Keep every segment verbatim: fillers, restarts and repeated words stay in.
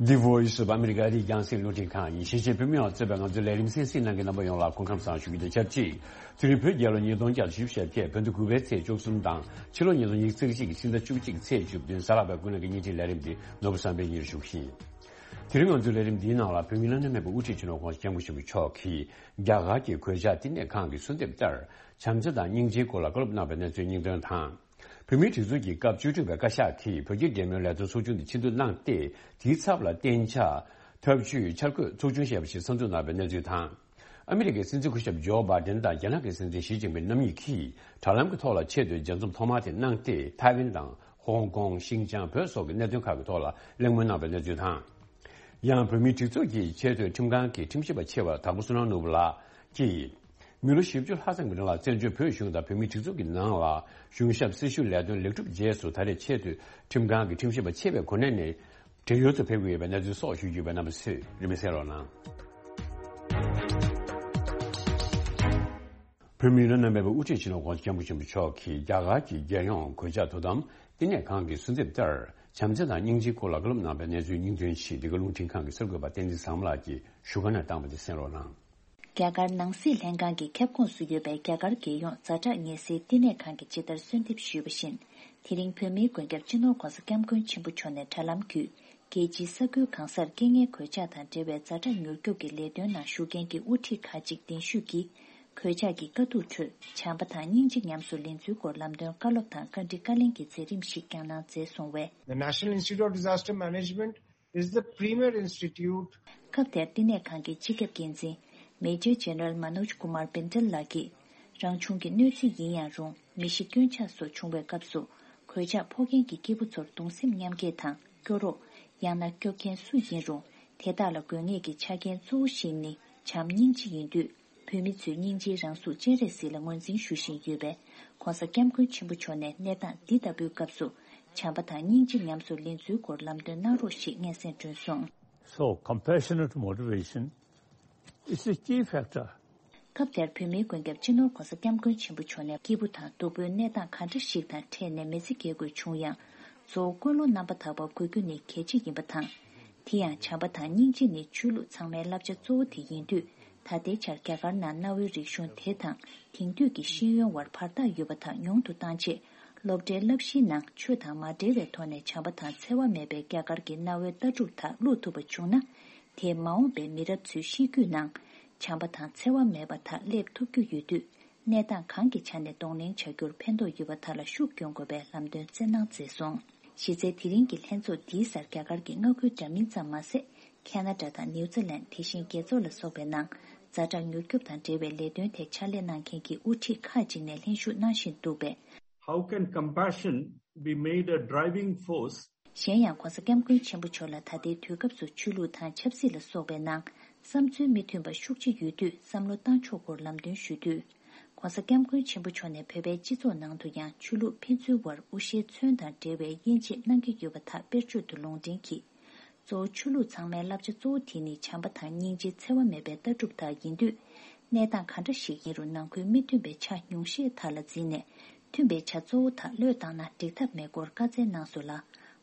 The Voice of America ཨ་རིའི་རྒྱང་སྲིང་རླུང་འཕྲིན་ཁང་ཡིན། གཞིས་བྱེས་བོད་མི་ཡོངས་གཙོས་པའི་ང་ཚོའི་ལས་རིམ་གསན་གཟིགས་གནང་མཁན་རྣམ་པ་ཡོངས་ལ་སྐུ་ཁམས་བཟང་ཞུ་རྒྱུ་དང་ཆབས་ཅིག་དེ་རིང་བོད་རྒྱལ་ལོ་ཉིས་སྟོང་བརྒྱ་དང་བཞི་བཅུ་ཞེ་བརྒྱད། བོད་ཟླ་དགུ་པའི་ཚེས་བཅུ་གསུམ་དང་ཕྱི་ལོ་ཉིས་སྟོང་ཉི་ཤུ་རྩ་གཅིག་གི་ཕྱི་ཟླ་བཅུ་གཅིག་ཚེས་བཅུ་བདུན། གཟའ་ལྷག་པའི་དགུན་གནས་ཀྱི་བརྙན་འཕྲིན་ལས་རིམ་འདི་ནོར་བུ་བསམ་འཕེལ་གཉིས་ཞུ་གི་ཡིན། དེ་རིང་ང་ཚོའི་ལས་རིམ་འདིའི་ནང་ལ་བོད་མིའི་བླ་ན་མེད་པའི་དབུ་ཁྲིད་སྤྱི་ནོར་༸གོང་ས་༸སྐྱབས་མགོན་ཆེན་པོ་མཆོག་གིས་རྒྱ་གར་གྱི་གོད་ཆག་བསྟི་གནས་ཁང་གི་གསོལ་འདེབས་ལྟར་བྱམས་བརྩེ་དང་སྙིང་རྗེའི་སྐོར་ལ་བཀའ་སློབ་གནང་བའི་གནས་ཚུལ་སྙིང་དོན་དང་། བོད་མིའི་སྒྲིག་འཛུགས་ཀྱི་སྐབས་བཅུ་དྲུག་པའི་བཀའ་ཤག་གིས་བོད་རྒྱའི་འབྲེལ་མོལ་ལས་དོན་ཚོགས་ཆུང་དེ་ཆེས་མཐོར་གནང་སྟེ། དེའི་ཚབ་ལ་གཏན་འཇགས་ཐབས་ཇུས་འཆར་འགོད་ཚོགས་ཆུང་ཞེས་པ་ཞིག་གསར་འཛུགས་གནང་བའི་གནས་ཚུལ་དང་། ཨ་མི་རི་ཀའི་སྲིད་འཛིན་སྐུ་ཞབས་ཇོ་བྷའི་ཌེན་དང་རྒྱ་ནག་གི་སྲིད་འཛིན་ཞི་ཅིན་ཕིང་རྣམ་གཉིས་ཀྱིས་དྲ་ལམ་གྱི་ཐོག་ལ་ཆེས་མཐོའི་མཇལ་འཛོམས་ཐོག་མ་དེ་གནང་སྟེ། ཐའེ་ཝན་དང་ཧོང་ཀོང་། ཤིན་ཅང་། བོད་སོགས་ཀྱི་གནད་དོན་ཁག་གི་ཐོག་ལ་གླེང་མོལ་གནང་བའི་གནས་ཚུལ་དང་། ཡང་བོད་མིའི་སྒྲིག་འཛུགས་ཀྱི་ཆེས་མཐོའི་ཁྲིམས་ཁང་གི་ཁྲིམས་ཞིབ་པ་ཆེ་བ་དྭགས་པོ་བསོད་ནམས་ནོར་བུ་ལགས་ཀྱིས། མི་ལོ་བཞི་བཅུ་ལྷག་ཙམ་གྱི་རིང་ལ་བཙན་བྱོལ་བོད་གཞུང་དང་བོད་མིའི་སྒྲིག་འཛུགས་ཀྱི་ནང་ལ་གཞུང་ཞབས་སྲི་ཞུ་ལས་དོན་ལེགས་གྲུབ་རྗེས་སུ། ད་རེས་ཆེས་མཐོའི་ཁྲིམས་ཁང་གི་ཁྲིམས་ཞིབ་པ་ཆེ་བའི་གོ་གནས་ནས་བྲེལ་ཡོལ་དུ་ཕེབས་ཀྱི་ཡོད་པའི་གནས་ཚུལ་སོགས་ཞུ་རྒྱུ་ཡོད་པས། རྣམ་པ་ཚོས་རིན་མེད་གསན་རོགས་གནང་། བོད་མིའི་བླ་ན་མེད་པའི་དབུ་ཁྲིད་སྤྱི་ནོར་༸གོང་ས་༸སྐྱབས་མགོན་ཆེན་པོ་མཆོག་གིས་རྒྱ་གར་གྱི་རྒྱལ་ཡོངས་གོད་ཆག་དོ་དམ་བསྟི་གནས་ཁང་གི་གསོལ་འདེབས་ལྟར་བྱམས་བརྩེ་དང་སྙིང་རྗེའི་སྐོར་ལ་བཀའ་སློབ་གནང་བའི་གནས་ཚུལ་སྙིང་དོན་ཞིག་འདི་ག་རླུང་འཕྲིན་ཁང་གི་གསར་འགོད་པ་བསྟན་འཛིན་བཟང་མོ་ལགས་ཀྱིས་བཞུགས་སྒར་ནས་བཏང་བ་དེ་གསན་རོགས་གནང་། རྒྱ་གར་ནང་སྲིད་ལྷན་ཁང་གི་ཁྱབ་ཁོངས་སུ་ཡོད་པའི་རྒྱ་གར་རྒྱལ་ཡོངས་ཛ་དྲག་ངལ་སེལ་བསྟི་གནས་ཁང་གིས་ཇི་ལྟར་གསོལ་འདེབས་ཞུས་པ་བཞིན། དེ་རིང་བོད་མིའི་མགོན་སྐྱབས་སྤྱི་ནོར་༸གོང་ས་༸སྐྱབས་མགོན་ཆེན་པོ་མཆོག་ནས་དྲ་ལམ་བརྒྱུད། རྒྱལ་སྤྱིའི་ས་ཁུལ་གང་སར་རྐྱེན་ངན་གོད་ཆག་དང་འབྲེལ་བའི་ཛ་དྲག་མྱུར་སྐྱོབ་ཀྱི་ལས་དོན་ནང་ཞུགས་མཁན་གྱི་དབུ་ཁྲིད་ཁག་ཅིག་གདན་ཞུས་ཀྱིས། གོད་ཆག་གི་དཀའ་སྡུག་ཁྲོད་བྱམས་པ་དང་སྙིང་རྗེ་ཉམས་སུ་ལེན་ཚུལ་སྐོར་ལམ་སྟོན་བཀའ་སློབ་དང་བཀའ་འདྲི་བཀའ་ལན་གྱི་མཛད་རིམ་ཞིག་ཀྱང་གནང་མཛད་སོང་བས། The National Institute of Disaster Management is the premier institute. སྐབས་དེར་བསྟི་གནས་ཁང་གི་སྤྱི་ཁྱབ་འགན་འཛིན་Major General Manoj Kumar Bindal ལགས་ཀྱིས། རང་བྱུང་གི་གནོད་འཚེ་ཡིན་ཡང་རུང་། མི་ཤི་སྐྱོན་ཆག་སོགས་བྱུང་བའི་སྐབས་སུ། གོད་ཆག་ཕོག་མཁན་གྱི་སྐྱེས་བུ་ཚོར་གདུང་སེམས་མཉམ་སྐྱེད་དང་སྐྱོ་རོགས། ཡང་ན་སྐྱོབ་མཁན་སུ་ཡིན་རུང་། དེ་དག་ལ་དགོས་ངེས་ཀྱི་ཆ་རྐྱེན་གཙོ་བོ་ཞིག་ནི་བྱམས་སྙིང་རྗེ་ཡིན་དུས། བོད་མི་ཚོས་སྙིང་རྗེའི་རང་གཟུགས་སྤྱན་རས་གཟིགས་ལ་ངོས་འཛིན་ཞུ་བཞིན་ཡོད་པས། ༸གོང་ས་༸སྐྱབས་མགོན་ཆེན་པོ་མཆོག་ནས་གནས་སྟངས་འདི་ལྟ་བུའི་སྐབས་སུ། བྱམས་པ་དང་སྙིང་རྗེ་ཉམས་སུ་ལེན་ཚུལ་སྐོར་ལམ་སྟོན་གནང་རོགས་ཞེས་སྙན་སེང་བསྐྱོན་སོང་། So, compassionate motivation is a key factor. སྐབས་དེར་བོད་མིའི་མགོན་སྐྱབས་སྤྱི་ནོར་༸གོང་ས་༸སྐྱབས་མགོན་ཆེན་པོ་མཆོག་ནས། སྐྱིད་པོ་དང་སྡུག་པོའི་གནས་སྟངས་ག་འདྲ་ཞིག་དང་འཕྲད་ནས་མི་ཚེ་སྐྱེལ་དགོས་བྱུང་ཡང་། གཙོ་བོ་ཀུན་སློང་རྣམ་པ་དག་པ་དགོས་རྒྱུ་ནི་གལ་ཆེ་ཡིན་པ་དང་། དེ་ཡང་བྱམས་པ་དང་སྙིང་རྗེ་ནི་ཆོས་ལུགས་ཚང་མའི་བསླབ་བྱ་གཙོ་བོ་དེ་ཡིན་དུས། ད་ལྟའི་ཆར་རྒྱ་གར་ནང་གནའ་བོའི་རིག་གཞུང་དེ་དང་དེང་དུས་ཀྱི་ཤེས་ཡོན་དབར་བར་ཐག་ཡོད་པ་དག་ཉུང་དུ་བཏང་ཆེད། སློབ་གྲྭའི་བསླབ་གཞིའི་ནང་ཆོས་དང་མ་འབྲེལ་བའི་ཐོག་ནས་བྱམས་པ་དང་འཚེ་བ་མེད་པའི་རྒྱ་གར་གྱི་གནའ་བོའི་ལྟ་གྲུབ་དག་བླུག་ཐུབ་པ་བྱུང་ན། དེས་མ་འོངས་པའི་མི་རབས་ཚོའི་གཤིས་རྒྱུད་ནང་བྱམས་པ་དང་འཚེ་བ་མེད་པ་དག་སླེབས་ཐུབ་རྒྱུ་ཡོད་དུས། གནས་སྟངས་གང་གི་ཆ་ནས་གདོང་ལེན་བྱ་རྒྱུར་ཕན་ཐོགས་ཡོད་པ་དག་ལ་ཤུགས་སྐྱོན་དགོས་པའི་ལམ་སྟོན་སྩལ་གནང་མཛད་སོང་། གཞི་རྩའི་དེ་རིང་གི་ལྷན་ཚོགས་འདིའི་སར་རྒྱ་གར་གྱི་མངའ་ཁུལ་འདྲ་མིན་ཙམ་མ་ཟད། ཁ་ན་ཌ་དང་ནིའུ་ཛི་ལན། དེ་བཞིན་རྒྱལ་ཚོགས་ལ་སོགས་པའི་ནང་ཛ་དྲག་མྱུར་སྐྱོབ་དང་འབྲེལ་བའི་ལས་དོན་ཐད་ཕྱག་ལས་གནང་མཁན་གྱི་དབུ་ཁྲིད་ཁག་ཅིག་ནས་ལྷན་ཞུགས་གནང་བཞིན་འདུག་པས། How can compassion be made a driving force? གཞན་ཡང་༸གོང་ས་༸སྐྱབས་མགོན་ཆེན་པོ་མཆོག་ལ་ད་ལྟའི་དུས་སྐབས་སུ་ཆོས་ལུགས་དང་ཆབ་སྲིད་ལ་སོགས་པའི་ནང་བསམ་ཚུལ་མི་མཐུན་པ་ཤུགས་ཆེ་ཡོད་དུས་བསམ་བློ་བཏང་ཕྱོགས་སྐོར་ལམ་སྟོན་ཞུ་དུས། ༸གོང་ས་༸སྐྱབས་མགོན་ཆེན་པོ་མཆོག་ནས་བོད་པའི་སྤྱི་ཚོགས་ནང་དུ་ཡང་ཆོས་ལུགས་ཕན་ཚུན་དབར་དབུ་ཤའི་མཚོན་དང་འབྲེལ་བའི་དབྱེ་འབྱེད་གནང་གི་ཡོད་པ་དག་དཔེར་བརྗོད་དུ་ལུང་འདྲེན་གྱིས། གཙོ་བོ་ཆོས་ལུགས་ཚང་མའི་བསླབ་བྱ་གཙོ་བོ་དེ་ནི་བྱམས་པ་དང་སྙིང་རྗེ་འཚེ་བ་མེད་པའི་ལྟ་གྲུབ་དག་ཡིན་དུས། གནས་སྟངས་ག་འདྲ་ཞིག་ཡིན་རུང་ནང་ཁུལ་མི་མཐུན་པའི་ཆ་ཉུང་ཤས་དག་ལ་འཛིན་ནས། མཐུན་པའི་ཆ་གཙོ་བོ་དག་བློས་བཏང་ན་འགྲིག་ཐབས་མེད་སྐོར་བཀའ་སྩལ་གནང་སོང་ལ།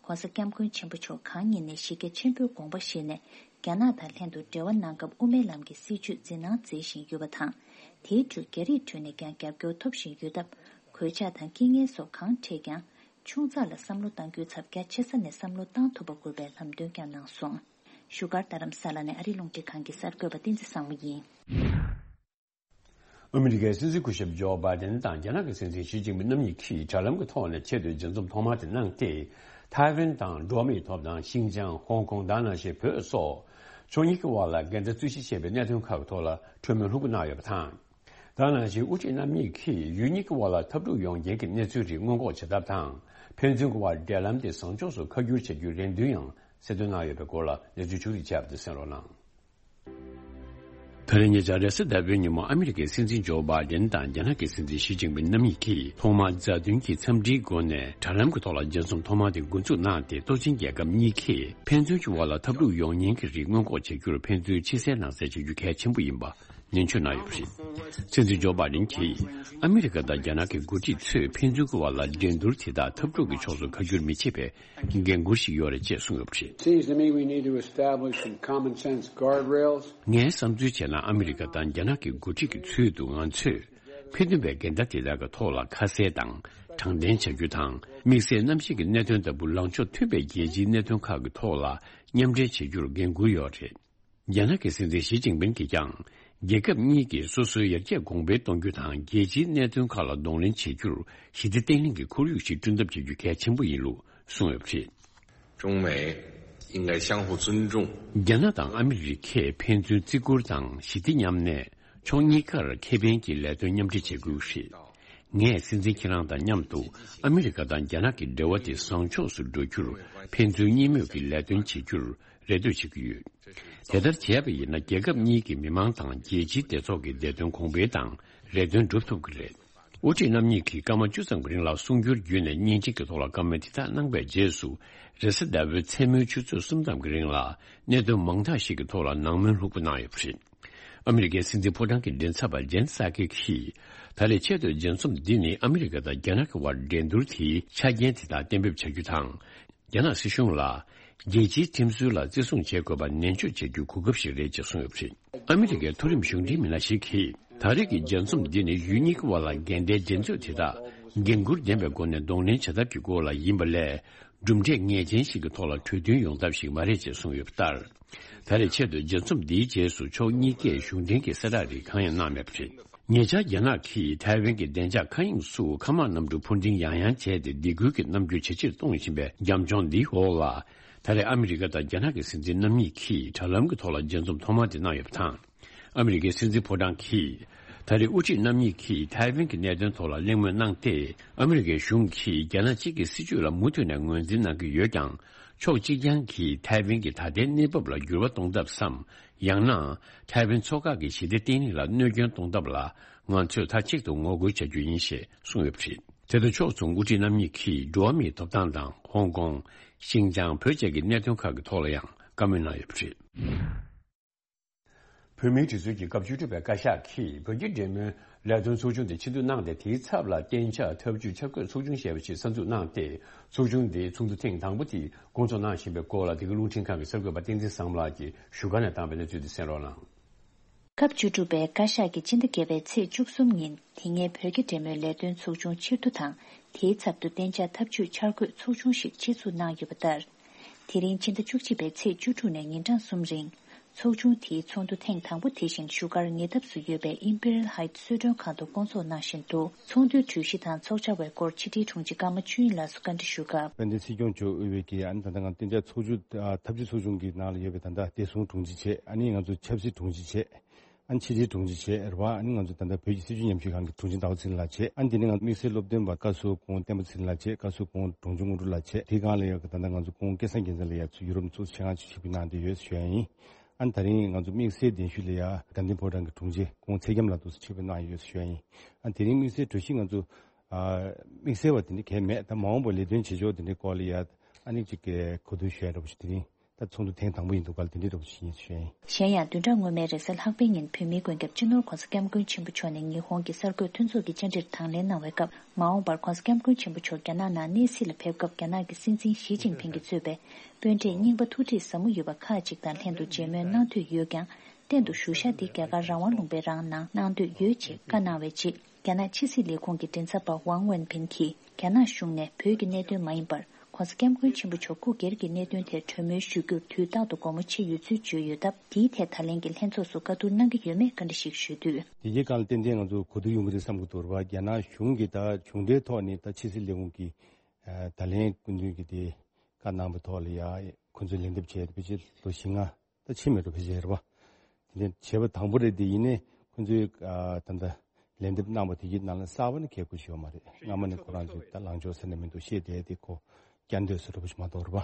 ༸གོང་ས་༸སྐྱབས་མགོན་ཆེན་པོ་མཆོག་གང་ཉིད་ནས་གཞི་རྒྱ་ཆེན་པོའི་དགོངས་པ་བཞེས་ནས། རྒྱ་ནག་དང་ལྷན་དུ་འབྲེལ་བ་གནང་སྐབས་དབུ་མའི་ལམ་གྱི་སྲིད་བྱུས་འཛིན་གནང་མཛད་བཞིན་ཡོད་པ་དང་། དེའི་ཁྲོད་རྒྱ་རིགས་ཁྲོད་ནས་ཀྱང་རྒྱབ་སྐྱོར་ཐོབ་བཞིན་ཡོད་སྟབས། གོད་ཆག་དང་རྐྱེན་ངན་སོགས་གང་འཕྲད་ཀྱང་། ཆུང་ཙག་ལ་བསམ་བློ་གཏང་རྒྱུའི་ཚབ་རྒྱ་ཆེ་ས་ནས་བསམ་བློ་གཏང་ཐུབ་པ་དགོས་པའི་ལམ་སྟོན་ཀྱང་གནང་སོང་། བཞུགས་སྒར་རྡ་རམ་ས་ལ་ནས་ཨ་རིའི་རླུང་འཕྲིན་ཁང་གི་གསར་འགོད་པ་བསྟན་འཛིན་བཟང་མོ་ཡིན། ཨ་མི་རི་ཀའི་སྲིད་འཛིན་སྐུ་ཞབས་ཇོ་བྷའི་ཌེན་དང་རྒྱ་ནག་གི་སྲིད་འཛིན་ཞི་ཅིན་ཕིང་རྣམ་གཉིས་ཀྱིས་དྲ་ལམ་གྱི་ཐོག་ནས་ཆེས་མཐོའི་མཇལ་འཛོམས་ཐོག་མ་དེ་གནང་སྟེ། ཐའེ་ཝན་དང་འགྲོ་བ་མིའི་ཐོབ་ཐང་། ཤིན་ཅང་། ཧོང་ཀོང་། ད་ནང་བཞིན་བོད་སོགས་ཕྱོགས་གཉིས་ཀྱི་དབར་ལ་འགལ་ཟླ་རྩོད་གཞི་ཆེ་བའི་གནད་དོན་ཁག་གི་ཐོག་ལ་གྲོས་མོལ་ལྷུག་པོ་གནང་ཡོད་པ་དང་། ད་ནང་བཞིན་དབུ་ཁྲིད་རྣམ་གཉིས་ཀྱིས་ཡུལ་གཉིས་ཀྱི་དབར་ལ་འཐབ་འཁྲུག་ཡོང་རྐྱེན་གྱི་གནས་ཚུལ་རིགས་སྔོན་འགོག་བྱེད་ཐབས་དང་། ཕན་ཚུན་གྱི་དབར་འབྲེལ་ལམ་དེ་བཟང་ཕྱོགས་སུ་ཁ་བསྒྱུར་བྱ་རྒྱུའི་རེ་འདུན་ཡང་གསལ་སྟོན་གནང་ཡོད་པའི་སྐོར་ལ་གནས་ཚུལ་ཕྱོགས་བསྒྲིགས་བྱས་པ་དེ་གསན་རོགས་གནང་། ད་རེས་ཉེ་ཆར་རེས་གཟའ་ཟླ་བའི་ཉིན་མོ་ཨ་མི་རི་ཀའི་སྲིད་འཛིན་ཇོ་བྷའི་ཌེན་དང་རྒྱ་ནག་གི་སྲིད་འཛིན་ཞི་ཅིན་ཕིང་རྣམ་གཉིས་ཀྱིས་ཐོག་མར་མཛའ་མཐུན་གྱི་འཚམས་འདྲིའི་སྒོ་ནས་དྲ་ལམ་གྱི་ཐོག་ལ་མཇལ་འཛོམས་ཐོག་མ་དེ་འགོ་འཛུགས་གནང་སྟེ། སྟོབས་ཆེན་རྒྱལ་ཁབ་གཉིས་ཀས་ཕན་ཚུན་གྱི་དབར་ལ་འཐབ་འཁྲུག་ཡོང་ཉེན་གྱི་རིགས་སྔོན་འགོག་བྱ་རྒྱུར་ཕན་ཚུན་ཕྱི་གསལ་ནང་གསལ་བྱ་རྒྱུ་གལ་ཆེན་པོ་ཡིན་པ་ ནན་བརྗོད་གནང་ཡོད་པ་རེད། སྲིད་འཛིན་ཇོ་བྷའི་ཌེན་གྱིས་ཨ་མི་རི་ཀ་དང་རྒྱ་ནག་གི་འགོ་ཁྲིད་ཚོས་ཕན་ཚུན་གྱི་བར་ལ་འགྲན་བསྡུར་དེ་དག་འཐབ་འཁྲུག་གི་ཕྱོགས་སུ་ཁ་བསྒྱུར་མི་བྱེད་པའི་འགན་འཁུར་ཞིག་ཡོད་རེད་ཅེས་གསུངས་ཡོད་པ་རེད། Seems to me we need to establish some common sense guardrails. ངའི་བསམ་ཚུལ་བྱས་ན། ཨ་མི་རི་ཀ་དང་རྒྱ་ནག་གི་འགོ་ཁྲིད་ཀྱི་ཚུལ་དུ། ང་ཚོས་ཕན་ཚུན་པའི་འགལ་ཟླ་དེ་དག་གི་ཐོག་ལ་ཁ་གསལ་དང་དྲང་བདེན་བྱ་རྒྱུ་དང་། དམིགས་བསལ་གནམ་གཤིས་ཀྱི་གནད་དོན་ལྟ་བུ་ལངས་ཕྱོགས་མཐུན་པའི་རྒྱལ་སྤྱིའི་གནད་དོན་ཁག་གི་ཐོག་ལ་མཉམ་འབྲེལ་བྱེད་རྒྱུར་འགན་འཁུར་ཡོད་རེད། རྒྱ་ནག་གི་སྲིད་འཛིན་ཞི་ཅིན་ཕིན་གྱིས་ཀྱང་རྒྱལ་ཁབ་གཉིས་ཀྱིས་སོ་སོའི་ཡར་རྒྱས་གོང་འཕེལ་གཏོང་རྒྱུ་དང་། རྒྱལ་སྤྱིའི་གནད་དོན་ཁག་ལ་གདོང་ལེན་བྱེད་རྒྱུར་ཞི་བདེ་བརྟན་ལྷིང་གི་ཁོར་ཡུག་ཞིག་བསྐྲུན་ཐབས་བྱེད་རྒྱུ་གལ་ཆེན་པོ་ཡིན་ལུགས་གསུངས་ཡོད་པ་རེད། 中美应该相互尊重。 རྒྱ་ནག་དང་ཨ་མི་རི་ཀས་ཕན་ཚུན་བརྩི་བཀུར་དང་ཞི་བདེ་མཉམ་གནས། ཕྱོགས་གཉིས་ཀར་ཁེ་ཕན་གྱི་ལས་དོན་མཉམ་འབྲེལ་བྱེད་དགོས་ཞེས། ངས་སྲིད་འཛིན་ཁྱེད་རང་དང་མཉམ་དུ་ཨ་མི་རི་ཀ་དང་རྒྱ་ནག་གི་འབྲེལ་བ་དེ་བཟང་ཕྱོགས་སུ་འགྲོ་རྒྱུར་ཕན་ཚུན་གཉིས་མོས་ཀྱི་ལས་དོན་བྱེད་རྒྱུར་རེ་ལྟོས་བྱེད་ཀྱི་ཡོད། དེ་ལྟར་བྱས་པ་ཡིན་ན། རྒྱལ་ཁབ་གཉིས་ཀྱི་མི་མང་དང་རྒྱལ་སྤྱིའི་སྡེ་ཚོགས་ཀྱི་བདེ་དོན་གོང་འཕེལ་དང་རེ་འདུན་སྒྲུབ་ཐུབ་ཀྱི་རེད། དབུ་ཁྲིད་རྣམ་གཉིས་ཀྱིས་སྐར་མ་བཅུ་ཙམ་གྱི་རིང་ལ་གསུང་བསྒྱུར་བརྒྱུད་ནས་བརྙན་འཕྲིན་གྱི་ཐོག་ལ་བཀའ་མོལ་དེ་དག་གནང་པའི་རྗེས་སུ། རེས་གཟའ་ཟླ་བའི་མཚན་མོའི་ཆུ་ཚོད་གསུམ་ཙམ་གྱི་རིང་ལ་གནད་དོན་མང་དག་ཞིག་གི་ཐོག་ལ་ནང་མོལ་ལྷུག་པོ་གནང་ཡོད་པ་རེད། ཨ་མི་རི་ཀའི་སྲིད་འཛིན་ཕོ་བྲང་གི་མགྲིན་ཚབ་པ་ཇེན་སཱ་ཀི་གིས། ད་རེས་ཆེས་མཐོའི་མཇལ་འཛོམས་འདི་ནི་ཨ་མི་རི་ཀ་དང་རྒྱ་ནག་གི་བར་འགྲན་བསྡུར་དེའི་ཆ་རྐྱེན་དེ་དག་གཏན་འབེབས་བྱ་རྒྱུ་དང་། རྒྱ་ནག་སྲིད་གཞུང་ལ་རྒྱལ་སྤྱིའི་ཁྲིམས་སྲོལ་ལ་བརྩི་སྲུང་བྱེད་དགོས་པ་ནན་བརྗོད་བྱེད་རྒྱུའི་གོ་སྐབས་ཤིག་རེད་ཅེས་གསུངས་ཡོད་པ་རེད། ཨ་མི་རི་ཀའི་མཐོ་རིམ་གཞུང་འབྲེལ་མི་སྣ་ཞིག་གིས། ད་རེས་ཀྱི་མཇལ་འཛོམས་འདི་ནི་ཡུལ་གཉིས་ཀྱི་བར་ལ་འགལ་ཟླའི་འགྲན་རྩོད་དེ་དག་འགན་འཁུར་ལྡན་པའི་སྒོ་ནས་གདོང་ལེན་བྱ་ཐབས་ཀྱི་སྐོར་ལ་ཡིན་པ་ལས། གྲུབ་འབྲས་ངེས་ཅན་ཞིག་གི་ཐོག་ལ་གྲོས་མཐུན་ཡོང་ཐབས་ཤིག་མ་རེད་ཅེས་གསུངས་ཡོད་པ་ལྟར། ད་རེས་ཆེད་དུ་མཇལ་འཛོམས་འདིའི་རྗེས་སུ་ཕྱོགས་གཉིས་ཀས་གཞུང་འབྲེལ་གྱི་གསལ་བསྒྲགས་རིགས་གང་ཡང་གནང་མེད་པ་རེད། ཉེ་ཆར་རྒྱ་ནག་གིས་ཐའེ་ཝན་གྱི་བདེ་འཇགས་མཁའ་དབྱིངས་སུ་མཁའ་དམག་གནམ་གྲུ་འཕུར་འགྲེམས་ཡང་ཡང་བྱས་ཏེ། སྡིགས་སྐུལ་གྱི་རྣམ་འགྱུར་ཇེ་ཆེར་གཏོང་བཞིན་པའི་རྒྱབ་ལྗོངས་འདིའི་འོག་ལ། ད་རེས་ཨ་མི་རི་ཀ་དང་རྒྱ་ནག་གི་སྲིད་འཛིན་རྣམ་གཉིས་ཀྱིས་དྲ་ལམ་གྱི་ཐོག་ལ་མཇལ་འཛོམས་ཐོག་མ་དེ་གནང་ཡོད་པ་དང་། ཨ་མི་རི་ཀའི་སྲིད་འཛིན་ཕོ་བྲང་གིས། ད་རེས་དབུ་ཁྲིད་རྣམ་གཉིས་ཀྱིས་ཐའེ་ཝན་གྱི་གནད་དོན་ཐོག་ལ་གླེང་མོལ་གནང་སྟེ། ཨ་མི་རི་ཀའི་གཞུང་གིས་རྒྱ་ནག་གཅིག་གི་སྲིད་བྱུས་ལ་མུ་མཐུད་ནས་ངོས་འཛིན་གནང་གི་ཡོད་ཀྱང་། ཕྱོགས་གཅིག་རྐྱང་གིས་ཐའེ་ཝན་གྱི་ད་ལྟའི་གནས་བབ་ལ་འགྱུར་བ་གཏོང་ཐབས་སམ། ཡང་ན། ཐའེ་ཝན་མཚོ་འགག་གི་ཞི་བདེ་བརྟན་ལྷིང་ལ་གནོད་སྐྱོན་གཏོང་ཐབས་ལ། ང་ཚོས་མཐའ་གཅིག་ཏུ་ངོ་རྒོལ་བྱ་རྒྱུ་ཡིན་ཞེས་གསུངས་ཡོད་པ་རེད། དེ་དང་ཕྱོགས་མཚུངས་དབུ་ཁྲིད་རྣམ་གཉིས་ཀྱིས་འགྲོ་བ་མིའི་ཐོབ་ཐང་དང་། ཧོང་ཀོང་། ཤིན་ཅང་། བོད་བཅས་ཀྱི་གནད་དོན་ཁག་གི་ཐོག་ལ་ཡང་བཀའ་མོལ་གནང་ཡོད་པ་རེད། བོད་མིའི་སྒྲིག་འཛུགས་ཀྱི་སྐབས་བཅུ་དྲུག་པའི་བཀའ་ཤག་གིས་བོད་ཀྱི་འབྲེལ་མོལ་ལས་དོན་ཚོགས་ཆུང་དེ་ཕྱིར་བསྡུ་གནང་སྟེ། དེའི་ཚབ་ལ་གཏན་འཇགས་ཐབས་ཇུས་འཆར་འགོད་ཚོགས་ཆུང་ཞེས་པ་ཞིག་གསར་འཛུགས་གནང་སྟེ། ཚོགས་ཆུང་དེའི་ཚོགས་འདུ་ཐེངས་དང་པོ་དེ་སྐོང་ཚོགས་གནང་བཞིན་པའི་སྐོར་ལ། འདི་ག་རླུང་འཕྲིན་ཁང་གི་གསར་འགོད་པ་བསྟན་འཛིན་བཟང་མོ་ལགས་ཀྱིས་བཞུགས་སྒར་ནས་བཏང་བའི་གནས་ཚུལ་དེ་གསན་རོགས་གནང་། སྐབས་བཅུ་དྲུག་པའི་བཀའ་ཤག་གིས་སྤྱི་ཟླ་བརྒྱད་པའི་ཚེས་བཅུ་གསུམ་ཉིན། དེ་སྔའི་བོད་ཀྱི་འབྲེལ་མོལ་ལས་དོན་ཚོགས་ཆུང་ཕྱིར་བསྡུ་དང་། དེའི་ཚབ་ཏུ་གཏན་འཇགས་ཐབས་ཇུས་འཆར་འགོད་ཚོགས་ཆུང་ཞིག་ཆེད་འཛུགས་གནང་ཡོད་པ་ལྟར། དེ་རིང་ཕྱི་ཟླ་བཅུ་གཅིག་པའི་ཚེས་བཅུ་དྲུག་ནས་ཉིན་གྲངས་གསུམ་རིང་། ཚོགས་ཆུང་དེའི་ཚོགས་འདུ་ཐེངས་དང་པོ་དེ་བཞིན་བཞུགས་སྒར་ཉེ་འདབས་སུ་ཡོད་པའི་Imperial Heights གསོལ་མགྲོན་ཁང་དུ་སྐོང་ཚོགས་གནང་བཞིན་འདུག་ཚོགས་འདུའི་གྲོས་གཞི་དང་ཚོགས་བཅར་བའི་སྐོར་ཕྱི་དྲིལ་དྲུང་ཆེ་ཀརྨ་ཆོས་དབྱིངས་ལགས་སུ་བཀའ་འདྲི་ཞུ་སྐབས། དཔལ་ལྡན་སྲིད་སྐྱོང་མཆོག་དབུས་པའི་གི། ཨ་ནི་ད་ལྟ་ང་གཏན་འཇགས་ཚོགས་ཆུང་ཨ་ཐབས་ཇུས་ཚོགས་ཆུང་གི་ནང་ལ་ཡོད་པའི་ད་ལྟ་བདེ་སྲུང་དྲུང་ཆེ་བྱས། ཨ་ནི་ང་ཚོ་ཆབ་སྲིད་དྲུང་ཆེ་བྱས། ཨ་ནི་ཕྱི་དྲིལ་དྲུང་ཆེ་བྱས་རེད་བ། ཨ་ནི་ང་ཚོ་ད་ལྟ་བོད་ཀྱི་སྲིད་བྱུས་ཉམས་ཞིབ་ཁང་གི་དྲུང་ཆེ་ཟླ་བ་ཚེ་རིང་ལགས་བྱས། ཨ་ནི་དེ་ནས་ང་ཚོ་དམིགས་བསལ་སློབ་སྟོན་པ་བཀའ་ཟུར་སྐུ་ངོ་བསྟན་པ་ཚེ་རིང་ལགས་བྱས། བཀའ་ཟུར་སྐུ་ངོ་འབྲོང་ཆུང་དངོས་གྲུབ་ལགས་བྱས། དེའི་སྒང་ལ་ཡང་ད་ལྟ་ང་ཚོ་སྐུ་ངོ་སྐལ་བཟང་རྒྱལ་མཚན་ལགས་ཡ་ཚོ་ཡུ་རོབ་ནས་ཚོགས་གཞི་ཆེད་མངགས་ཆེད་ཕྱིར་འབུད་གནང་བསྡད་ཡོད་ཞུ་ཡ་ཡིན། ཨ་ནི་ད་རིང་ང་ཚོ་དམིགས་བསལ་གདན་ཞུས་ལ་ཡ་དགའ་ལྡན་ཕོ་བྲང་གི་དྲུང་ཆེ་སྐུ་ངོ་ཚེ་རྒྱམ་ལགས་འདུག་སེ་ཕྱིར་འབུད་གནང་ཡོད་ཞུ་ཡ་ཡིན། ཨ་ནི་དེ་རིང་དམིགས་བསལ་གྲོས་གཞི་ང་ཚོ་ཨ་དམིགས་བསལ་བ་དེ་འདྲ་གང་ཡང་མེད། ད་མ་འོངས་པར་ལས་དོན་བྱེད་ཕྱོགས་དེ་འདྲའི་སྐོར་ལ་ཡ་ཨ་ནི་ཅིག་གི་གོ་བསྡུར་ཞུ་ཡ་འདྲ་པོ་ཞིག་དེ་རིང་ད་ཚོགས་འདུ་ཐེངས་དང་པོ་ཡིན་འདུག་ག་ལ་དེ་འདྲའི་འདྲ་པོ་ཞིག་ཡིན་ཞུ་ཡ་ཡིན། གཞན་ཡང་། བདུན་ཕྲག་སྔོན་མའི་རེས་གཟའ་ལྷག་པའི་ཉིན་བོད་མིའི་མགོན་སྐྱབས་སྤྱི་ནོར་༧གོང་ས་༧སྐྱབས་མགོན་ཆེན་པོ་མཆོག་ནས་ཉི་ཧོང་གི་གསར་འགོད་མཐུན་ཚོགས་ཀྱི་བཅར་འདྲིར་དང་ལེན་གནང་བའི་སྐབས། མ་འོངས་པར་༧གོང་ས་༧སྐྱབས་མགོན་ཆེན་པོ་མཆོག་རྒྱ་ནག་ནང་གནས་གཟིགས་ལ་ཕེབས་སྐབས། རྒྱ་ནག་གི་སྲིད་འཛིན་ཞི་ཅིན་ཕིང་གིས་གཙོས་པའི་དཔོན་རིགས་རྙིང་པ་ཐུགས་ཁྲིད་ཟབ་མོ་ཡོད་པ་ཁག་ཅིག་དང་ལྷན་དུ་མཇལ་མོལ་གནང་འདོད་ཡོད་ཀྱང་། གཏན་དུ་བཞུགས་ཤག་འདི་རྒྱ་གར་རང་དབང་ལུང་པའི་རང་ནང་གནང་འདོད་ཡོད་ཅེས་བཀའ་གནང་བའི་རྗེས། རྒྱ་ནག་ཕྱི་སྲིད་ལས་ཁུངས་ཀྱི་མགྲིན་ཚབ་པ་ཝང་ཝེན་ཕིན་གྱིས། རྒྱ་ནག་གཞུང་ནས་བོད་ཀྱི་གནད་དོན་མ་ཡིན་པར། ༧གོང་ས་༧སྐྱབས་མགོན་ཆེན་པོ་མཆོག་སྐུ་སྒེར་གྱི་གནད་དོན་ཐད་གྲོས་མོལ་ཞུ་རྒྱུར་དུས་རྟག་ཏུ་དགོངས་པ་ཆེ་ཡོད་ཚུལ་བརྗོད་ཡོད་སྟབས། དེའི་ཐད་ད་ལན་གྱི་ལྷན་ཚོགས་སུ་བཀའ་བསྡུར་གནང་གི་ཡོད་མེད་བཀའ་འདྲི་ཞིག་ཞུས་དུས། དེ་རྗེས་གང་ལ་ཏན་ཏན་ང་ཚོ་གོ་བསྡུར་ཡོང་གི་རེད་བསམ་གྱི་འདུག་རེད་བ། རྒྱ་ནག་གཞུང་གིས་ད་གཞུང་འབྲེལ་ཐོག་ནས་ད་ཕྱི་སྲིད་ལས་ཁུངས་ཀྱིས་ད་ལན་སྐུ་མདུན་གྱིས་དེ་བཀའ་གནང་བའི་ཐོག་ལ་ཡ་ཁོ་ཚོས་ལན་འདེབས་བྱས་ཏེ་ཕལ་ཆེར་ལོ་བཞི་ལྔ་ད་ཕྱིན་མེད་འགྲོ། ཕལ་ཆེར་རེད་བ། དེ་ནས་བྱས་པ་དང་པོ་རེད། དེ་ཡིན་ནའི་ཁོ་ཚོས་ཨ་ད་ལྟ་ལན་འདེབས་གནང་བ་དེ་གྱི་ནང་ལ་གསར་པ་ནི་གལ་དགོས་ཞིག་ཡོད་མ་རེད། སྔ་མ་ནས་ཁོ་རང་ཚོས་ད་ལངས་ཕྱོགས་ཟེར་ནས་མི་འདུག་བཤད་བསྡད་དེ་ཁོ་བསྐྱར་ཟློས་སུ་འགྲོ་བ་ཞིག་མ་གཏོགས་རེད་བ།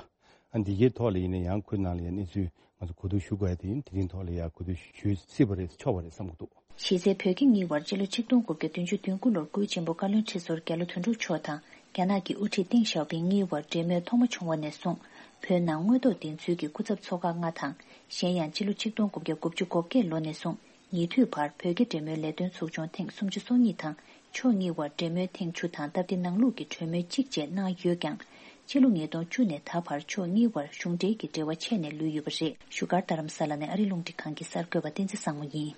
ཨ་འདི་གའི་ཐོག་ལ་ཡིན་ན་ཡང་ཁོའི་ནང་ལ་ཡང་གནས་ཚུལ་ང་ཚོ་གོ་བསྡུར་ཞུ་དགོས་ཡ་དེ་ཡིན། དེ་རིང་ཐོག་ལ་ཡང་གོ་བསྡུར་ཞུ་སྲིད་པ་རེད། ཆོག་པ་རེད་བསམ་གྱི་འདུག་གཞི་རྩའི་བོད་ཀྱི་གཉིས་བར་སྤྱི་ལོ་ཆིག་སྟོང་དགུ་བརྒྱ་བདུན་ཅུ་དོན་དགུ་ལོར་སྐུའི་གཅེན་པོ་བཀའ་བློན་ཁྲི་ཟུར་རྒྱ་ལོ་དོན་གྲུབ་མཆོག་དང་རྒྱ་ནག་གི་དབུ་ཁྲིད་ཏེང་ཞའོ་ཕིང་གཉིས་བར་འབྲེལ་མོལ་ཐོག་མ་བྱུང་བ་ནས་བཟུང་། བོད་ནང་དངོས་ཐོག་བདེན་འཚོལ་གྱི་སྐུ་ཚབ་ཚོགས་ཁག་ལྔ་དང་། གཞན་ཡང་སྤྱི་ལོ་ཆིག་སྟོང་དགུ་བརྒྱ་དགུ་བཅུ་གོ་བརྒྱད་ལོ་ནས་བཟུང་ ཉེ་དུས་བར་བོད་རྒྱ་འབྲེལ་མོལ་ལས་དོན་ཚོགས་ཆུང་ཐེངས་སུམ་ཅུ་སོ་གཉིས་དང་། ཕྱོགས་གཉིས་བར་འབྲེལ་མོལ་ཐེངས་བཅུ་དང་། སྟབས་བདེ་ནང་ལུགས་ཀྱི་གྲོས་མོལ་གཅིག་བཅས་གནང་ཡོད་ཀྱང་། ཕྱི་ལོ་ཉིས་སྟོང་བཅུ་ནས་ད་བར་ཕྱོགས་གཉིས་བར་གཞུང་འབྲེལ་གྱི་འབྲེལ་བ་ཆད་ནས་ལུས་ཡོད་པ་རེད། བཞུགས་སྒར་རྡ་རམ་ས་ལ་ནས་ཨ་རི་རླུང་འཕྲིན་ཁང་གི་གསར་འགོད་པ་བསྟན་འཛིན་བཟང་མོ་ཡིན།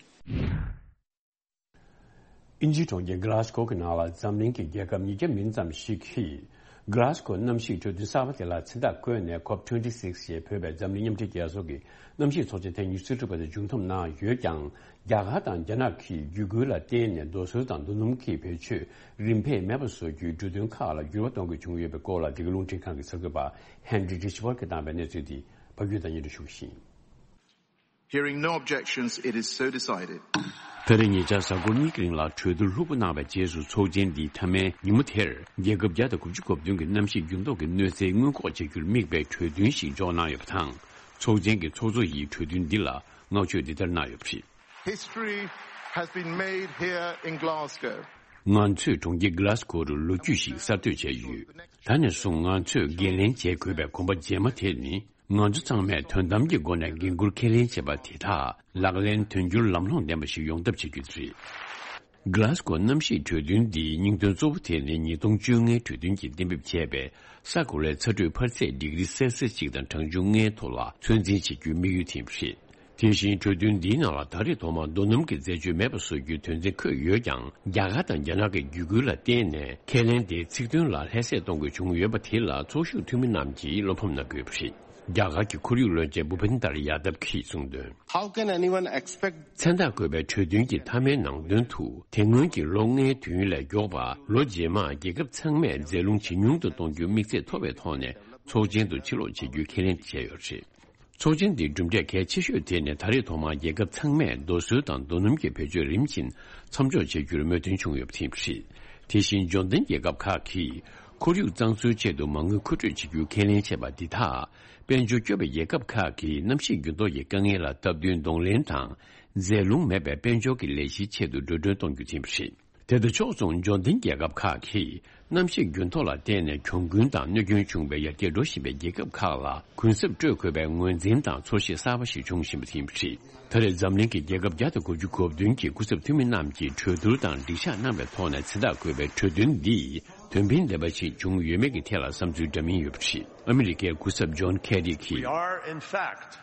དབྱིན་ཇིའི་གྲོང་ཁྱེར་གྷི་ལཱ་སྒོ་གི་ནང་ལ་འཛམ་གླིང་གི་རྒྱལ་ཁབ་ཉིས་བརྒྱ་མིན་ཙམ་ཞིག་གིས། གྷི་ལཱ་སྒོ་གནམ་གཤིས་གྲོས་མཐུན་གསར་པ་དེ་ལ་མཚན་རྟགས་བཀོད་ནས། ཁོབ་ཊུ་ཝེན་ཊི་སིག་ཞེས་འབོད་པའི་འཛམ་གླིང་མཉམ་འབྲེལ་རྒྱལ་ཚོགས་ཀྱི་གནམ་གཤིས་ཚོགས་ཆེན་ཐེངས་ཉི་ཤུ་རྩ་དྲུག་པ་དེ་མཇུག་བསྡོམས་གནང་ཡོད་ཀྱང་། རྒྱ་གར་དང་རྒྱ་ནག་གིས་བརྒྱུད་སྐུལ་ལ་བརྟེན་ནས་རྡོ་སོལ་དང་རྡོ་སྣུམ་གྱི་བེད་སྤྱོད་རིམ་འཕེལ་མེད་པ་བཟོ་རྒྱུའི་གྲོས་མཐུན་ཁག་ལ་འགྱུར་བ་གཏོང་དགོས་བྱུང་ཡོད་པའི་སྐོར་ལ། འདི་ག་རླུང་འཕྲིན་ཁང་གི་གསར་འགོད་པ་ཧན་རི་རི་ཆི་པར་གྱིས་བཏང་བའི་གནས་ཚུལ་འདི་ཕ་གུས་དང་སྙན་སྒྲོན་ཞུ་གི་ཡིན། Hearing no objections, it is so decided. ད་རེས་ཉེ་ཆར་གཟའ་འཁོར་གཉིས་ཀྱི་རིང་ལ་གྲོས་བསྡུར་ལྷུག་པོ་གནང་བའི་རྗེས་སུ། ཚོགས་ཆེན་འདིའི་མཐའ་མའི་ཉིན་མོ་དེར། རྒྱལ་ཁབ་བརྒྱ་དང་དགུ་བཅུ་གོ་བདུན་གྱི་གནམ་གཤིས་འགྱུར་ལྡོག་གི་གནོད་འཚེ་སྔོན་འགོག་བྱ་རྒྱུར་དམིགས་པའི་གྲོས་མཐུན་ཞིག་འཇོག་གནང་ཡོད་པ་དང་། ཚོགས་ཆེན་གྱི་ཚོགས་གཙོ་ཡིས་གྲོས་མཐུན་འདི་ལ་བསྔགས་བརྗོད་འདི་ལྟར་གནང་ཡོད་པ་རེད། History has been made here in Glasgow. ང་ཚོས་གྲོང་ཁྱེར་གྷི་ལཱ་སྒོ་རུ་ལོ་རྒྱུས་ཤིག་གསར་གཏོད་བྱས་ཡོད། ད་ནས་བཟུང་ང་ཚོས་འགན་ལེན་བྱེད་དགོས་པའི་གོམ་པ་རྗེས་མ་དེ་ནི། ང་ཚོ་ཚང་མས་དོན་དམ་གྱི་སྒོ་ནས་འགན་འཁུར་ཁས་ལེན་བྱས་པ་དེ་དག་ལག་ལེན་དོན་འཁྱོལ་ལམ་ལྷོང་ལྡན་པ་ཞིག་ཡོང་ཐབས་བྱེད་རྒྱུ་དེ་རེད། གྷི་ལཱ་སྒོ་གནམ་གཤིས་གྲོས་མཐུན་འདིའི་སྙིང་དོན་གཙོ་བོ་དེ་ནི་ཉིས་སྟོང་བཅོ་ལྔའི་གྲོས་མཐུན་གྱིས་གཏན་འབེབས་བྱས་པའི་ས་གོ་ལའི་ཚ་དྲོད་འཕར་ཚད་ཌི་གྷི་རི་སེལ་སི་ཡས་གཅིག་དང་གྲངས་ཆུང་ལྔའི་ཐོག་ལ་ཚོད་འཛིན་བྱེད་རྒྱུའི་དམིགས་ཡུལ་དེ་ཡིན་པ་རེད། དེ་བཞིན་གྲོས་མཐུན་འདིའི་ནང་ལ་ད་རེས་ཐོག་མར་རྡོ་སྣུམ་གྱི་འཛད་སྤྱོད་མེད་པ་བཟོ་རྒྱུའི་དོན་ཚན་འཁོད་ཡོད་ཀྱང་། རྒྱ་གར་དང་རྒྱ་ནག་གི་བརྒྱུད་སྐུལ་ལ་བརྟེན་ནས་ཁས་ལེན་དེའི་ཚིག་དོན་ལ་ལྷད་སྲེད་གཏོང་དགོས་བྱུང་ཡོད་པ་དེ་ལ་ཚོགས་ཞུགས་འཐུས་མི་རྣམས་ཀྱིས་བློ་ཕམ་གནང་གི་ཡོད་པ་རེད། རྒྱ་གར་གྱི་ཁོར་ཡུག་བློན་ཆེན་བྷུ་པིན་དར་ཡ་དབ་ཀྱིས་གསུངས་དོན། How can anyone expect མཚན་རྟགས་བཀོད་པའི་གྲོས་མཐུན་གྱི་མཐའ་མའི་ནང་དོན་དུ། དེ་སྔོན་གྱི་ལོ་ལྔའི་དུས་ཡུན་ལས་མགྱོགས་པ་ལོ་རྗེས་མར་རྒྱལ་ཁབ་ཚང་མས་རྫས་རླུང་ཇེ་ཉུང་དུ་གཏོང་རྒྱུའི་དམིགས་ཚད་མཐོ་བའི་ཐོག་ནས་ཚོགས་ཆེན་དུ་ཕྱིར་ལོག་བྱེད་རྒྱུའི་ཁས་ལེན་བྱས་ཡོད་པ་རེད། ཚོགས་ཆེན་འདིའི་གྲུབ་འབྲས་གལ་ཆེ་ཤོས་དེ་ནི་ད་རེས་ཐོག་མར་རྒྱལ་ཁབ་ཚང་མས་རྡོ་སོལ་དང་རྡོ་སྣུམ་གྱི་བེད་སྤྱོད་རིམ་བཞིན་མཚམས་འཇོག་བྱ་རྒྱུར་མོས་མཐུན་བྱུང་ཡོད་པ་དེ་ཡིན་པ་རེད། དེ་བཞིན་འབྱོར་ལྡན་རྒྱལ་ཁབ་ཁག་གིས་ཁོར་ཡུག་གཙང་བཟོའི་ཆེད་དུ་མ་དངུལ་མཁོ་སྤྲོད་བྱེད་རྒྱུའི་ཁས་ལེན་བྱས་པ་འདི་དག་དཔལ་འབྱོར་སྐྱོ་བའི་རྒྱལ་ཁབ་ཁག་གིས་གནམ་གཤིས་འགྱུར་ལྡོག་གི་དཀའ་ངལ་ལ་སྟབས་བསྟུན་གདོང་ལེན་དང་། རྫས་རླུང་མེད་པའི་དཔལ་འབྱོར་གྱི་ལས་གཞིའི་ཆེད་དུ་འགྲོ་གྲོན་གཏོང་རྒྱུ་ཡིན་པ་རེད། དེ་དང་ཕྱོགས་མཚུངས་འབྱོར་ལྡན་རྒྱལ་ཁབ་ཁག་གིས་གནམ་གཤིས་འགྱུར་ལྡོག་ལ་བརྟེན་ནས་གྱོང་གུན་དང་གནོད་སྐྱོན་བྱུང་བའི་ཡར་རྒྱས་འགྲོ་བཞིན་པའི་རྒྱལ་ཁབ་ཁག་ལ་གུན་གསབ་སྤྲོད་དགོས་པའི་ངོས་འཛིན་དང་ཚོར་ཤེས་གསར་པ་ཞིག་བྱུང་བཞིན་པ་ཡིན་པ་རེད། ད་རེས་འཛམ་གླིང་གི་རྒྱལ་ཁབ་བརྒྱ་དང་དགུ་བཅུ་གོ་བདུན་གྱི་སྐུ་ཚབ་འཐུས་མི་རྣམས་ཀྱིས་གྲོས་བསྡུར་དང་སྒྲིག་ཞག་གནང་བའི་ཐོག་ནས་མཚན་རྟགས་བཀོད་པའི་གྲོས་མཐུན་འདིས་དོན་ཕན་ལྡན་པ་ཞིག་བྱུང་ཡོད་མེད་ཀྱི་ཐད་ལ་བསམ་ཚུལ་འདྲ་མིན་ཡོད་པ་རེད། ཨ་མི་རི་ཀའི་སྐུ་ཚབ་ཇོན་ཁེ་རི་གྱིས། We are, in fact,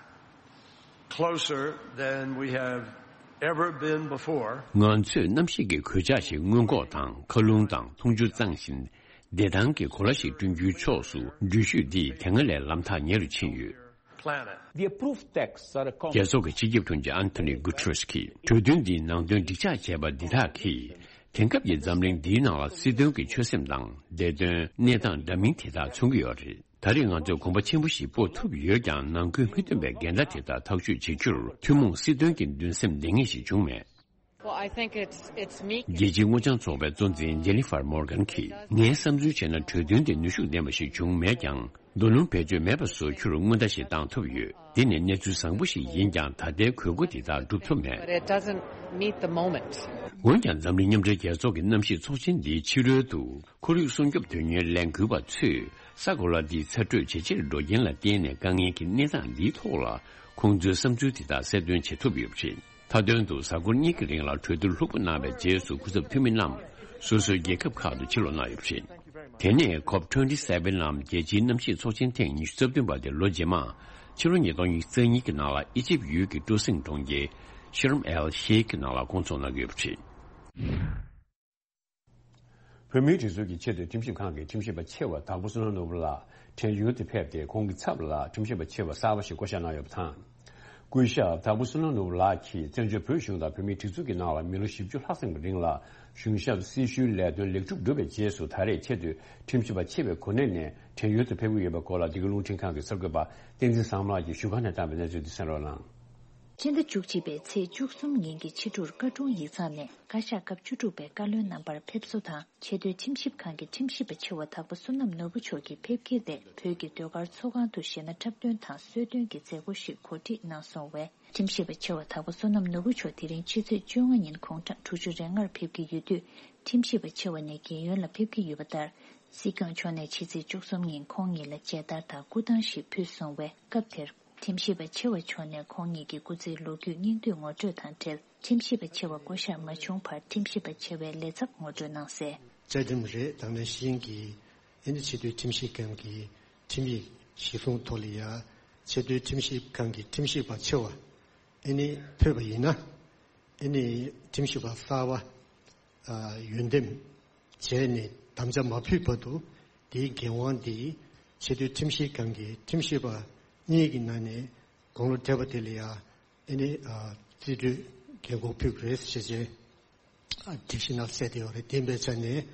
closer than we have ever been before. ང་ཚོས་གནམ་གཤིས་ཀྱི་གོད་ཆག་ཞིག་སྔོན་འགོག་དང་། མཁའ་རླུང་དང་འཐུང་ཆུ་གཙང་ཞིང་བདེ་ཐང་གི་གོ་ལ་ཞིག་བསྐྲུན་རྒྱུའི་ཕྱོགས་སུ་འགྲུལ་བཞུད་འདིས་དེ་སྔ་ལས་ལམ་ཐག་ཉེ་རུ་ཕྱིན་ཡོད། Planet. The approved texts are a con- རྒྱལ་ཚོགས་ཀྱི་སྤྱི་ཁྱབ་དྲུང་ཆེ་ཨན་ཐོ་ནི་གུ་ཏྲེས་ཀྱིས་གྲོས་མཐུན་འདིའི་ནང་དོན་སྒྲིག་ཆགས་བྱས་པ་འདི་དག་གིས། དེང་སྐབས་ཀྱི་འཛམ་གླིང་འདིའི་ནང་ལ་སྲིད་དོན་གྱི་ཆོད་སེམས་དང་བདེ་དོན། གནས་སྟངས་འདྲ་མིན་དེ་དག་མཚོན་གྱི་ཡོད་རེད། ད་རེས་ང་ཚོས་གོམ་པ་ཆེན་པོ་ཞིག་སྤོ་ཐུབ་ཡོད་ཀྱང་། ནང་ཁུལ་མི་མཐུན་པའི་འགལ་ཟླ་དེ་དག་ཐག་གཅོད་བྱེད་རྒྱུར་ཐུན་མོང་སྲིད་དོན་གྱི་འདུན་སེམས་ལྡན་ངེས་ཤིག་བྱུང་མེད། Well, I think it's, it's meek. རྒྱལ་སྤྱིའི་སྔོ་ལྗང་ཚོགས་པའི་གཙོ་འཛིན་ཇེ་ནི་ཧྥར་མོར་གན་གྱིས། ངའི་བསམ་ཚུལ་བྱས་ན། གྲོས་མཐུན་དེ་ནུས་ཤུགས་ལྡན་པ་ཞིག་བྱུང་མེད་ཀྱང་། རྡོ་སྣུམ་བེད་སྤྱོད་མེད་པ་བཟོ་རྒྱུར་སྔོན་བརྡ་ཞིག་བཏང་ཐུབ་ཡོད། འདི་ནི་གནས་ཚུལ་བཟང་པོ་ཞིག་ཡིན་ཀྱང་། ད་ལྟའི་དགོས་མཁོ་དེ་དག་སྒྲུབ་ཐུབ་མེད། But it doesn't meet the moment. འོན་ཀྱང་། འཛམ་གླིང་མཉམ་འབྲེལ་རྒྱལ་ཚོགས་ཀྱི་གནམ་གཤིས་ཚོགས་ཆེན་འདིའི་ཕྱི་རོལ་དུ། ཁོར་ཡུག་སྲུང་སྐྱོབ་དོན་གཉེར་ལས་འགུལ་བ་ཚོས་ས་གོ་ལ་འདིའི་ཚ་དྲོད་ཇེ་ཆེར་འགྲོ་རྐྱེན་ལ་བརྟེན་ནས་དཀའ་ངལ་གྱི་གནས་སྟངས་འདིའི་ཐོག་ལ་ཁོང་ཚོའི་བསམ་ཚུལ་དེ་དག་གསལ་སྟོན་བྱེད་ཐུབ་ཡོད་པ་རེད། མཐའ་དོན་དུ་གཟའ་འཁོར་གཉིས་ཀྱི་རིང་ལ་གྲོས་བསྡུར་ལྷུག་པོ་གནང་བའི་རྗེས་སུ། སྐུ་ཚབ་འཐུས་མི་རྣམས་སོ་སོའི་རྒྱལ་ཁབ་ཁག་ཏུ་ཕྱིར་ལོག་གནང་ཡོད་པ་རེད། དེ་ནས་ཁོབ་ཊུ་ཝེན་ཊི་སེ་ཝེན་ནམ་རྒྱལ་སྤྱིའི་གནམ་གཤིས་ཚོགས་ཆེན་ཐེངས་ཉི་ཤུ་རྩ་བདུན་པ་དེ་ལོ་རྗེས་མ་ཕྱི་ལོ་ཉིས་སྟོང་ཉི་ཤུ་རྩ་གཉིས་ཀྱི་ནང་ལ་ཨི་ཇིབ་ཡུལ་གྱི་སྤྲོ་གསེང་གྲོང་ཁྱེར་ཤརམ་ཨེལ་ཤེ་ཁི་ནང་ལ་སྐོང་ཚོགས་གནང་གི་ཡོད་པ་རེད། བོད་མིའི་སྒྲིག་འཛུགས་ཀྱི་ཆེས་མཐོའི་ཁྲིམས་ཞིབ་ཁང་གི་ཁྲིམས་ཞིབ་པ་ཆེ་བ་དྭགས་པོ་བསོད་ནམས་ནོར་བུ་ལགས་བྲན་གཡོལ་དུ་ཕེབས་ཏེ། ཁོང་གི་ཚབ་ལ་ཁྲིམས་ཞིབ་པ་ཆེ་བ་གསར་པ་ཞིག་བསྐོ་བཞག་གནང་ཡོད་པ་དང་། སྐུ་ཞབས་དྭགས་པོ་བསོད་ནམས་ནོར་བུ་ལགས་ཀྱིས་བཙན་བྱོལ་བོད་གཞུང་དང་བོད་མིའི་སྒྲིག་འཛུགས་ཀྱི་ནང་ལ་མི་ལོ་བཞི་བཅུ་ལྷག་ཙམ་གྱི་རིང་ལ་གཞུང་ཞབས་སྲི་ཞུའི་ལས་དོན་ལེགས་གྲུབ་བསྒྲུབས་པའི་རྗེས་སུ། ད་རེས་ཆེས་མཐོའི་ཁྲིམས་ཞིབ་པ་ཆེ་བའི་གོ་གནས་ནས་བྲན་གཡོལ་དུ་ཕེབས་ཀྱི་ཡོད་པའི་སྐོར་ལ། འདི་ག་རླུང་འཕྲིན་ཁང་གི་གསར་འགོད་པ་བསྟན་འཛིན་བཟང་མོ་ལགས་ཀྱིས་བཞུགས་སྒར་ནས་བཏང་བའི་གནས་ཚུལ་འདི་གསན་རོགས་གནང་། སྤྱི་ཟླ་བཅུ་གཅིག་པའི་ཚེས་བཅུ་གསུམ་ཉིན་གྱི་ཕྱི་དྲོར་བཀའ་དྲུང་ཡིག་ཚང་ནས་བཀའ་ཤག་སྐབས་བཅུ་དྲུག་པའི་བཀའ་བློན་རྣམ་པར་ཕེབས་བསུ་དང་། ཆེས་མཐོའི་ཁྲིམས་ཞིབ་ཁང་གི་ཁྲིམས་ཞིབ་པ་ཆེ་བ་དྭགས་པོ་བསོད་ནམས་ནོར་བུ་མཆོག་གི་ཕེབས་འཁེལ་དེ། བོད་ཀྱི་ཟློས་གར་ཚོགས་ཁང་དུ་གཞས་སྣ་འཁྲབ་སྟོན་དང་གསོལ་སྟོན་གྱི་མཛད་སྒོ་ཞིག་གོ་སྒྲིག་གནང་སོང་བས། ཁྲིམས་ཞིབ་པ་ཆེ་བ་དྭགས་པོ་བསོད་ནམས་ནོར་བུ་མཆོག་དེ་རིང་ཕྱི་ཚེས་བཅོ་ལྔ་ཉིན་དགོང་གྲངས་དྲུག་ཅུ་རེ་ལྔར་ཕེབས་ཀྱི་ཡོད་དུས། ཁྲིམས་ཞིབ་པ་ཆེ་བ་ནས་རྒན་ཡོལ་ལ་ཕེབས་ཀྱི་ཡོད་པ་ལྟར། སྲིད་སྐྱོང་མཆོག་ནས་ཕྱི་ཚེས་བཅུ་གསུམ་ཉིན་ཁོང་ཉིད་ལ་མཇལ་དར་དང་སྐུ་ཐང་ཞིག་ཕུལ་སོང་བས། སྐབས་དེར། ཁྲིམས་ཞིབ་པ་ཆེ་བ་མཆོག་ནས་ཁོང་ཉིད་ཀྱི་སྐུ་ཚེའི་ལོ་རྒྱུས་སྙིང་བསྡུས་ངོ་སྤྲོད་དང་འབྲེལ། ཁྲིམས་ཞིབ་པ་ཆེ་བ་བསྐོ་གཞག་མ་བྱུང་བར་ཁྲིམས་ཞིབ་པ་ཆེ་བའི་ལས་ཚབ་ངོ་སྤྲོད་གནང་གསལ། བཅའ་ཁྲིམས་རེད། དང་ནང་བཞིན་གྱི་ཨ་ནི་ཆེས་མཐོའི་ཁྲིམས་ཞིབ་ཁང་གི་ཁྲིམས་ཡིག་གཞིར་བཟུང་ཐོག་ལ་ཡ་ཆེས་མཐོའི་ཁྲིམས་ཞིབ་ཁང་གི་ཁྲིམས་ཞིབ་པ་ཆེ་བ་ཨ་ནི་ཕུད་པ་ཡིན་ན། ཨ་ནི་ཁྲིམས་ཞིབ་པ་གསར་པ་ཨ་འོས་འདེམས་བྱས་ནས་དམ་བཅའ་མ་ཕུལ་བར་དུ་དེའི་འགན་དབང་དེ་ཆེས་མཐོའི་ཁྲིམས་ཞིབ་ཁང་གི་ཁྲིམས་ཞིབ་པ་གཉིས་ཀྱི་ནང་ནས་དགུང་ལོ་བགྲེས་པ་དེ་ལ་ཡ་ཨ་ནི་ཨ་རྩིས་སྤྲོད་འགན་འཁུར་ཕུལ་དགོས་རེད་ཟེར་བྱས། སྒྲིག་གཞི་ནང་གསལ་བསྡད་ཡོད་རེད། དེ་ཡིན་པའི་ཆ་ནས་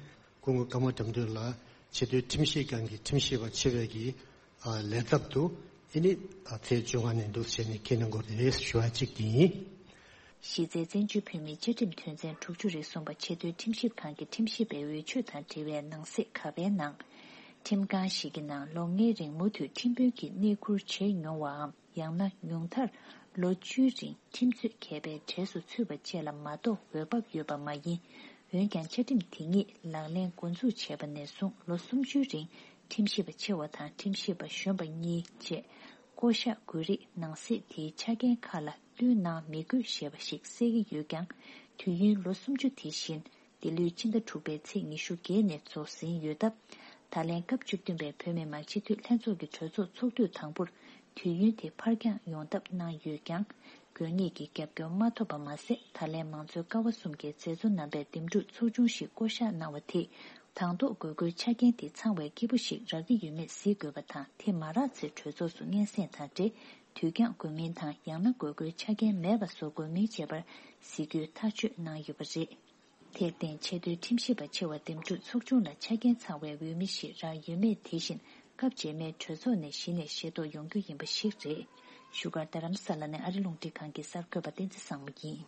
སྐུ་ངོ་ཀརྨ་དགྲ་འདུལ་ལགས་ཆེས་མཐོའི་ཁྲིམས་ཞིབ་ཁང་གི་ཁྲིམས་ཞིབ་པ་ཆེ་བའི་གི་ལས་ཚབ་ཏུ་ཨ་ནི་ཚེས་བཅོ་ལྔ་ནས་འདུག་བྱས་ནས་འཁྱེར་གནང་དགོས་རེད་ཞུ་བ་གཅིག་དེ་ཡིན། གཞི་རྩའི་བཙན་བྱོལ་བོད་མིའི་བཅའ་ཁྲིམས་དོན་ཚན་དྲུག་ཅུ་རེ་གསུམ་པ་ཆེས་མཐོའི་ཁྲིམས་ཞིབ་ཁང་གི་ཁྲིམས་ཞིབ་པའི་འོས་ཆོས་དང་འབྲེལ་བའི་ནང་གསེས་ག་པའི་ནང་། ཁྲིམས་ཁང་ཞིག་གི་ནང་ལོ་ལྔའི་རིང་མུ་མཐུད་ཁྲིམས་དཔོན་གྱི་གནས་ཁུར་བྱས་མྱོང་བའམ། ཡང་ན་ཉུང་མཐར་ལོ་བཅུའི་རིང་ཁྲིམས་རྩོད་མཁས་པའི་གྲས་སུ་ཚུད་པ་བཅས་ལ་མ་གཏོགས་འོས་འབབ་ཡོད་པ་མ་ཡིན། འོན་ཀྱང་བཅའ་ཁྲིམས་དེ་ཉིད་ལག་ལེན་འགོ་འཛུགས་བྱས་པ་ནས་བཟུང་ལོ་སུམ་ཅུའི་རིང་ཁྲིམས་ཞིབ་པ་ཆེ་བ་དང་ཁྲིམས་ཞིབ་པ་གཞོན་པ་གཉིས་བཅས་བསྐོ་གཞག་དགོས་རིགས་ནང་གསེས་དེའི་ཆ་རྐྱེན་ཁག་ལ་བསྟུན་གནང་མི་དགོས་ཞེས་པ་ཞིག་གསལ་གྱི་ཡོད་ཀྱང་། དུས་ཡུན་ལོ་སུམ་ཅུ་དེ་བཞིན། འདི་ལོའི་ཕྱི་ཟླ་དྲུག་པའི་ཚེས་ཉི་ཤུ་བརྒྱད་ནས་རྫོགས་ཟིན་ཡོད་སྟབས། ད་ལན་སྐབས་བཅུ་བདུན་པའི་བོད་མི་མང་སྤྱི་འཐུས་ལྷན་ཚོགས་ཀྱི་གྲོས་ཚོགས་ཚོགས་དུས་དང་པོར་དུས་ཡུན་དེ་ཕར་འགྱངས་ཡོང་ཐབས་གནང་ཡོད་ཀྱང་། དགོས་ངེས་ཀྱི་རྒྱབ་སྐྱོར་མ་ཐོབ་པ་མ་ཟད། ད་ལན་མང་གཙོའི་ཀ་བ་གསུམ་གྱི་མཛད་གཙོ་རྣམ་པས་འདེམས་སྒྲུག་ཚོགས་ཆུང་ཞིག་བསྐོ་གཞག་གནང་བ་དེས། དང་ཐོག་དགོས་མཁོའི་ཆ་རྐྱེན་དེ་ཚང་བའི་སྐྱིད་པོ་ཞིག་རག་གི་ཡོད་མེད་གཟིགས་དགོས་པ་དང་། དེ་མ་རག་ཚེ་གྲོས་ཚོགས་སུ་སྙན་སེང་དང་འབྲེལ། དུས་འགྱངས་དགོས་མིན་དང་། ཡང་ན་དགོས་མཁོའི་ཆ་རྐྱེན་མེད་པ་བཟོ་དགོས་མིན་བཅས་པར་གཟིགས་རྒྱུའི་ཐག་གཅོད་གནང་ཡོད་པ་རེད། དེར་བརྟེན་ཆེས་མཐོའི་ཁྲིམས་ཞིབ་པ་ཆེ་བ་འདེམས་སྒྲུག་ཚོགས་ཆུང་ལ་ཆ་རྐྱེན་ཚང་བའི་འོས་མི་ཞིག་རག་ཡོད་མེད་དེ་བཞིན་སྐབས་རྗེས་མའི་གྲོས་ཚོགས་ནས་གཞི་ནས་ཤེས་རྟོགས་ཡོང་རྒྱུ་ཡིན་པ་ཞིག་རེད། བཞུགས་སྒར་རྡ་རམ་ས་ལ་ནས་ཨ་རི་རླུང་འཕྲིན་ཁང་གི་གསར་འགོད་པ་བསྟན་འཛིན་བཟང་མོ་ཡིན།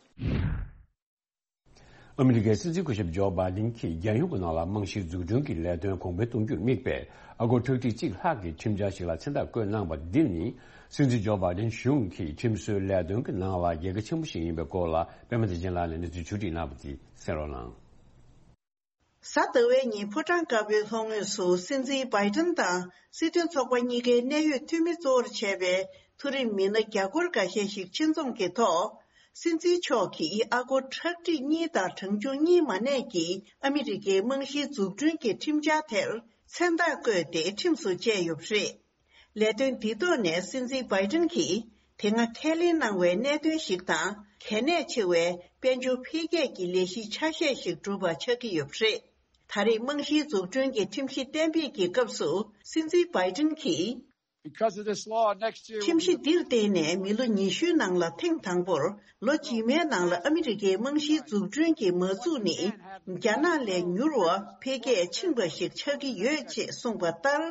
ཨ་མི་རི་ཀའི་སྲིད་འཛིན་སྐུ་ཞབས་ཇོ་བྷའི་ཌེན་གྱིས་རྒྱལ་ཡོངས་ཀྱི་ནང་ལ་རྨང་གཞིའི་འཛུགས་སྐྲུན་གྱི་ལས་དོན་གོང་འཕེལ་གཏོང་རྒྱུར་དམིགས་པའི་ཨ་སྒོར་ཁྲག་ཁྲིག་གཅིག་ལྷག་གི་ཁྲིམས་འཆར་ཞིག་ལ་མཚན་རྟགས་བཀོད་གནང་བ་འདི་ནི། སྲིད་འཛིན་ཇོ་བྷའི་ཌེན་གཞུང་གི་ཁྲིམས་བཟོའི་ལས་དོན་གྱི་ནང་ལ་རྒྱལ་ཁ་ཆེན་པོ་ཞིག་ཡིན་པའི་སྐོར་ལ་པད་མ་བདེ་ཆེན་ལགས་ནས་གནས་ཚུལ་ཕྱོགས་སྒྲིག་གནང་བ་དེ་གསན་རོགས་གནང་། གཟའ་ཟླ་བའི་ཉིན་ཕོ་བྲང་དཀར་པོའི་ལྷོ་ངོས་སུ་སྲིད་འཛིན་བྷའི་ཏིན་དང་སྲིད་དོན་ཚོགས་པ་གཉིས་ཀའི་གནད་ཡོད་འཐུས་མི་གཙོ་བོར་བྱས་པའི་མཐོ་རིམ་མི་སྣ་རྒྱ་སྒོར་འགའ་ཤས་ཤིག་ཆེད་འཛོམས་ཀྱི་ཐོག་སྲིད་འཛིན་མཆོག་གིས་ཨ་སྒོར་ཁྲག་ཁྲིག་གཉིས་དང་གྲངས་ཆུང་གཉིས་མ་གནས་ཀྱི་ཨ་མི་རི་ཀའི་རྨང་གཞིའི་འཛུགས་སྐྲུན་གྱི་ཁྲིམས་འཆར་དེར་མཚན་རྟགས་བཀོད་དེ་ཁྲིམས་སུ་བཅས་ཡོད་པ་རེད། ལས་དོན་འདི་ཐོག་ནས་སྲིད་འཛིན་བྷའི་ཏིན་གྱིས་དེ་སྔ་ཁས་ལེན་གནང་བའི་གནད་དོན་ཞིག་དང་། གལ་གནད་ཆེ་བའི་དཔལ་འབྱོར་འཕེལ་རྒྱས་ཀྱི་ལས་གཞི་ཆ་ཤས་ཤིག་གྲུབ་པ་ཆགས་ཀྱི་ཡོད་པ་རེད། ད་རེས་རྨང་གཞིའི་འཛུགས་སྐྲུན་གྱི་ཁྲིམས་གཞི་གཏན་འབེབས་ཀྱི་སྐབས་སུ་སྲིད་འཛིན་བྷའི་ཏིན་གྱིས། Because of this law, next year ཁྲིམས་གཞི་འདིར་བརྟེན་ནས་མི་ལོ་ཉི་ཤུའི་ནང་ལ་ཐེངས་དང་པོར་ལོ་རྗེས་མའི་ནང་ལ་ཨ་མི་རི་ཀའི་རྨང་གཞིའི་འཛུགས་སྐྲུན་གྱི་མ་འཛུགས་ནི་རྒྱ་ནག་ལས་མྱུར་བ་འཕེལ་རྒྱས་ཕྱིན་པ་ཞིག་ཆགས་ཀྱི་ཡོད་ཅེས་གསུངས་པ་ལྟར།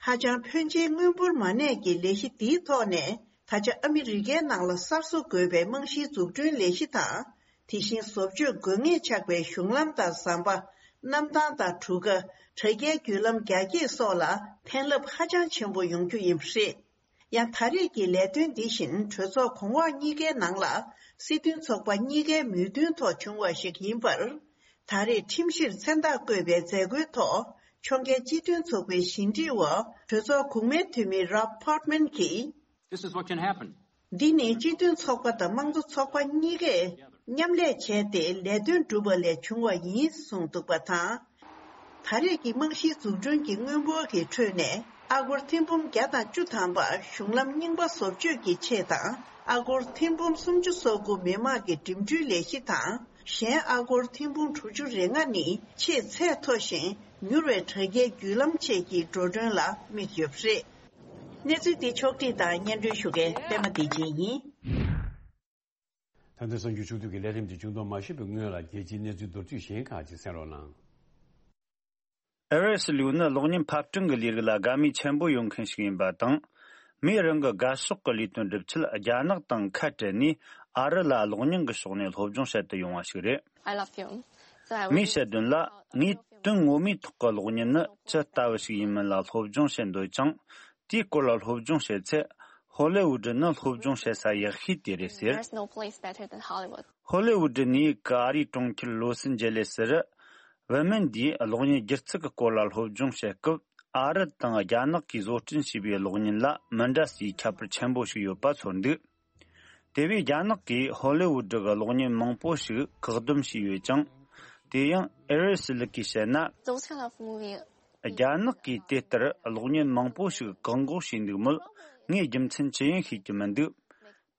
ཧ་ཅང་ཕོན་ཆེའི་དངུལ་འབོར་མ་གནས་ཀྱི་ལས་གཞི་འདིའི་ཐོག་ནས་ད་ཆ་ཨ་མི་རི་ཀའི་ནང་ལ་གསར་བཟོ་དགོས་པའི་རྨང་གཞིའི་འཛུགས་སྐྲུན་ལས་གཞི་དང་། དེ་བཞིན་བཟོ་བཅོས་དགོས་ངེས་ཆགས་པའི་གཞུང་ལམ་དང་ཟམ་པ། གནམ་ཐང་དང་གྲུ་ཁ། དྲ་རྒྱའི་བརྒྱུད་ལམ་རྒྱ་སྐྱེད་སོགས་ལ་ཕན་རླབས་ཧ་ཅང་ཆེན་པོ་ཡོང་རྒྱུ་ཡིན་པ་རེད། ཡང་ད་རེས་ཀྱི་ལས་དོན་འདི་བཞིན་གྲོས་ཚོགས་གོང་འོག་གཉིས་ཀའི་ནང་ལ་སྲིད་དོན་ཚོགས་པ་གཉིས་ཀའི་མོས་མཐུན་ཐོག་བྱུང་བ་ཞིག་ཡིན་པར། ད་རེས་ཁྲིམས་གཞིར་མཚན་རྟགས་བཀོད་པའི་མཛད་སྒོའི་ཐོག་ཕྱོགས་འགལ་སྤྱི་མཐུན་ཚོགས་པའི་ཕྱི་འབྲེལ་བ་གྲོས་ཚོགས་གོང་མའི་འཐུས་མི་Rob Portman གྱིས། This is what can happen. འདི་ནི་སྤྱི་མཐུན་ཚོགས་པ་དང་དམངས་གཙོ་ཚོགས་པ་གཉིས་ཀས་མཉམ་ལས་བྱས་ཏེ་ལས་དོན་བསྒྲུབས་པ་ལས་བྱུང་བ་ཡིན་གསུངས་འདུག་པ་དང་། ད་རེས་ཀྱི་རྨང་གཞིའི་འཛུགས་སྐྲུན་གྱི་དངུལ་འབོར་གྱི་ཁྲོད་ནས་ཨ་སྒོར་ཐེར་འབུམ་བརྒྱ་དང་བཅུ་ཐམ་པ་གཞུང་ལམ་རྙིང་པ་བཟོ་བཅོས་ཀྱི་ཆེད་དང་ཨ་སྒོར་ཐེར་འབུམ་སུམ་ཅུ་སོ་དགུ་མི་དམངས་ཀྱི་འགྲིམ་འགྲུལ་ལས་གཞི་དང་། གཞན་ཨ་སྒོར་ཐེར་འབུམ་དྲུག་ཅུ་རེ་ལྔ་ནི་ཆེས་ཚད་མཐོ་ཞིང་མྱུར་བའི་དྲ་རྒྱའི་བརྒྱུད་ལམ་བཅས་ཀྱི་འགྲོ་གྲོན་ལ་དམིགས་ཡོད་པ་རེད། གནས་ཚུལ་འདི་ཕྱོགས་བསྒྲིགས་དང་སྙན་སྒྲོན་ཞུ་མཁན་པད་མ་བདེ་ཆེན་ཡིན། ད་ལྟ་གསར་འགྱུར་ཕྱོགས་བསྒྲིགས་ཀྱི་ལས་རིམ་དེ་བྱུང་དོན་མ་ཤེས་པའི་སྔོན་ལ་རྒྱལ་སྤྱིའི་གནས་ཚུལ་མདོར་བསྡུས་གཞན་ཁག་ཅིག་གསན་རོགས་གནང་། ཨེ་རི་སི་ལིའུ་ནི་གློག་བརྙན་ཕབ་སྐྲུན་གྱི་ལས་རིགས་ལ་དགའ་མོས་ཆེན་པོ་ཡོད་མཁན་ཞིག་ཡིན་པ་དང་། མིས་རང་གི་དགའ་ཕྱོགས་ཀྱི་ལས་དོན་སྒྲུབ་ཆེད་རྒྱ་ནག་དང་ཁ་བྲལ་ནས་ཨ་རི་ལ་གློག་བརྙན་གྱི་ཕྱོགས་ནས་སློབ་སྦྱོང་བྱེད་དུ་ཡོང་བ་ཞིག་རེད། I love film. So I was མིས་བཤད་དོན་ལ། ངས་དོན་ངོ་མའི་ཐོག་གི་གློག་བརྙན་ནི་ཅི་ལྟ་བུ་ཞིག་ཡིན་མིན་ལ་སློབ་སྦྱོང་བྱེད་འདོད་ཅིང་། དེའི་སྐོར་ལ་སློབ་སྦྱོང་བྱེད་ཚེ། ཧོ་ལི་ཝུ་ཌི་ནི་སློབ་སྦྱོང་བྱེད་ས་ཡག་ཤོས་དེ་རེད་ཟེར། There's no place better than Hollywood. ཧོ་ལི་ཝུ་ཌི་ནས་ཀ་རིའི་གྲོང་ཁྱེར་ལོ་སི་ཨན་ཇེ་ལེ་སི་རུ། བུད་མེད་འདིས་གློག་བརྙན་སྒྱུ་རྩལ་གྱི་སྐོར་ལ་སློབ་སྦྱོང་བྱེད་སྐབས། ཨ་རི་དང་རྒྱ་ནག་གིས་བཟོ་སྐྲུན་བྱས་པའི་གློག་བརྙན་ལ་མི་འདྲ་སའི་ཁྱད་པར་ཆེན་པོ་ཞིག་ཡོད་པ་ཚོར་འདུག་དེ་བས་རྒྱ་ནག་གིས་ཧོ་ལི་ཝུད་གི་གློག་བརྙན་མང་པོ་ཞིག་བཀག་སྡོམ་བྱས་ཡོད་ཅིང་། དེ་ཡང་ཨེ་རི་སི་ལི་ཀིས་བཤད་ན། Those kind of movie རྒྱ་ནག་གིས་དེ་ལྟར་གློག་བརྙན་མང་པོ་ཞིག་བཀག་འགོག་བྱས་འདུག་མོད། ངས་རྒྱུ་མཚན་ཅི་ཡིན་ཤེས་ཀྱི་མི་འདུག་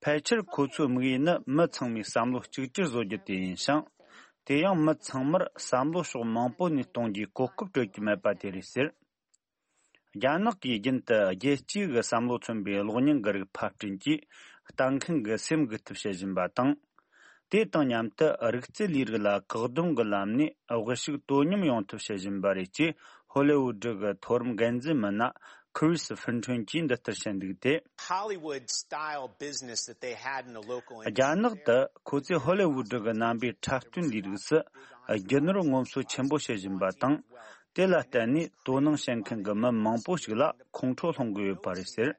ཕལ་ཆེར་ཁོ་ཚོའི་དམིགས་ཡུལ་ནི་མི་ཚང་མས་བསམ་བློ་གཅིག་གྱུར་བཟོ་རྒྱུ་དེ་ཡིན་ཞིང་། དེ་ཡང་མི་ཚང་མར་བསམ་བློ་ཕྱོགས་མང་པོ་ནས་གཏོང་རྒྱུའི་གོ་སྐབས་སྤྲོད་ཀྱི་མེད་པ་དེ་རེད་ཟེར། རྒྱ་ནག་གིས་རྒྱུན་དུ་རྒྱལ་སྤྱིའི་གི་བསམ་བློ་མཚོན་པའི་གློག་བརྙན་གྱི་རིགས་ཕབ་སྐྲུན་གྱིས་ལྟ་མཁན་གྱི་སེམས་འགུག་ཐབས་བྱེད་བཞིན་པ་དང་། དེ་དང་མཉམ་དུ་རིག་རྩལ་ལས་རིགས་ལ་བཀག་སྡོམ་གྱི་ལམ་ནས་དབུལ་ཕྱུག་དོ་མཉམ་ཡོང་ཐབས་བྱེད་བཞིན་པ་རེད་ཅེས་ཧོ་ལི་ཝུད་གྱི་མཐོ་རིམ་འགན་འཛིན་མི་སྣ་ཁི་རིས་ཧྥིན་ཁྲོན་གྱིས་འདི་ལྟར་བཤད་འདུག་སྟེ། Hollywood style business that they had in a local རྒྱ་ནག་ཏུ་ཁོ་ཚོས་ཧོ་ལི་ཝུད་གི་རྣམ་པའི་འཁྲབ་སྟོན་ལས་རིགས་སུ་རྒྱུ་ནོར་ངོམ་སོ་ཆེན་པོ་བྱེད་བཞིན་པ་དང་། དེ་ལ་བརྟེན་ནས་དོ་སྣང་བྱེད་མཁན་གྱི་མི་མང་པོ་ཞིག་ལ་ཁོང་ཁྲོ་སློང་གི་ཡོད་པ་རེད་ཟེར།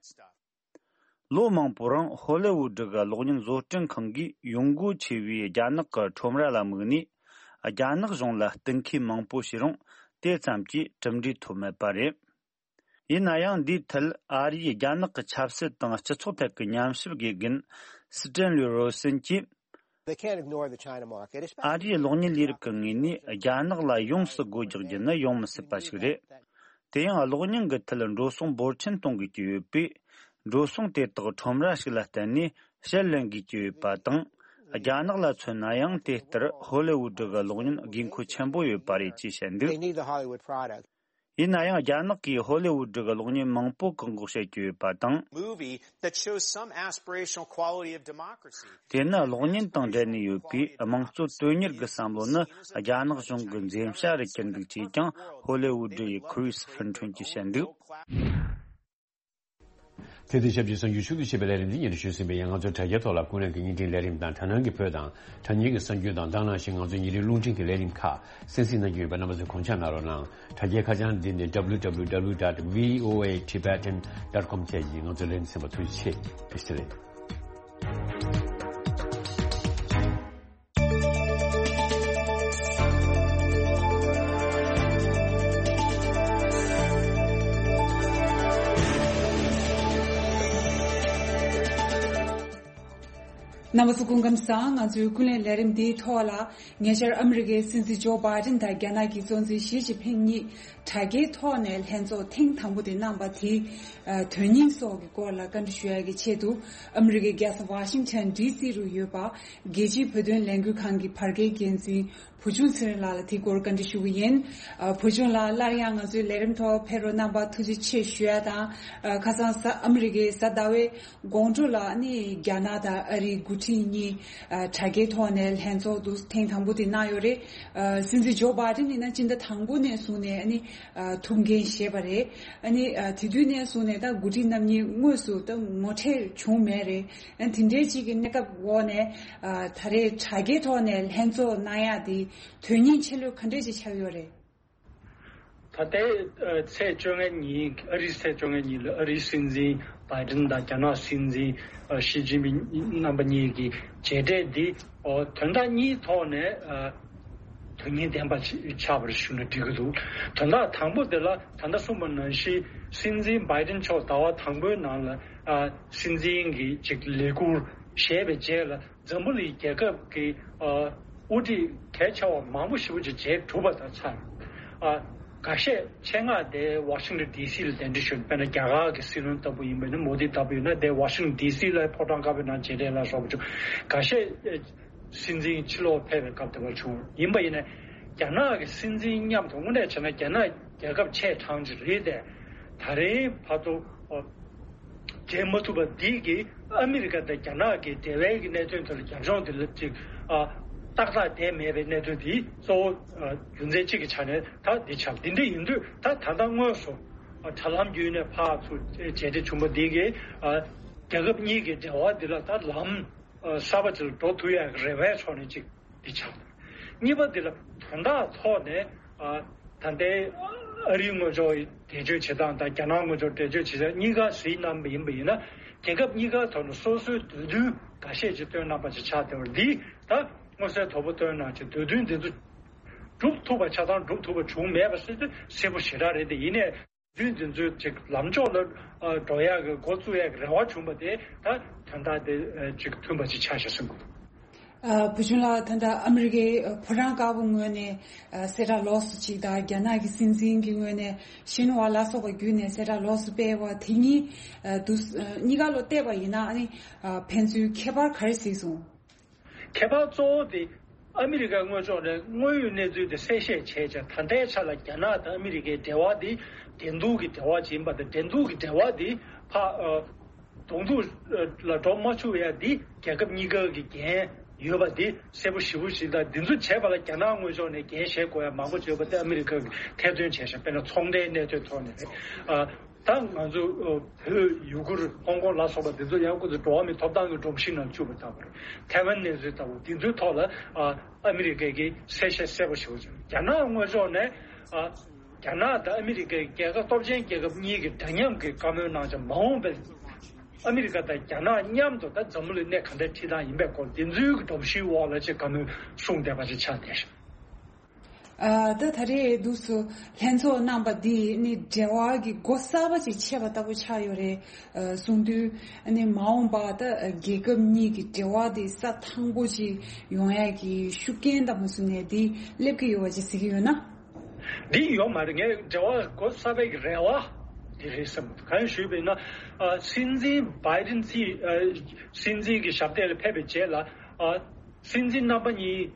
ལོ་མང་པོའི་རིང་ཧོ་ལི་ཝུད་གི་གློག་བརྙན་བཟོ་སྐྲུན་ཁང་གིས་ཡོང་སྒོ་ཆེ་བའི་རྒྱ་ནག་གི་ཁྲོམ་ར་ལ་དམིགས་ནས། རྒྱ་ནག་གཞུང་ལ་གཏུག་མཁས་མང་པོ་བྱས་རུང་དེ་ཙམ་གྱིས་གྲུབ་འབྲས་ཐོབ་མེད་པ་རེད། ཡིན་ན་ཡང་འདིའི་ཐད་ཨ་རིའི་རྒྱ་ནག་གི་ཆབ་སྲིད་དང་སྤྱི་ཚོགས་ཐད་ཀྱི་ཉམས་ཞིབ་དགེ་རྒན་སི་ཏྲན་ལི་རོ་སན་གྱིས། They can't ignore the China market, especially ཨ་རིའི་གློག་བརྙན་ལས་རིགས་ཀྱི་ངོས་ནས་རྒྱ་ནག་ལ་ཡོངས་སུ་སྒོ་རྒྱག་རྒྱུ་ནི་ཡོང་མི་སྲིད་པ་ཞིག་རེད། དེ་ཡང་གློག་བརྙན་གྱི་ཐད་འགྲོ་སོང་འབོར་ཆེན་གཏོང་དགོས་ཀྱི་ཡོད་པས། འགྲོ་སོང་དེ་དག་ཁྲོམ་ར་ཞིག་ལ་བརྟེན་ནས་ཕྱིར་ལེན་དགོས་ཀྱི་ཡོད་པ་དང་། རྒྱ་ནག་ལ་མཚོན་ན་ཡང་དེ་ལྟར་ཧོ་ལི་ཝུད་གི་གློག་བརྙན་དགོས་མཁོ་ཆེན་པོ་ཡོད་པ་རེད་ཅེས་བཤད་འདུག They need the Hollywood product. ཡིན་ན་ཡང་རྒྱ་ནག་གིས་ཧོ་ལི་ཝུད་གི་གློག་བརྙན་མང་པོ་བཀག་འགོག་བྱེད་ཀྱི་ཡོད་པ་དང་། Movie that shows some aspirational quality of democracy. དེ་ནི་གློག་བརྙན་དང་འབྲེལ་ནས་ཡོད་པའི་དམངས་གཙོ་དོན་གཉེར་གྱི་བསམ་བློ་ནི་རྒྱ་ནག་གཞུང་གི་འཛེམ་བྱ་རུ་གྱུར་འདུག་ཅེས་ཀྱང་ཧོ་ལི་ཝུད་ཡི་ཁི་རིས་ཧྥིན་ཁྲོན་གྱིས་བཤད་འདུག་དེ་དང་ཆབས་ཅིག་གསར་འགྱུར་ཕྱོགས་བསྡུས་བྱས་པའི་ལས་རིམ་འདི་སྙན་སྒྲོན་ཞུས་ཟིན་པའི་ཡང་ང་ཚོའི་དྲ་རྒྱའི་ཐོག་ལ་ཀུན་གླེང་གི་བརྙན་འཕྲིན་ལས་རིམ་དང་དྲ་སྣང་གི་བོད་དང་དྲ་བརྙན་གྱི་གསར་འགྱུར་དང་དེ་ནང་བཞིན་ང་ཚོའི་ཉིན་རེའི་རླུང་འཕྲིན་གྱི་ལས་རིམ་ཁག་གསན་གཟིགས་གནང་རྒྱུ་ཡོད་པ་རྣམ་པ་ཚོས་གོང་ཆ་གནང་རོགས་གནང་། དྲ་རྒྱའི་ཁ་བྱང་འདི་ནི་W W W dot V O A Tibetan dot com བཅས་ཀྱིས་ང་ཚོའི་ལས་རིམ་གསན་པར་ཐུགས་རྗེ་ཆེ། བཀྲ་ཤིས་བདེ་ལེགས། རྣམ་པ་ཚོ་སྐུ་ཁམས་བཟང་། ང་ཚོའི་ཀུན་གླེང་ལས་རིམ་འདིའི་ཐོག་ལ་ཉེ་ཆར་ཨ་མི་རི་ཀའི་སྲིད་འཛིན་ཇོ་བྷའི་ཌེན་དང་རྒྱ་ནག་གི་གཙོ་འཛིན་ཞི་ཅིན་ཕིང་གཉིས་དྲ་རྒྱའི་ཐོག་ནས་ལྷན་ཚོགས་ཐེངས་དང་པོ་དེ་གནང་པ་དེའི་དོན་སྙིང་སོགས་ཀྱི་སྐོར་ལ་བཀའ་འདྲི་ཞུ་ཡག་གི་ཆེད་དུ་ཨ་མི་རི་ཀའི་རྒྱལ་ས་ཝ་ཤིང་ཊོན་ཌི་སི་རུ་ཡོད་པ་རྒྱལ་སྤྱིའི་བོད་དོན་ལས་འགུལ་ཁང་གི་བར་བརྒལ་འགན་འཛིན་བུ་ཆུང་ཚེ་རིང་ལགས་ལ་དེའི་སྐོར་བཀའ་འདྲི་ཞུ་གི་ཡིན། ཨ། བུ་ཆུང་ལགས་སླར་ཡང་ང་ཚོའི་ལས་རིམ་ཐོག་ཕེབས་རོགས་གནང་བར་ཐུགས་རྗེ་ཆེ་ཞུ་ཡ་དང་། ཨ། ཁ་སང་གཟའ་ཨ་མི་རི་ཀའི་གཟའ་ཟླ་བའི་དགོང་དྲོ་ལ་ནི་རྒྱ་ནག་དང་ཨ་རིའི་འགོ་ཁྲིད་གཉིས། ཨ། དྲ་རྒྱའི་ཐོག་ནས་ལྷན་ཚོགས་འདུ་ཐེངས་དང་པོ་དེ་གནང་ཡོད་རེད། ཨ། སྲིད་འཛིན་ཇོ་བྷའི་ཌེན་ཡིན་ན་སྤྱི་ཟླ་དང་པོ་ནས་བཟུང་ནས་ཨ་ནི། ཨ། ཐུགས་འགན་བཞེས་པ་རེད། ཨ་ནི། ཨ། དེ་དུས་ནས་བཟུང་ནས་ད་འགོ་ཁྲིད་རྣམ་གཉིས་དངོས་སུ་ད་ངོ་འཕྲད་བྱུང་མེད་རེད། ཨ། དེ་འདྲའི་ཅིག་གི་གནས་སྐབས་འོག་ནས། ཨ། ད་རེས་དྲ་རྒྱའི་ཐོག་ནས་ལྷན་ཚོགས་གནང་ཡག་དེ་དོན་སྙིང་ཆེ་ལོས་ག་འདྲས་ཅིག་ཆགས་ཡོད་རེད། ད་ལྟའི་ཚེས་བཅོ་ལྔ་ཉིན། ཨ་རིའི་ཚེས་བཅོ་ལྔ་ཉིན་ལ་ཨ་རིའི་སྲིད་འཛིན་བྷའི་ཌེན་དང་རྒྱ་ནག་སྲིད་འཛིན་ཞི་ཅིན་ཕིང་རྣམ་པ་གཉིས་ཀྱི་མཇལ་འཕྲད་འདི་དོན་དག་གཉིས་ཐོག་ནས་དོན་སྙིང་ལྡན་པ་ཆགས་པར་ཞུ་ན་འགྲིག་གི་འདུག་དོན་དག་དང་པོ་དེ་ལ་ད་ལྟ་གསུངས་པ་ནང་བཞིན་སྲིད་འཛིན་བྷའི་ཌེན་མཆོག་ཟླ་བ་དང་པོའི་ནང་ལ་སྲིད་འཛིན་གྱི་ཅིག་ལས་ཁུར་བཞེས་པའི་རྗེས་ལ། འཛམ་བུ་གླིང་རྒྱལ་ཁབ་ཀྱི་ཨ་དབུ་ཁྲིད་གལ་ཆེ་བ་མང་པོ་ཞེ་པོ་ཅིག་མཇལ་གྲུབ་པ་དང་ཆ། ཨ་འགའ་ཤས་ཆེད་མངགས་དེ་ཝ་ཤིང་ཊོན་ཌི་སི་ལ་གདན་འདྲེན་ཞུས། དཔེར་ན་རྒྱ་གར་གྱི་སྲིད་བློན་ལྟ་བུ་ཡིན་པ་ཡིན་ན། མོ་དི་ལྟ་བུ་ཡིན་ན་དེ་ཝ་ཤིང་ཊོན་ཌི་སི་ལ་ཕོ་བྲང་དཀར་པོའི་ནང་མཇལ་འཕྲད་ལ་སོགས་པ་བྱུང་། འགའ་ཤས་སྲིད་འཛིན་ཕྱི་ལོགས་ཕེབས་པའི་སྐབས་དེ་བར་བྱུང་། ཡིན་པ་ཡིན་ན་རྒྱ་ནག་གི་སྲིད་འཛིན་མཉམ་དུ་དངོས་གནས་བྱས་ན་རྒྱ་ནག་རྒྱལ་ཁབ་ཆེ་གྲངས་ཅིག་རེད་དེ། ད་རེས་བར་དུ་ཨ་མཇལ་མ་ཐུབ་པ་འདི་གིས་ཨ་མི་རི་ཀ་དང་རྒྱ་ནག་གི་འབྲེལ་བའི་གི་གནད་དོན་དེ་ལ་རྒྱབ་ལྗོངས་དེ་ལ་ཅིག་ཨ་ཏག་ཏག་བསྡད་མེད་པའི་གནད་དོན་འདི་གཙོ་བོ་ཨ་རྒྱུ་མཚན་གཅིག་གི་ཆ་ནས་ད་འདི་ཆགས། འདི་འདྲ་ཡིན་དུས་ད་ད་ལྟ་དངོས་སུ་ཨ་དྲ་ལམ་བརྒྱུད་ནས་ཕར་ཚུར་མཇལ་འཕྲད་བྱུང་བ་འདི་གིས་ཨ་རྒྱལ་ཁབ་གཉིས་ཀྱི་འབྲེལ་བ་འདི་ལ་ད་ལམ་ཨ་གསར་པ་ཅིག་ལ་འགྲོ་ཐུབ་ཡག་གི་རེ་བའི་ཕྱོགས་ནས་ཅིག་འདི་ཆགས་འདུག་གཉིས་པ་འདི་ལ་དོན་དག་ཐོག་ནས་ཨ་ད་ལྟའི་ཨ་རིའི་ངོས་ཕྱོགས་འགྲེལ་བརྗོད་བྱེད་སྟངས་དང་རྒྱ་ནག་ངོས་ཕྱོགས་འགྲེལ་བརྗོད་བྱེད་སྟངས་གཉིས་ཀ་གཟིགས་གནང་བ་ཡིན་པ་ཡིན་ན། རྒྱལ་ཁབ་གཉིས་ཀ་ཐོག་ནས་སོ་སོའི་འདོད་འདུན་འགའ་ཤས་ཅིག་བཏོན་གནང་པ་ཅིག་ཆགས་བསྡད་པ་འདི་ད་མངོན་གསལ་དོད་པོ་བཏོན་གནང་ཅིག་འདོད་འདུན་འདི་ཚོ་སྒྲུབ་ཐུབ་པ་ཆ་ཚང་སྒྲུབ་ཐུབ་པ་བྱུང་མེད་པ་ཟེར་དུས་གསལ་པོ་ཞེ་དྲག་རེད་དེ། ཡིན་ནའི། དུས་འདི་ཚོའི་ཅིག་ལམ་ཕྱོགས་ལ་ཨ་འགྲོ་ཡག་གི་འགོ་བཙུགས་ཡག་གི་རེ་བ་བྱུང་བ་དེ་ད་དོན་དག་དེ་ཨ་ཅིག་མཐུན་པ་ཅིག་ཆགས་ཤག་བསམ་གི་འདུག་ཨ། བུ་ཆུང་ལགས། ད་ལྟ་ཨ་མི་རི་ཀའི་ཨ་ཕོ་བྲང་དཀར་པོའི་ངོས་ནས་ཨ་གསལ་བསྒྲགས་ལོགས་སུ་གཅིག་དང་། རྒྱ་ནག་གི་སྲིད་འཛིན་གྱི་ངོས་ནས་ཤིན་ཧྭ་ལ་སོགས་པ་བརྒྱུད་ནས་གསལ་བསྒྲགས་ལོགས་སུ་སྤེལ་བ་དེ་གཉིས་ཨ་དུ་ཨ་གཉིས་ཀ་ལ་བལྟས་པ་ཡིན་ན། ཨ་ནི་ཨ་ཕན་ཚུན་ཁྱད་པར་ག་རེ་གཟིགས་སོང་། ཁྱད་པར་གཙོ་བོ་དེ་ཨ་མི་རི་ཀ་དངོས་ཕྱོགས་ནས་དངོས་ཡོད་གནས་ཚུལ་དེ་གསལ་བཤད་བྱས་ཙང་། ད་ལྟའི་ཆ་ལ་རྒྱ་ནག་དང་ཨ་མི་རི་ཀའི་འབྲེལ་བ་དེ་འགྲན་བསྡུར་གྱི་འབྲེལ་བ་ཅིག་ཡིན་པ་དང་། འགྲན་བསྡུར་གྱི་འབྲེལ་བ་དེ་ཕ་ཨ་གདོང་ཐུག་ལ་འགྲོ་མ་བཅུག་ཡ་དེ་རྒྱལ་ཁབ་གཉིས་ཀ་གི་འགན་ཡོད་པ་དེ་གསལ་པོ་ཞེ་པོ་ཞིག་དང་། འདི་ཚོ་བྱས་པ་ལ་རྒྱ་ནག་དངོས་ཕྱོགས་ནས་འགན་བཞེས་དགོས་ཡ་མང་པོ་ཅིག་ཡོད་པ་དེ་ཨ་མི་རི་ཀ་གིས་ཐེར་འདོན་བྱས་ཤག་དཔེར་ན་ཚོང་འབྲེལ་གནད་དོན་ཐོག་ནས་རེད། ཨ། ད་ང་ཚོ་ཨ་བོད་ཡུ་གུར་ཧོང་ཀོང་ལ་སོགས་པ་འདི་ཚོ་ཡང་ཁོ་ཚོ་འགྲོ་བ་མིའི་ཐོབ་ཐང་གི་སྒྲོམ་གཞི་ནང་བཅུག་པ་ལྟ་བུ་རེད། ཐའེ་ཝན་གནས་ཚུལ་ལྟ་བུ་འདི་ཚོའི་ཐོག་ལ་ཨ་ཨ་མི་རི་ཀས་ཀྱིས་གསལ་བཤད་གསལ་པོ་ཞེ་པོ་བྱས། རྒྱ་ནག་དངོས་ཕྱོགས་ནས་ཨ་རྒྱ་ནག་དང་ཨ་མི་རི་ཀའི་རྒྱལ་ཁབ་སྟོབས་ཆེན་རྒྱལ་ཁབ་གཉིས་ཀྱིས་འདྲ་མཉམ་གྱི་བཀའ་མོལ་གནང་ཙང་། མ་འོངས་པའི་ཨ་མི་རི་ཀ་དང་རྒྱ་ནག་མཉམ་དུ་ད་འཛམ་བུ་གླིང་གནས་ག་འདྲ་ཁྲིད་སྟངས་ཡིན་པའི་སྐོར་འདི་ཚོའི་གི་སྒྲོམ་གཞིའི་འོག་ལ་ཅིག་བཀའ་མོལ་གསུངས་བསྡད་པ་ཅིག་ཆགས་བསྡད་ཤག་ཨ། ད་ད་རེས་འདུག་སེ་ལྷན་ཚོགས་གནང་པ་འདིས་ནི་འབྲེལ་བ་གི་སྒོ་གསར་པ་ཅིག་ཕྱེ་བ་ལྟ་བུ་ཆགས་ཡོད་རེད། ཨ། གསུངས་དུས་ནི་མ་འོངས་པ་ད་རྒྱལ་ཁབ་གཉིས་ཀྱི་འབྲེལ་བ་འདི་ས་ཐང་པོ་ཅིག་ཡོང་ཡ་གི་ཤུགས་རྐྱེན་དང་མ་སུ་ནས་འདི་སླེབས་ཀྱི་ཡོད་པ་ཅིག་གཟིགས་ཀྱི་ཡོད་ན། འདི་ཡོད་མ་རེད། ངས་འབྲེལ་བ་སྒོ་གསར་པའི་གི་རེ་བ་འདི་རེད་བསམ། གང་ཞུས་པ་ཡིན་ན། ཨ། སྲིད་འཛིན་བྷའི་ཌེན་སྲིད་ཨ་སྲིད་འཛིན་གྱི་ཞབས་སྟེགས་ལ་ཕེབས་པའི་རྗེས་ལ། ཨ། སྲིད་འཛིན་རྣམ་པ་གཉིས་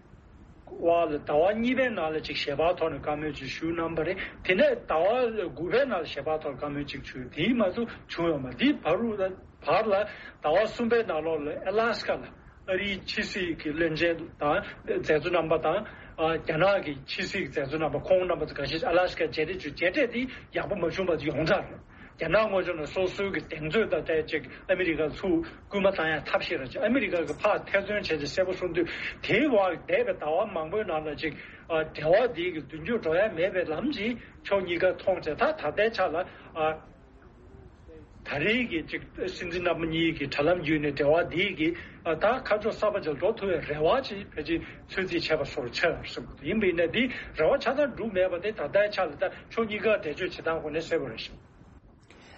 བར་ལ་ཟླ་བ་གཉིས་པའི་ནང་ལ་ཅིག་ཞལ་པར་ཐོག་ནས་བཀའ་མོལ་ཅིག་ཞུས་གནང་པ་རེད། དེ་ནས་ཟླ་བ་དགུ་པའི་ནང་ལ་ཞལ་པར་ཐོག་བཀའ་མོལ་ཅིག་ཞུས། དེའི་མ་ཚུགས་བྱུང་ཡོད་མ་རེད། དེའི་བར་དུ་བར་ལ་ཟླ་བ་གསུམ་པའི་ནང་ལོགས་ལ་ཨ་ལ་སི་ཀ་ལ་ཨ་རིའི་ཕྱི་སྲིད་ཀྱི་བློན་ཆེན་དང་མཛད་གཙོ་རྣམ་པ་དང་། ཨ། རྒྱ་ནག་གི་ཕྱི་སྲིད་ཀྱི་མཛད་གཙོ་རྣམ་པ་ཁོང་རྣམ་པ་ཚོ་འགའ་ཤས་ཨ་ལ་སི་ཀ་མཇལ་འཕྲད་བྱུང་། མཇལ་འཕྲད་དེ་ཡག་པོ་མ་བྱུང་བ་ཡོངས་གྲགས་རེད། རྒྱ་ནག་དངོས་ཕྱོགས་ནས་སོ་སོའི་གི་གདེང་ཚོད་དང་འབྲེལ་ཅིག་ཨ་མི་རི་ཀ་ཚུར་སྐུལ་མ་བཏང་ཡ་ཐབས་ཤེས་ར་ཅིག་ཨ་མི་རི་ཀ་གི་ཕར་ཐེར་འདོན་བྱས་ཏེ་གསལ་པོ་གསུངས་དུས། དེའི་བར་འདས་པའི་ཟླ་བ་མང་པོའི་ནང་ལ་ཅིག་ཨ། འབྲེལ་བ་འདི་གི་མདུན་སྐྱོད་འགྲོ་ཡ་མེད་པའི་ལམ་ཅིག་ཕྱོགས་གཉིས་ཀ་མཐོང་བྱས། ད་ད་ལྟའི་ཆ་ལ། ཨ། ད་རེས་ཀྱི་ཅིག་སྲིད་འཛིན་རྣམ་པ་གཉིས་ཀྱི་དྲ་ལམ་བརྒྱུད་ནས་འབྲེལ་བ་འདི་གི་ཨ། ད་ཁ་ཕྱོགས་གསར་པ་ཅིག་འགྲོ་ཐུབ་པའི་རེ་བ་ཅིག་ཕལ་ཆེར་ཚོད་རྩིས་བྱས་པ་བཟོ་འདྲ་ཆགས་ཡོད་བསམ་གྱི་འདུག་ཡིན་པ་ཡིན་ན་འདི་རེ་བ་ཆ་ཚང་འགྲུབ་མེད་པ་དེ་ད་ལྟའི་ཆ་ལ་ད་ཕྱོགས་གཉིས་ཀ་འགྲེལ་བརྗོད་བྱེད་སྟངས་ཁོ་ནས་གསལ་པོ་རེད་ཤག་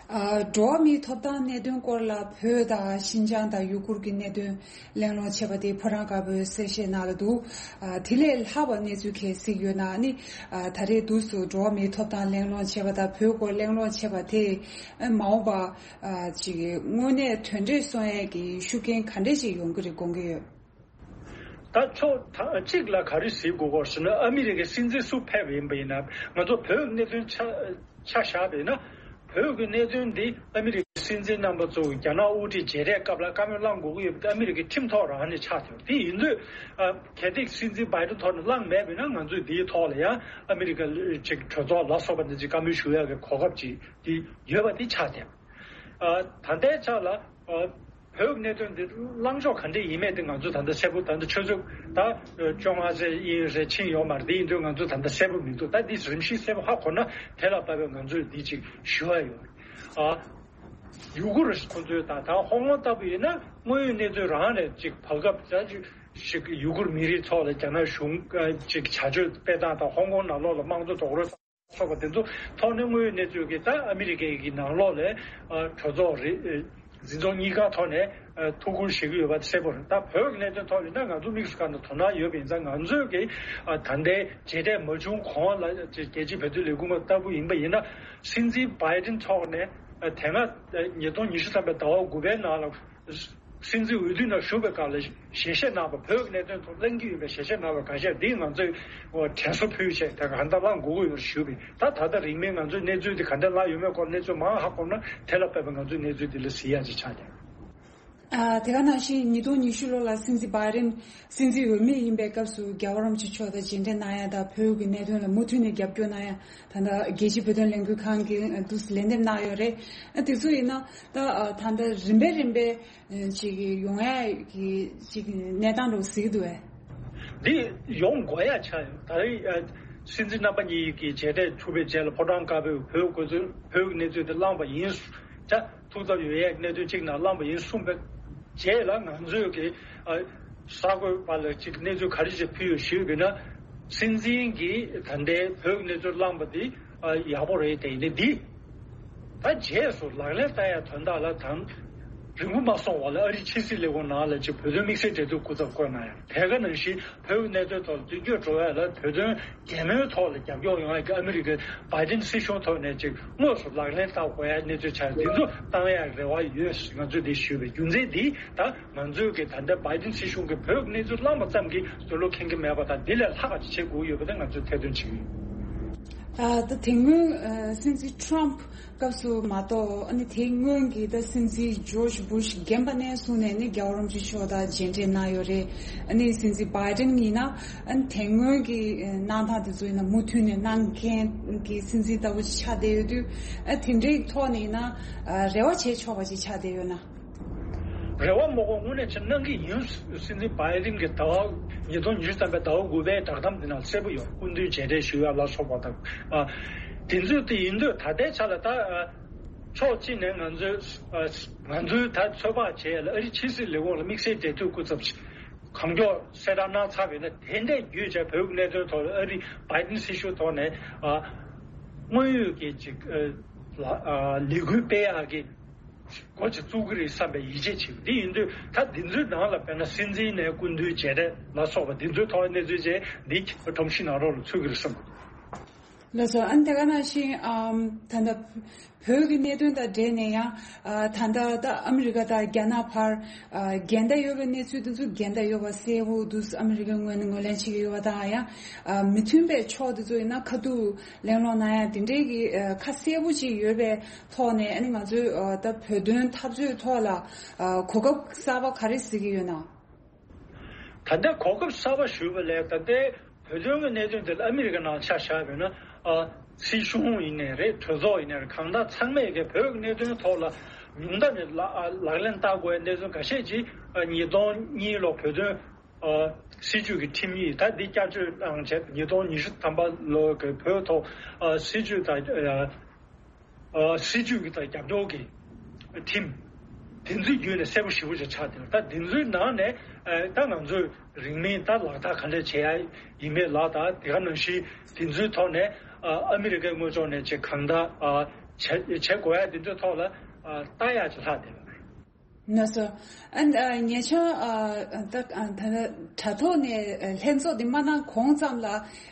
ཨ། འགྲོ་བ་མིའི་ཐོབ་ཐང་གནད་དོན་སྐོར་ལ་བོད་དང་ཤིན་ཅང་དང་ཡུ་གུར་གྱི་གནད་དོན་གླེང་སློང་བྱས་པ་དེ་ཕོ་བྲང་དཀར་པོའི་གསལ་བཤད་ནང་ལ་འདུག་ཨ། དེ་ལས་ལྷག་པ་གནས་ཚུལ་གལ་སྲིད་ཡོད་ན་ནི། ཨ། ད་རེས་འདུག་སེ་འགྲོ་བ་མིའི་ཐོབ་ཐང་གླེང་སློང་བྱས་པ་དང་བོད་སྐོར་གླེང་སློང་བྱས་པ་དེ་མ་འོངས་པ་ཨ་ཅིག་དངོས་གནས་དོན་འབྲས་སོན་ཡས་ཀྱི་ཤུགས་རྐྱེན་ག་འདྲས་ཤིག་ཡོང་གི་རེད་དགོངས་ཀྱི་ཡོད། ད་ཕྱོགས་ད་གཅིག་ལ་ག་རེ་གཟིགས་དགོས་སྐོར་ཟེར་ན། ཨ་མི་རི་ཀའི་སྲིད་འཛིན་སུ་ཕེབས་ཡིན་པ་ཡིན་ན། ང་ཚོ་བོད་གནད་དོན་ཆ་ཆ་བཞག་པ་ཡིན་ན། བོད་ཀྱི་གནད་དོན་འདི་ཨ་མི་རི་ཀའི་སྲིད་འཛིན་རྣམ་པ་ཚོ་རྒྱ་ནག་དབུ་ཁྲིད་མཇལ་འཕྲད་སྐབས་ལ་བཀའ་མོལ་བླང་དགོས་ཀྱི་ཡོད་པ་དེ་ཨ་མི་རི་ཀའི་ཁྲིམས་ཐོག་རང་ནས་ཆགས་ཐུབ། དེ་ཡིན་དུས་ཨ་གལ་ཏེ་སྲིད་འཛིན་བྷའི་ཌེན་ཐོག་ནས་བླངས་མེད་པ་ཡིན་ན། ང་ཚོས་འདིའི་ཐོག་ལ་ཡང་ཨ་མི་རི་ཀ་ཅིག་གྲོས་ཚོགས་ལ་སོགས་པ་འདི་ཅིག་བཀའ་མོལ་ཞུ་ཡག་གི་གོ་སྐབས་ཅིག་དེ་ཡོད་པ་དེ་ཆགས་ཐུབ། ཨ། ད་ལྟའི་ཆ་ལ་ཨ་བོད་གནད་དོན་འདི་ལངས་ཕྱོགས་ག་འདྲ་ཡིན་མིན་དེ་ང་ཚོས་ད་ལྟ་གསལ་པོ། ད་ལྟ་ཆུ་ཚོད་ད་བཅོ་ལྔ་ཙམ་ཡིན་རེད་ཕྱིན་ཡོད་མ་རེད། དེ་ཡིན་དུས་ང་ཚོས་ད་ལྟ་གསལ་པོ་མི་འདུག་ད་འདི་རིམ་བཞིན་གསལ་པོ་ཧ་གོ་ན་དེ་ལ་བབས་པའི་ང་ཚོས་འདི་ཅིག་ཞུ་ཡ་ཡོད། ཨ། ཡུ་གུར་ཁོ་ཚོས་ད་ད་ཧོང་ཀོང་ལྟ་བུ་ཡིན་ན་དངོས་ཡོད་གནས་ཚུལ་རང་ནས་ཅིག་བར་སྐབས་ད་ཅིག་ཡུ་གུར་མི་རིགས་ཐོག་ལ་རྒྱ་ནག་གཞུང་ཅིག་བྱ་སྤྱོད་སྤེལ་སྟངས་དང་། ཧོང་ཀོང་ནང་ལོགས་ལ་དམངས་གཙོ་རྡོག་རོལ་སོགས་པ་དེ་ཚོ་ཐོག་ནས་དངོས་ཡོད་གནས་ཚུལ་གྱི་ད་ཨ་མི་རི་ཀའི་གི་ནང་ལོགས་ལ་ཨ་གྲོས་ཚོགས་རེད། ཨ་འཛིན་ཚོགས་གཉིས་ཀ་ཐོག་ནས་ཨ་ཐུགས་ཁུར་བཞེས་ཀྱི་ཡོད་པ་གསལ་པོ་རེད། ད་བོད་ཀྱི་གནད་དོན་ཐོག་ཡིན་ན་ང་ཚོ་དམིགས་སུ་བཀར་ནས་དོ་སྣང་ཡོད་པ་ཡིན་ཙང་། ང་ཚོས་ཀྱི་ཨ་ད་ལྟའི་མཇལ་འཕྲད་མ་བྱུང་གོང་ལ་རྒྱལ་སྤྱིའི་བོད་དོན་ལས་ཁུངས་ལྟ་བུ་ཡིན་པ་ཡིན་ན། སྲིད་འཛིན་བྷའི་ཌེན་ཐོག་ནས་ཨ་དེ་སྔ་ཨ་ཉིས་སྟོང་ཉི་ཤུ་ཐམ་པའི་ཟླ་བ་དགུ་པའི་ནང་ལ་སྲིད་འཛིན་འོས་བསྡུ་ནང་ཞུགས་པའི་སྐབས་ལ་ཞལ་བཞེས་གནང་བ། བོད་ཀྱི་གནད་དོན་ཐོག་གླེང་གི་ཡོད་པའི་ཞལ་བཞེས་གནང་བ་འགའ་ཤས་འདི་ང་ཚོས་དྲན་གསོ་ཕུལ་བྱས་ད་ག་འདྲ་བླང་དགོས་ཀྱི་ཡོད་ཞུས་པས། ད་ད་ལྟ་རིང་མིན་ང་ཚོའི་གནས་ཚུལ་འདི་ག་འདྲ་བླངས་ཡོད་མེད་སྐོར་གནས་ཚུལ་མང་ཧ་གོ་ན། དེ་ལ་དཔག་པའི་ང་ཚོའི་གནས་ཚུལ་འདི་ལ་གཟིགས་ཡ་ཅིག་ཆགས་ཀྱང་། ཨ། དེ་ག་ནང་བཞིན་ཉིས་སྟོང་ཉི་ཤུ་ལོ་ལ་སྲིད་འཛིན་བྷའི་ཌེན་སྲིད་འཛིན་འོས་མི་ཡིན་པའི་སྐབས་སུ་རྒྱལ་བ་རིན་པོ་ཆེ་མཆོག་དང་མཇལ་འཕྲད་གནང་ཡ་དང་བོད་ཀྱི་གནད་དོན་ལ་མུ་མཐུད་ནས་རྒྱབ་སྐྱོར་གནང་ཡ། ད་ལྟ་རྒྱལ་སྤྱིའི་བོད་དོན་ལས་འགུལ་ཁང་གིས་འདུག་སེ་ལན་འདེབས་གནང་ཡོད་རེད། ཨ། དེ་ཚོ་ཡིན་ན་ད་ད་ལྟ་རིམ་པས་རིམ་པས་ཅིག་ཡོང་ཡ་གི་ཅིག་གནས་སྟངས་འདྲ་བོ་གཟིགས་འདུག་བས། འདི་ཡོང་དགོས་ཡ་ཆགས་ཡོད། ད་རེས་ཨ་སྲིད་འཛིན་རྣམ་པ་གཉིས་ཀྱིས་མཇལ་འཕྲད་ཐུབ་པའི་རྗེས་ལ་ཕོ་བྲང་དཀར་པོས་བོད་སྐོར་ཚུལ་བོད་ཀྱི་གནས་ཚུལ་དེ་བླངས་པ་ཡིན། ད་ཐུགས་འཚབ་ཡོད་ཡས་གནད་དོན་གཅིག་ནང་བླངས་པ་ཡིན་གསུངས་པའི་རྗེས་ལ་ང་ཚོས་ཀྱི་ཨ་གསར་འགོད་པ་ལ་ཅིག་གནས་ཚུལ་ག་རེ་ཞིག་ཕུལ་ཡོད་ཞུས་པ་ཡིན་ན། སྲིད་འཛིན་གྱིས་ད་ལྟའི་བོད་ཀྱི་གནས་ཚུལ་བླངས་པ་འདི་ཨ་ཡག་པོ་རེད། དེ་ཡིན་ན་འདི་ ད་རྗེས་སུ་ལག་ལེན་བསྟར་ཡ་དོན་དག་ལ་དང་། རིང་པོ་མ་སོང་བ་ལ་ཨ་རིའི་ཕྱི་སྲིད་ལས་ཁུངས་ནང་ལ་ཅིག་བོད་དོན་དམིགས་བསལ་འབྲེལ་མཐུད་སྐུ་ཚབ་བསྐོས་གནང་ཡ། དེ་ག་ནང་བཞིན་བོད་ཀྱི་གནད་དོན་ཐོག་ལ་མདུན་སྐྱོད་འགྲོ་ཡ་ལ་བོད་དོན་གད་མོའི་ཐོག་ལ་རྒྱབ་སྐྱོར་ཡོང་ཡ་གི་ཨ་མི་རི་ཀའི་བྷའི་ཌེན་སྲིད་གཞུང་ཐོག་ནས་ཅིག་དངོས་སུ་ལག་ལེན་བསྟར་དགོས་ཡ་གནས་ཚུལ་ཆགས། འདི་ཚོ་བཏང་ཡ་རེ་བ་ཡོད། ང་ཚོས་འདི་ཞུས་པའི་རྒྱུ་མཚན་འདི་ད་ང་ཚོས་ཀྱི་ད་ལྟ་བྷའི་ཌེན་སྲིད་གཞུང་གི་བོད་ཀྱི་གནས་ཚུལ་བླངས་པ་ཙམ་གྱིས་འདོད་བློ་ཁེངས་ཀྱི་མེད་པ་དང་། འདི་ལས་ལྷག་པ་ཅིག་བྱེད་དགོས་ཡོད་པ་དེ་ང་ཚོས་ཐེར་འདོན་བྱེད་ཀྱི་ཡོད། ཨ། ད་དེ་སྔོན་ཨ་སྲིད་འཛིན་ཁྲོམ་སྐབས་སུ་མ་གཏོགས། ཨ་ནི་དེ་སྔོན་གྱི་ད་སྲིད་འཛིན་ཇོརྗ་བྷུཤ་རྒན་པ་ནས་བཟུང་ནས་ནི་རྒྱལ་བ་རིན་པོ་ཆེ་མཆོག་དང་མཇལ་འཕྲད་གནང་ཡོད་རེད། ཨ་ནི་སྲིད་འཛིན་བྷའི་ཌེན་ཡིན་ན། ཨ་ནི་དེ་སྔོན་གྱི་གནང་སྟངས་དེ་ཚོ་ཡིན་ན་མུ་མཐུད་ནས་གནང་མཁན་གྱི་སྲིད་འཛིན་ལྟ་བུ་ཅིག་ཆགས་བསྡད་ཡོད་དུས། ཨ། དེ་འདྲའི་ཐོག་ནས་ཡིན་ན། ཨ། རེ་བ་བྱེད་ཆོག་པ་ཅིག་ཆགས་བསྡད་ཡོད་ན། རེ་བ་མ་དགོས། དངོས་གནས་ཆེ་གནང་གི་ཡིན། སྲིད་འཛིན་བྷའི་ཌེན་གྱི་ཟླ་བ། ཉིས་སྟོང་ཉི་ཤུ་རྩ་བཞི་ཟླ་བ་དགུ་པའི་བསྒྲགས་གཏམ་འདི་ནང་གསལ་པོ་ཡོད། སྐུ་མདུན་མཇལ་འཕྲད་ཞུ་ཡ་ལ་སོགས་པ་དང་། ཨ། དེ་ཚོ་དེ་ཡིན་དུས་ད་ལྟའི་ཆ་ལ་ད། ཨ། ཕྱོགས་གཅིག་ནས་ང་ཚོའི། ཨ། ང་ཚོའི་ད་ཚོད་དཔག་བྱས་ལ་ཨ་རིའི་ཕྱི་སྲིད་ལས་ཁུངས་ལ་དམིགས་བསལ་འབྲེལ་མཐུད་སྐུ་ཚབ་གང་མགྱོགས་གསལ་བསྒྲགས་གནང་ཚར་བ་ཡིན་ན། དེ་འདྲས་བརྒྱུད་བྱས་བོད་ཀྱི་གནད་དོན་ཐོག་ལ་ཨ་རིའི་བྷའི་ཌེན་སྲིད་གཞུང་ཐོག་ནས། ཨ། དངོས་ཡོད་ཀྱི་ཅིག་ཨ། ལས་འགུལ་སྤེལ་ཡག་གི་འགོ་ཅིག་བཙུགས་ཀྱི་རེད་བསམ་པའི་ཡིད་ཆེས་བྱེད། འདི་ཡིན་དུས་ད་འདི་ཚོའི་ནང་ལ་དཔེར་ན་སྲིད་འཛིན་ནས་སྐུ་མདུན་མཇལ་འཕྲད་ལ་སོགས་པ་འདི་ཚོའི་ཐོག་གནས་ཚུལ་བཅས་འདི་ཁྲོམ་གཞི་ནང་ལོགས་ལ་ཚུད་ཀྱི་རེད་བསམ། ལགས་སོ། ཨ་ནི་དེ་ག་ནང་བཞིན། ཨམ། ད་ལྟ་བོད་ཀྱི་གནད་དོན་དང་འབྲེལ་ནས་ཡང་། ཨ། ད་ལྟ་ད་ཨ་མི་རི་ཀ་དང་རྒྱ་ནག་བར། ཨ། འགལ་ཟླ་ཡོད་པའི་གནས་ཚུལ་དེ་ཚོ་འགལ་ཟླ་ཡོད་པ་གསལ་པོ་འདུག་ཨ་མི་རི་ཀའི་ངོས་ནས་ངོས་ལེན་བྱེད་ཀྱི་ཡོད་པ་དང་། ཡང་། ཨ། མི་མཐུན་པའི་ཕྱོགས་དེ་ཚོ་ཡིན་ན་ཁ་ཐུག་གླེང་སློང་གནང་ཡ་དེ་འདྲའི་གི། ཨ། ཁ་གསལ་པོ་ཅིག་ཡོད་པའི་ཐོག་ནས། ཨ་ནི་ང་ཚོས། ཨ། ད་བོད་དོན་འཐབ་རྩོད་ཐོག་ལ། ཨ། གོ་སྐབས་གསར་པ་ག་རེ་གཟིགས་ཀྱི་ཡོད་ན། ད་ལྟ་གོ་སྐབས་གསར་པ་ཞུས་པ་ལས། ད་ལྟའི་བོད་དོན་གྱི་གནད་དོན་དེ་ལ་ཨ་མི་རི་ཀ་ནང་ཆ་བཞག་པ་ཡིན་ན། ཨ། སྲིད་གཞུང་ཡིན་ནའི་རེད། གྲོས་ཚོགས་ཡིན་ནའི་རེད། གང་ལྟར་ཚང་མས་ཀྱི་བོད་ཀྱི་གནད་དོན་ཐོག་ལ་ཉུང་མཐའ་ནས་ལག་ལག་ལེན་བསྟར་དགོས་པའི་གནད་དོན་ཁ་ཤས་ཅིག་ཨ། ཉིས་སྟོང་གཉིས་ལོ་བོད་དོན། ཨ། སྲིད་བྱུས་ཀྱི་ཁྲིམས་ཡིག་ད་འདི་བསྐྱར་བཅོས་གནང་བྱས་ཉིས་སྟོང་ཉི་ཤུ་ཐམ་པ་ལོ་གི་བོད་ཐོག་ཨ། སྲིད་བྱུས་དང་། ཨ། ཨ། སྲིད་བྱུས་ཀྱི་དང་རྒྱབ་སྐྱོར་གྱི་ཁྲིམས། དེ་ཚོའི་བརྒྱུད་ནས་གསལ་པོ་ཞེ་པོ་ཅིག་ཆགས་བསྡད་པ། ད་དེ་ཚོའི་ནང་ནས། ཨ། ད་ང་ཚོས་རིང་མིན་ད་ལག་བསྟར་ག་འདྲ་བྱེད་ཡ་ཡིན་མིན་ལ། ད་དེ་ག་ནང་བཞིན་དེ་ཚོའི་ཐོག་ནས། ཨ། ཨ་མི་རི་ཀའི་ངོས་ཕྱོགས་ནས་ཅིག་གང་ལྟར། ཨ། བྱ་བྱེད་དགོས་ཡ་དེ་ཚོའི་ཐོག་ལ། ཨ། ལྟ་ཡ་ཅིག་ལྷག་བསྡད་པ་རེད། ལགས་སོ། ཨ། ཨ། ཉེ་ཆར། ཨ། ད། ཨ། ད་དྲ་ཐོག་ནས། ཨ། ལྷན་ཚོགས་འདི་མ་གནང་གོང་ཙམ་ལ་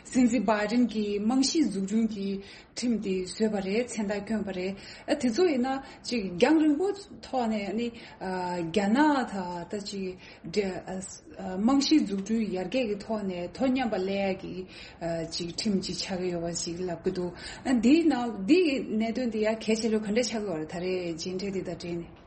སྲིད་འཛིན་བྷའི་ཌེན་གྱིས་རྨང་གཞི་འཛུགས་སྐྲུན་གྱི་ཁྲིམས་དེ་བཟོས་པ་རེད། མཚན་རྟགས་བསྐྱོན་པ་རེད། ཨ། དེ་ཚོ་ཡིན་ན་ཅིག་རྒྱང་རིང་པོ་ཐོག་ནས་ནི། ཨ། རྒྱ་ནག་དང་ད་ཅིག་འབྲེལ། ཨ། ཨ། རྨང་གཞི་འཛུགས་སྐྲུན་ཡར་རྒྱས་ཀྱི་ཐོག་ནས་དོ་མཉམ་པ་སླེབས་ཡ་གི། ཨ། ཅིག་ཁྲིམས་ཅིག་ཆགས་ཀྱི་ཡོད་པ་ཞིག་ལབ་ཀྱི་འདུག་ཨ། འདིའི་ནང་འདིའི་གནད་དོན་འདི་ཡ་གལ་ཆེ་ལོས་ག་འདྲ་ཆགས་ཀྱི་ཡོད་རེད། ད་རེས་མཇལ་འཕྲད་འདི་དང་འབྲེལ་ནས།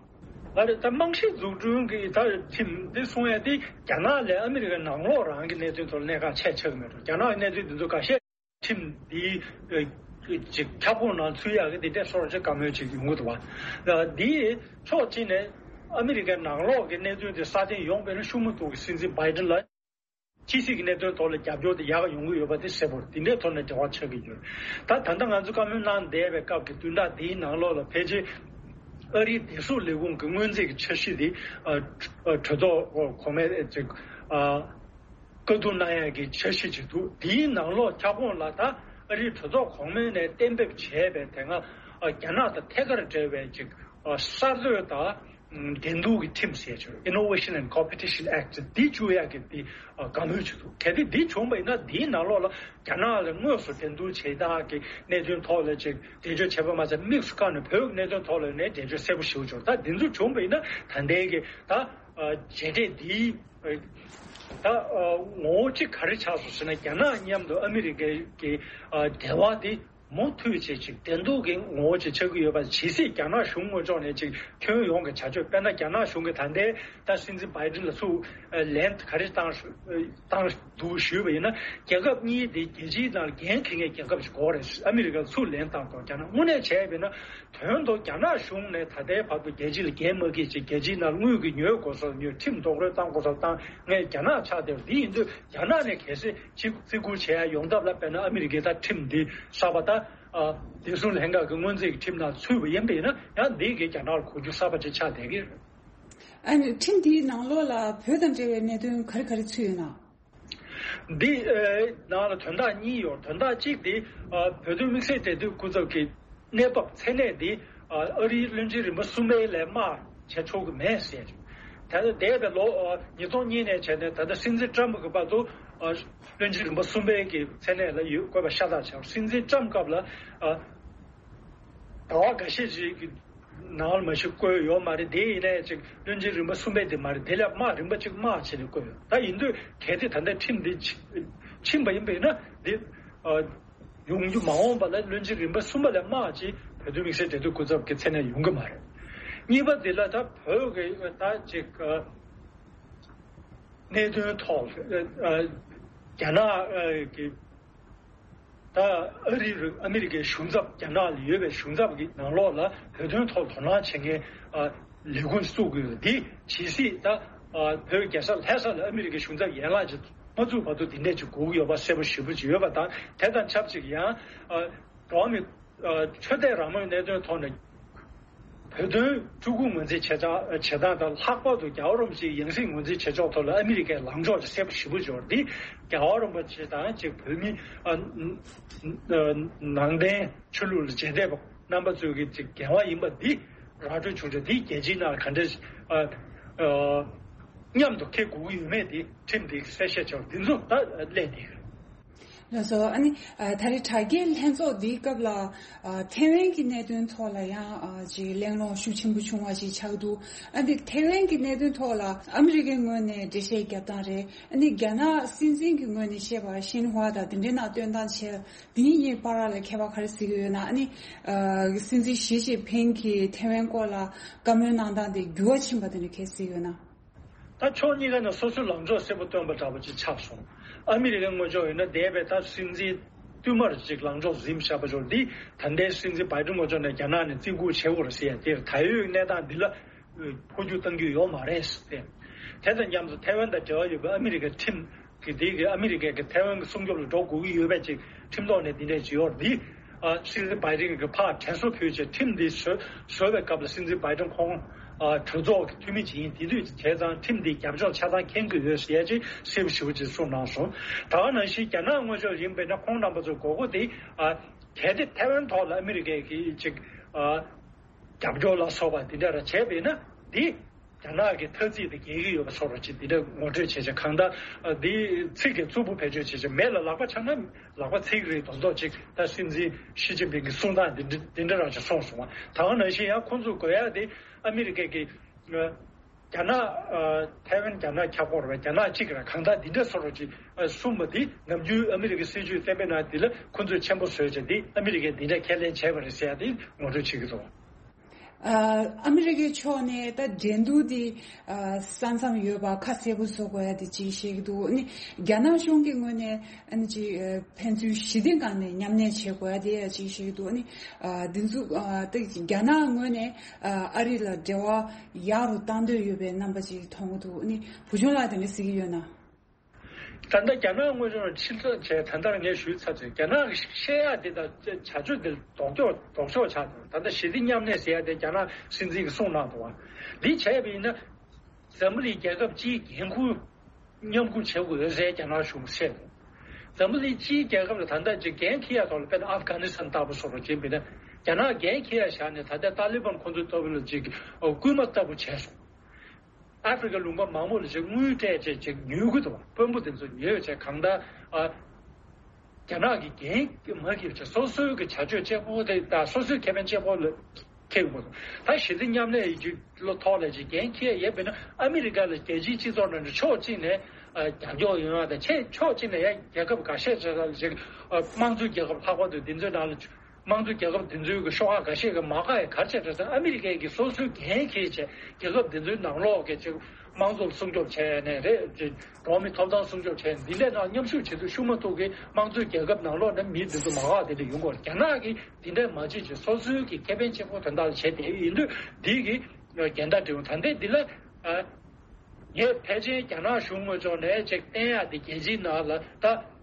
ཨ་རེད། ད་རྨང་གཞི་འཛུགས་སྐྲུན་གྱི་ད་ཁྲིམས་འདི་གསུང་ཡ་དེ་རྒྱ་ནག་ལས་ཨ་མི་རི་ཀའི་ནང་ལོགས་རང་གི་གནད་དོན་ཐོག་ལ་གནད་འགག་ཆེ་ཆགས་ཀྱི་མེད་འགྲོ། རྒྱ་ནག་གི་གནད་དོན་འདི་ཚོ་འགའ་ཤས་ཁྲིམས་འདིའི་ཨ་ཅིག་ཁྱབ་ཁོངས་ནང་ཚུད་ཡག་གི་དེ་འདྲ་སོར་ཆ་དཀའ་མོལ་ཅིག་ཡོང་གི་འདུག་བ། འདིའི་ཕྱོགས་གཅིག་ནས་ཨ་མི་རི་ཀའི་ནང་ལོགས་ཀྱི་གནད་དོན་དེ་སྲ་བརྟན་ཡོང་བའི་ཤུགས་མ་གཏོང་གི་སྲིད་འཛིན་བྷའི་ཌེན་ལ། ཕྱི་སྲིད་ཀྱི་གནད་དོན་ཐོག་ལ་རྒྱབ་སྐྱོར་དེ་ཡག་ཡོང་གི་ཡོད་པ་དེ་གསལ་པོ་རེད། དེ་འདྲའི་ཐོག་ནས་འབྲེལ་བ་ཆགས་ཀྱི་ཡོད། ད་ད་ལྟ་ང་ཚོ་བཀའ་མོལ་གནང་བསྡད་པའི་སྐབས་ཀྱི་བསྟུན་བསྒྲགས་དེའི་ནང་ལོགས་ལ་ཕལ་ཆེར་ཨ་རིའི་བདེ་སྲུང་ལས་ཁུངས་ཀྱི་སྔོན་རྩིས་ཀྱི་འཆར་གཞི་དེ། ཨ། གྲོས་ཚོགས་གོང་མས་ཅིག་ཨ། བཀའ་བསྡུར་གནང་ཡག་གི་འཆར་གཞི་ཅིག་འདུག་དེའི་ནང་ལོགས་ཁྱབ་ཁོངས་ལ་ད་ཨ་རིའི་གྲོས་ཚོགས་གོང་མ་ནས་གཏན་འབེབས་བྱས་པའི་དེ་སྔ། ཨ། རྒྱ་ནག་དང་ཐད་ཀར་འབྲེལ་བའི་ཅིག་ཨ། གསར་གཏོད་དང་འགྲན་བསྡུར་གྱི་ཁྲིམས་ཟེར་ཆོག Innovation and Competition Act འདི་བཅུག་ཡག་གི་འདི། ཨ། བཀའ་མོལ་བྱེད་འདུག་གལ་ཏེ་འདི་བྱུང་བ་ཡིན་ན་འདིའི་ནང་ལོགས་ལ་རྒྱ་ནག་ལ་དངོས་སུ་འགྲན་བསྡུར་བྱེད་སྟངས་ཀྱི་གནད་དོན་ཐོག་ལ་ཅིག་འགྲེལ་བརྗོད་བྱས་པ་མ་ཟད། དམིགས་སུ་བཀར་ནས་བོད་ཀྱི་གནད་དོན་ཐོག་ལ་ནས་འགྲེལ་བརྗོད་གསལ་པོ་ཞུ་ཆོག་ད་འདི་ཚོ་བྱུང་བ་ཡིན་ན་ད་ལྟའི་གི་ད། ཨ། མཇལ་འཕྲད་འདིའི། ད། ཨ། ངོ་བོ་གཅིག་ག་རེ་ཆགས་སོང་ཟེར་ན། རྒྱ་ནག་མཉམ་དུ་ཨ་མི་རི་ཀའི་གི། ཨ། འབྲེལ་བ་འདི་མུ་མཐུད་བྱས་ཅིག་འགྲན་བསྡུར་གྱི་ངོ་བོ་ཅིག་ཆགས་ཀྱི་ཡོད་པ། ཇི་སྲིད་རྒྱ་ནག་གཞུང་ངོས་ཕྱོགས་ནས་ཅིག་ཁྱོན་ཡོངས་ཀྱི་བྱ་སྤྱོད། དཔེར་ན་རྒྱ་ནག་གཞུང་གིས་ད་ལྟའི་ད་སྲིད་འཛིན་བྷའི་ཌེན་ལ་ཚུར་ལན་ག་རེ་བཏང་བཏང་འདུག་ཞུས་པ་ཡིན་ན། རྒྱལ་ཁབ་གཉིས་དེ་རྒྱལ་སྤྱིའི་ནང་འགན་འཁྱེར་མཁན་རྒྱལ་ཁབ་ཅིག་དགོས་རེད། ཨ་མི་རི་ཀར་ཚུར་ལན་བཏང་དགོས། རྒྱ་ནག་དངོས་གནས་བྱས་པ་ཡིན་ན། དོན་དུ་རྒྱ་ནག་གཞུང་ནས་ད་ལྟའི་བར་དུ་རྒྱལ་སྤྱི་ལ་འགན་མ་འཁྱེར་ཅིག་རྒྱལ་སྤྱིའི་ནང་དངུལ་གྱི་ཉོས་དགོས་ས་ཉོས། ཁྲིམས་རྡོག་རོལ་བཏང་དགོས་ས་བཏང་མཁན་རྒྱ་ནག་ཆགས་བསྡད་པ་འདི་ཡིན་དུས། རྒྱ་ནག་ནས་གལ་སྲིད་ཅིག་བརྩི་བཀུར་བྱེད་ཡ་ཡོང་ཐབས་ལ། དཔེར་ན་ཨ་མི་རི་ཀས་ད་ཁྲིམས་འདི་གསར་པ་ད། ཨ། བདེ་སྲུང་ལྷན་ཁང་གི་སྔོན་རྩིས་ཀྱི་ཁྲིམས་ནང་ཚུད་པ་ཡིན་པ་ཡིན་ན། ཡང་འདི་གི་རྒྱ་ནག་ལ་གོ་རྒྱུ་གསར་པ་ཅིག་ཆགས་བསྡད་ཀྱི་རེད། ཨ་ནི་ཁྲིམས་འདིའི་ནང་ལོགས་ལ་བོད་དང་འབྲེལ་བའི་གནད་དོན་ག་རེ་ག་རེ་ཚུད་ཡོད་ན། འདི། ཨ། ནང་ལ་དོན་དག་གཉིས་ཡོད། དོན་དག་གཅིག་དེ། ཨ། བོད་དོན་དམིགས་བསལ་འབྲེལ་མཐུད་སྐུ་ཚབ་ཀྱི་གནས་བབ་མཚན་གནས་འདི། ཨ་རིའི་བློན་ཆེན་རིམ་པ་གསུམ་པའི་ལས་དམའ་བྱེད་ཆོག་གི་མེད་ཟེར། ད་ལྟ་འདས་པའི་ལོ་ཨ་ཉིས་སྟོང་གཉིས་ནས་བྱས་ནས་ད་ལྟ་སྲིད་འཛིན་ཀྲམ་གྱི་བར་དུ་ཨ་བློན་ཆེན་རིམ་པ་གསུམ་པའི་གི་མཚན་གནས་ལ་ཡོད་དགོས་པ་ཤ་སྟག་ཆགས། སྲིད་འཛིན་ཀྲམ་སྐབས་ལ་ཨ་ཟླ་བ་འགའ་ཤས་ཅིག་གི་ནང་ལ་མ་གཞི་བསྐོས་ཡོད་མ་རེད། དེ་ཡིན་ནའི་ཅིག་བློན་ཆེན་རིམ་པ་གསུམ་པའི་དེ་མ་རེད། དེ་ལས་དམའ་རིམ་པ་གཅིག་དམའ་བྱས་ནས་བསྐོས་ཡོད། ད་ཡིན་དུས་གལ་ཏེ་ད་ལྟ་ཁྲིམས་འདི་ཕྱིན་པ་ཡིན་པས་ན་འདི་ཨ་ཡོང་རྒྱུ་མ་འོངས་པ་ལ་བློན་ཆེན་རིམ་པ་གསུམ་པ་ལས་དམའ་ཅིག་བོད་དོན་དམིགས་བསལ་འབྲེལ་མཐུད་སྐུ་ཚབ་ཀྱི་མཚན་གནས་ཡོང་གི་མ་རེད། གཉིས་པ་འདི་ལ་ད་བོད་ཀྱི་ད་ཅིག་གནད་དོན་ཐོག་རྒྱ་ནག་གི་ད་ཨ་རི་རུ་ཨ་མི་རི་ཀའི་གཞུང་ཚབ་རྒྱ་ནག་ལ་ཡོད་པའི་གཞུང་ཚབ་ཀྱི་ནང་ལོགས་ལ་བོད་དོན་ཐོག་དོ་སྣང་བྱེད་མཁན་ལས་ཁུངས་བཙུགས་དགོས་འདི་ཇི་སྲིད་ད་བོད་རྒྱལ་ས་ལྷ་ས་ལ་ཨ་མི་རི་ཀའི་གཞུང་ཚབ་ཡན་ལག་ཅིག་མ་བཙུགས་བར་དུ་འདི་འདྲས་ཅིག་དགོས་ཀྱི་ཡོད་པ་གསལ་པོ་ཞེ་པོ་ཅིག་ཡོད་པ་དང་། དེ་དང་ཆབས་ཅིག་ཡང་འགྲོ་བ་མི་ཆོས་དད་རང་མོས་གནད་དོན་ཐོག་ནས་བོད་དོན་ཕྲུ་གུ་ངོས་འཛིན་བྱེད་སྟངས་དང་། ལྷག་པར་དུ་རྒྱལ་བ་རིན་པོ་ཆེའི་ཡང་སྲིད་ངོས་འཛིན་བྱེད་ཕྱོགས་ཐོག་ལ་ཨ་མི་རི་ཀའི་ལངས་ཕྱོགས་ཅིག་གསལ་པོ་ཞེ་པོ་ཅིག་ཡོད་རེད། འདི་རྒྱལ་བ་རིན་པོ་ཆེ་དང་ཅིག་བོད་མི་ནང་བསྟན་ཆོས་ལུགས་ལ་རྗེས་འདེད་པ་རྣམ་པ་ཚོའི་གི་ཅིག་འགན་བ་ཡིན་པ་འདི་ར་སྤྲོད་བྱུང་ཆོག་འདི་རྒྱལ་སྤྱིའི་ནང་ག་འདྲ་མཉམ་དུ་འཁེལ་དགོས་ཀྱི་ཡོད་མེད་འདི་ཁྲིམས་འདི་གསལ་བཤད་བྱས་པ་འདི་ཚོ་ད་གླེང་བསྡད་ཡོད། ལགས་སོ། ཨ་ནི་ད་རེས་དྲ་རྒྱའི་ལྷན་ཚོགས་འདིའི་སྐབས་ལ་ཐེ་ཝན་གྱི་གནད་དོན་ཐོག་ལ་ཡང་ཅིག་གླེང་སློང་ཤུགས་ཆེན་པོ་བྱུང་བ་ཞིག་ཆགས་འདུག་ཨ་ནི་ཐེ་ཝན་གྱི་གནད་དོན་ཐོག་ལ་ཨ་མི་རི་ཀའི་ངོས་ནས་འགྲེལ་བཤད་རྒྱབ་སྟངས་རེད། ཨ་ནི་རྒྱ་ནག་སྲིད་འཛིན་གྱི་ངོས་ནས་བཤད་པ་ཤིན་ཧྭ་དང་དེ་འདྲའི་ནང་སྟོན་སྟངས་བྱས། འདི་གཉིས་བར་ལ་ཁྱད་པར་ག་རེ་གཟིགས་ཀྱི་ཡོད་ན། ཨ་ནི་སྲིད་འཛིན་ཞི་ཅིན་ཕིང་གིས་ཐེ་ཝན་སྐོར་ལ་བཀའ་མོལ་གནང་སྟངས་དེ་འགྱུར་བ་ཕྱིན་པ་དེ་འདྲ་ག་རེ་གཟིགས་ཀྱི་ཡོད་ན། ད་ཕྱོགས་གཉིས་ཀ་ནས་སོ་སོའི་ལངས་ཕྱོགས་གསལ་པོ་སྟོན་པ་འདྲ་པོ་ཅིག་ཆགས་སོང་། ཨ་མི་རི་ཀའི་ངོས་ཕྱོགས་ཡིན་ན་འདས་པའི་ད་སྲིད་འཛིན་བསྟུད་མར་ཅིག་ལངས་ཕྱོགས་འཛིན་བཞག་པ་ཅིག་འདི་ད་ལྟའི་སྲིད་འཛིན་བྷའི་ཏིན་ངོས་ཕྱོགས་ནས་རྒྱ་ནག་ནས་བརྩི་བཀུར་བྱེད་དགོས་རེད་ཟེར་ཡ་དེར་ད་ཡོད་གནས་སྟངས་འདི་ལ་འཕོ་འགྱུར་གཏང་རྒྱུ་ཡོད་མ་རེད་ཟེར་ཏེ། དེ་དང་མཉམ་དུ་ཐའེ་ཝན་དང་འབྲེལ་བ་ཡོད་པའི་ཨ་མི་རི་ཀའི་ཁྲིམས་ཀྱི་དེ་གི་ཨ་མི་རི་ཀའི་གི་ཐའེ་ཝན་གྱི་སྲུང་སྐྱོབ་ལ་འགྲོ་དགོས་ཀྱི་ཡོད་པའི་ཅིག་ཁྲིམས་ཐོག་ནས་འདི་འདྲས་ཅིག་ཡོད་རེད། འདི་ཨ་སྲིད་འཛིན་བྷའི་ཏིན་གྱིས་ཕར་དྲན་གསོ་ཕུལ་བྱས་ཁྲིམས་འདི་བཟོས་བཟོས་པའི་སྐབས་ལ་སྲིད་འཛིན་བྷའི་ཏིན་ཁོང་ཨ་གྲོས་ཚོགས་ཀྱི་འཐུས་མི་ཅིག་ཡིན། དེ་དུས་བྱས་ཙང་ཁྲིམས་འདི་རྒྱབ་ཕྱོགས་ཆ་ཚང་མཁྱེན་གྱི་ཡོད་ཟེར་ཡ་ཅིག་གསལ་པོ་ཞེ་པོ་ཅིག་གསུངས་གནང་སོང་། ད་ག་ནང་བཞིན་རྒྱ་ནག་ངོས་ཕྱོགས་ཡིན་པས་ན་ཁོང་རྣམ་པ་ཚོ་དགོས་མཁོ་དེ་ཨ་གལ་ཏེ་ཐའེ་ཝན་ཐོག་ལ་ཨ་མི་རི་ཀས་ཀྱི་ཅིག་ཨ་རྒྱབ་སྐྱོར་ལ་སོགས་པ་འདི་འདྲ་ར་བྱས་པས་ན་འདི་རྒྱ་ནག་གི་ཐ་ཚིག་དེ་འགེལ་གྱི་ཡོད་པ་སོགས་ར་ཅིག་འདི་འདྲ་ངོ་སྤྲོད་བྱས་བྱས། གང་ལྟར་ཨ་འདི་ཚིག་གི་རྩུབ་པོ་བེད་སྤྱོད་བྱས་བྱས་མེད་ལ་ལག་པ་འཆང་ན་ལག་པ་ཚིག་རེད་མདོག་མདོག་ཅིག་ད་སྲིད་འཛིན་ཞི་ཅིན་ཕིང་གི་གསུང་སྟངས་འདི་འདྲ་འདི་འདྲ་ར་ཅིག་གསུངས་སོང་བ། ད་ག་ནང་བཞིན་ཡང་ཁོང་ཚོ་དགོས་ཡ་དེ་ཨ་མི་རི་ཀའི་གི་ཨ་རྒྱ་ནག་ཨ་ཐའེ་ཝན་རྒྱ་ནག་ཁྱབ་སྐོར་བ་རྒྱ་ནག་གཅིག་ར་གང་ལྟར་འདི་འདྲ་སོགས་ར་ཅིག་ཨ་གསུངས་པ་འདི་ནམ་རྒྱུན་ཨ་མི་རི་ཀའི་སྲིད་ཇུས་གཏན་འབེབས་གནང་འདི་ལ་ཁོང་ཚོས་ཆེན་པོ་བཟོས་བྱས་འདི་ཨ་མི་རི་ཀས་འདི་འདྲ་ཁས་ལེན་བྱས་པ་རེད་ཟེར་ཡ་དེ་ངོ་སྤྲོད་བྱེད་ཀྱི་འདུག་ཨ་ཨ་མི་རི་ཀའི་ཕྱོགས་ནས་ད་འགྲན་བསྡུར་འདི་ཨ་ས་མཚམས་ཡོད་པ་ཁ་གསལ་པོ་བཟོ་དགོས་ཡ་དེ་ཅིག་བཤད་ཀྱི་འདུག་ཨ་ནི་རྒྱ་ནག་གཞུང་གི་ངོས་ནས་ཨ་ནི་ཅིག་ཨ་ཕན་ཚུན་ཞི་བདེ་སྒང་ནས་མཉམ་གནས་བྱེད་དགོས་ཡ་དེ་ཡ་ཅིག་བཤད་ཀྱི་འདུག་ཨ་ནི་ཨ་འདི་ཚོ་ཨ་ད་རྒྱ་ནག་ངོས་ནས་ཨ་ཨ་རི་ལ་འབྲེལ་བ་ཡག་རུ་བཏང་འདོད་ཡོད་པའི་རྣམ་པ་ཅིག་མཐོང་གི་འདུག་ཨ་ནི་བུ་ཆུང་ལགས་དེ་འདྲ་གཟིགས་ཀྱི་ཡོད་ན། ད་ལྟ་རྒྱ་ནག་དངོས་ཕྱོགས་ཕྱིར་ཚོན་བྱས་ད་ལྟར་ངས་ཞུས་ཚར་ཚོད་རྒྱ་ནག་གི་བཤད་ཡག་འདི་དང་བྱ་སྤྱོད་འདི་ལྡོག་ཕྱོགས་ལྡོག་ཕྱོགས་ཆགས་འདུག་ད་ལྟ་ཞི་བདེ་མཉམ་གནས་ཟེར་ཡག་དེ་རྒྱ་ནག་སྲིད་འཛིན་གྱིས་གསུངས་གནང་འདུག་བ། འདི་བྱས་པ་ཡིན་ན་འཛམ་བུ་གླིང་རྒྱལ་ཁབ་སྤྱིའི་འགན་ཁུར་མཉམ་འཁུར་བྱེད་དགོས་ཟེར་རྒྱ་ནག་གཞུང་བཤད་འདུག་འཛམ་བུ་གླིང་སྤྱིའི་རྒྱལ་ཁབ་ལ་ད་ལྟ་ཅིག་འགན་འཁྱེར་ཡག་ཐོག་ལ་དཔེར་ན་ཨབ་གྷ་ནི་སི་ཐན་ལྟ་བུ་སོགས་ལ་བྱེད་པ་ཡིན་ན་རྒྱ་ནག་འགན་འཁྱེར་ཡག་བཞག་ནས་ད་ལྟ་ཏཱ་ལི་བན་ཁོང་ཚོའི་ལྟ་བུ་ལ་ཅིག་སྐུལ་མ་ལྟ་བུ་བྱས་སོང་། ཨ་ཧྥེ་རི་ཁ་ལུང་པ་མང་པོ་ལ་ཅིག་དངུལ་སྤྲད་བྱས་ཅིག་ཉོ་གི་འདུག་དཔོན་པོ་དེ་ཚོ་ཉོས་བྱས་གང་ལྟར་ཨ་རྒྱ་ནག་གི་འགན་མ་འཁྱེར་བྱས་སོ་སོའི་གི་བྱ་སྤྱོད་གཅིག་པོ་དེ་དང་སོ་སོའི་ཁེ་ཕན་གཅིག་པོ་ལ་འཁྱེར་དགོས་འདུག་ད་ཞི་བདེ་མཉམ་གནས་ཀྱི་ཐོག་ལ་ཅིག་འགན་འཁྱེར་ཡས་པས་ན་ཨ་མི་རི་ཀ་ལ་རྒྱལ་སྤྱིའི་སྤྱི་ཚོགས་ནང་ནས་ཕྱོགས་གཅིག་ནས་ཨ་རྒྱབ་སྐྱོར་ཡོང་ཡག་དང་ཕྱོགས་གཅིག་ནས་ཡང་རྒྱལ་ཁབ་འགའ་ཤས་ཅིག་ལ་ཅིག་ཨ་དམངས་གཙོའི་རྒྱལ་ཁབ་ལྷག་པར་དུ་འདི་ཚོའི་ནང་ལ། དམངས་གཙོ་རྒྱལ་ཁབ་དེ་ཚོའི་གི་ཤོག་ཁག་འགའ་ཤས་ཀྱི་མ་དགའ་ཡ་ག་རེ་བྱས་རེད་ཟེར་ན་ཨ་མི་རི་ཀས་ཀྱི་སོ་སོའི་འགན་འཁྱེར་བྱས་རྒྱལ་ཁབ་དེ་ཚོའི་ནང་ལོགས་ཀྱི་ཅིག་དམངས་གཙོ་ལ་སྲུང་སྐྱོབ་བྱས་ནས་རེད། ཅིག་འགྲོ་བ་མིའི་ཐོབ་ཐང་སྲུང་སྐྱོབ་བྱས་ནས་འདི་ལས་ནང་མཉམ་ཞུགས་བྱེད་དུ་ཤུགས་མ་ཐུག་གི་དམངས་གཙོའི་རྒྱལ་ཁབ་ནང་ལོགས་ནས་མི་དེ་ཚོ་མ་དགའ་དེ་འདྲ་ཡོང་གི་ཡོད་རེད། རྒྱ་ནག་གིས་དེ་འདྲ་མ་བྱེད་ཅིག་སོ་སོའི་གི་ཁེ་ཕན་གཅིག་པོ་དོན་དག་ལ་བྱས་ཏེ་ཡིན་དུས་འདི་གི་འགལ་ཟླ་འབྲེལ་ཡོད་ད་ལྟའི་འདི་ལ་ཨ་ངས་ཕལ་ཆེར་རྒྱ་ནག་གཞུང་ངོས་ཕྱོགས་ནས་ཅིག་བསྟན་ཡག་དེ་རྒྱལ་སྤྱིའི་ནང་ལ་ད།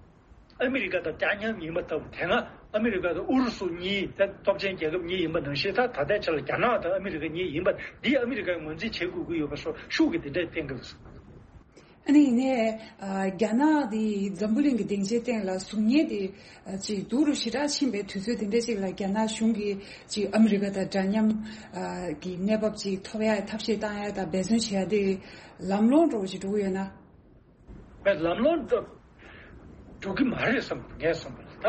ཨ་མི་རི་ཀ་དང་ཅཱ་ཡན་ཡིན་པ་ལྟ་བུ་དེ་སྔ་ཨ་མི་རི་ཀ་དང་ཨུ་རུ་སུ་གཉིས་ད་སྟོབས་ཆེན་རྒྱལ་ཁབ་གཉིས་ཡིན་པ་ནང་བཞིན་ད་ད་ལྟའི་ཆ་ལ་རྒྱ་ནག་དང་ཨ་མི་རི་ཀ་གཉིས་ཡིན་པ་འདི་ཨ་མི་རི་ཀས་ངོས་འཛིན་བྱེད་དགོས་ཀྱི་ཡོད་པ་སོགས་ཤུགས་ཀྱིས་འདི་འདྲས་བསྟན་གྱི་འདུག་ཨ་ནི་ཡིན་ནའི་ཨ་རྒྱ་ནག་དེ་འཛམ་བུ་གླིང་གི་སྡིངས་ཆའི་སྟེང་ལ་གཟུགས་བརྙན་དེ་ཨ་ཅིག་སྡུག་རུ་ཞེ་དྲག་ཕྱིན་པའི་དུས་ཚོད་དེ་འདྲ་ཅིག་ལ། རྒྱ་ནག་གཞུང་གིས་ཅིག་ཨ་མི་རི་ཀ་དང་འདྲ་མཉམ་ཨ་གི་གནས་བབ་ཅིག་ཐོབ་ཡ་ཐབས་ཤེས་བཏང་ཡ་དང་འབད་བརྩོན་བྱེད་ཡ་དེ་ལམ་ལྷོང་འགྲོ་བ་ཅིག་འགྲོ་གི་ཡོད་ན། བས་ལམ་ལྷོང་འགྲོ་འགྲོ་གི་མ་རེད་བསམ། ངས་བསམ་པ་ལ་ད་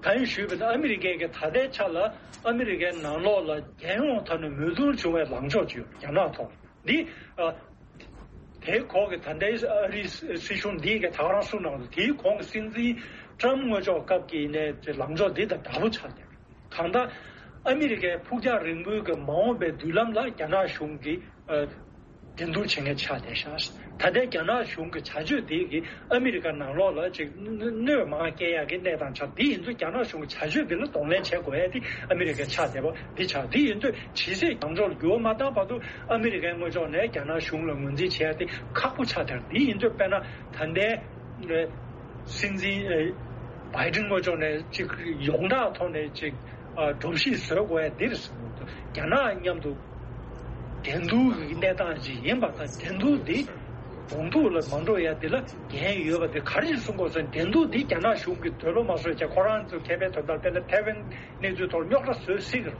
ད་ཡིན་ཞུས་པ་ན། ཨ་མི་རི་ཀའི་གི་ད་ལྟའི་ཆ་ལ་ཨ་མི་རི་ཀའི་ནང་ལོགས་ལ་རྒྱལ་ཡོངས་ཐོག་ནས་མོས་མཐུན་བྱུང་བའི་ལངས་ཕྱོགས་ཅིག་ཡོད། རྒྱ་ནག་ཐོག་འདི་ཨ་དེའི་ཁོག་གི་ད་ལྟའི་ཨ་རིའི་སྲིད་གཞུང་འདིའི་གི་ད་ག་རང་གསུངས་གནང་འདུག་དེའི་གོང་གི་སྲིད་འཛིན་ཊམ་སྔོན་ཕྱོགས་སྐབས་ཀྱི་ནས་ལངས་ཕྱོགས་འདི་དང་འདྲ་པོ་ཆགས་ཀྱི་རེད། གང་ལྟར་ཨ་མི་རི་ཀའི་ཕུགས་རྒྱང་རིང་པོའི་གི་མ་འོངས་པའི་མདུན་ལམ་ལ་རྒྱ་ནག་གཞུང་གིས་ཨ་འགྲན་བསྡུར་བྱེད་མཁན་ཆགས་བསྡད་ཤག་ད་ལྟའི་རྒྱ་ནག་གཞུང་གི་བྱ་སྤྱོད་དེ་གིས་ཨ་མི་རི་ཀ་ནང་ལོགས་ལ་ཅིག་གནོད་མང་སྐྱེལ་ཡག་གི་གནས་སྟངས་ཆགས། དེ་ཡིན་དུས་རྒྱ་ནག་གཞུང་གི་བྱ་སྤྱོད་དེ་ལ་གདོང་ལེན་བྱེད་དགོས་ཡ་དེ་ཨ་མི་རི་ཀའི་ཆགས་བསྡད་པ་འདི་ཆགས། དེ་ཡིན་དུས་ཇི་སྲིད་ལངས་ཕྱོགས་ལ་འགྱུར་བ་མ་བཏང་བར་དུ་ཨ་མི་རི་ཀའི་ངོས་ཕྱོགས་ནས་རྒྱ་ནག་གཞུང་ལ་ངོས་འཛིན་བྱེད་ཡ་དེ་ཁག་པོ་ཆགས་བསྡད། དེ་ཡིན་དུས་དཔེར་ན་ད་ལྟའི་སྲིད་འཛིན་བྷའི་ཏིན་ངོས་ཕྱོགས་ནས་ཅིག་ཡོངས་གྲགས་ཐོག་ནས་ཅིག་ཨ་སྒྲོམ་གཞི་བཟོ་དགོས་ཡ་འདིར་ཟེར་འདུག་རྒྱ་ནག་མཉམ་དུ་འགྲན་བསྡུར་གྱི་གནས་སྟངས་ཅིག་ཡིན་པ་དང་། འགྲན་བསྡུར་འདི་གདོང་ཐུག་ལ་མ་འགྲོ་ཡ་འདི་ལ་འགན་ཡོད་པ་དེ་ག་རེ་གསུང་དགོས་ཟེར་ན། འགྲན་བསྡུར་འདི་རྒྱ་ནག་གཞུང་གིས་འདོད་བློ་མ་བཟོད་བྱས་ཁོ་རང་ཚོ་མཁས་པའི་དོན་དག་དཔེར་ན་ཐའེ་ཝན་གནས་ཚུལ་ཐོག་རྙོག་དྲ་བཟོ་སྲིད་ཀྱི་རེད།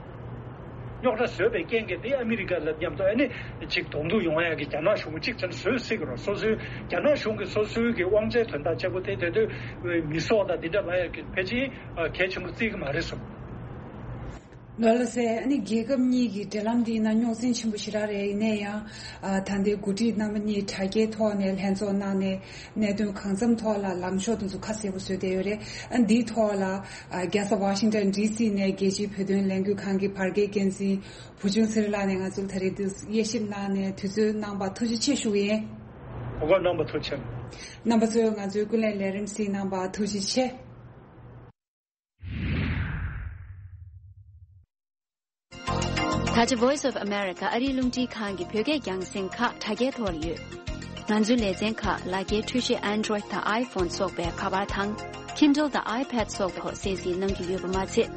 རྙོག་དྲ་བཟོས་པའི་རྐྱེན་གྱིས་དེ་ཨ་མི་རི་ཀ་ལ་མཉམ་དུ་ཨ་ནི་ཅིག་གདོང་ཐུག་ཡོང་ཡ་གི་རྒྱ་ནག་གཞུང་གིས་ཅིག་ཙམ་བཟོ་སྲིད་ཀྱི་རེད། སོ་སོའི་རྒྱ་ནག་གཞུང་གིས་སོ་སོའི་གི་དབང་ཆའི་དོན་དག་བྱེད་པོ་དེ་དེ་དུས་མི་སྲོག་དང་འདི་འདྲ་ལ་ཡ་གི་ཕལ་ཆེར་གལ་ཆེན་པོ་བརྩི་གི་མ་རེད་བསམ། ལགས་སོ། ཨ་ནི་རྒྱལ་ཁབ་གཉིས་ཀྱི་འབྲེལ་ལམ་འདིའི་ནང་རྙོག་འཛིང་ཆེན་པོ་ཞེ་དྲག་རེད། ཡིན་ན་ཡང་ཨ་ད་ལྟའི་འགོ་ཁྲིད་རྣམ་པ་གཉིས་དྲ་རྒྱའི་ཐོག་ནས་ལྷན་ཚོགས་གནང་ནས་གནད་དོན་གང་འཚམ་ཐོག་ལ་ལངས་ཕྱོགས་དེ་ཚོ་ཁ་གསལ་པོ་བཟོས་བསྡད་ཡོད་རེད། ཨ་འདིའི་ཐོག་ལ་ཨ་རྒྱལ་ས་ཝ་ཤིང་ཊོན་ཌི་སི་ནས་རྒྱལ་སྤྱིའི་བོད་དོན་ལས་འགུལ་ཁང་གི་བར་བརྒལ་འགན་འཛིན་བུ་ཆུང་ཚེ་རིང་ལགས་ནས་ང་ཚོར་ད་རེས་འདི་དབྱེ་ཞིབ་གནང་ནས་དུས་ཚོད་གནང་བར་ཐུགས་རྗེ་ཆེ་ཞུ་གི་ཡིན། ཨོ་རྣམ་པ་ཐུགས་རྗེ་ཆེ། རྣམ་པ་ཚོས་ང་ཚོའི་ཀུན་གླེང་ལས་རིམ་གཟིགས་གནང་བར་ཐུགས་རྗེ་ཆེ། ད་ཆ་Voice of America ཨ་རིའི་རླུང་འཕྲིན་ཁང་གི་བོད་སྐད་རྒྱང་སྲིང་ཁག་དྲ་རྒྱའི་ཐོག་ལ་ཡོད། ང་ཚོའི་ལེ་ཚན་ཁག་ལག་འཁྱེར་འཕྲུལ་ཆས་Android་དང་iPhone་སོགས་པའི་ཁ་པར་དང་། Kindle་དང་iPad་སོགས་ཐོག་གསན་གཟིགས་གནང་གི་ཡོད་པ་མ་ཚད།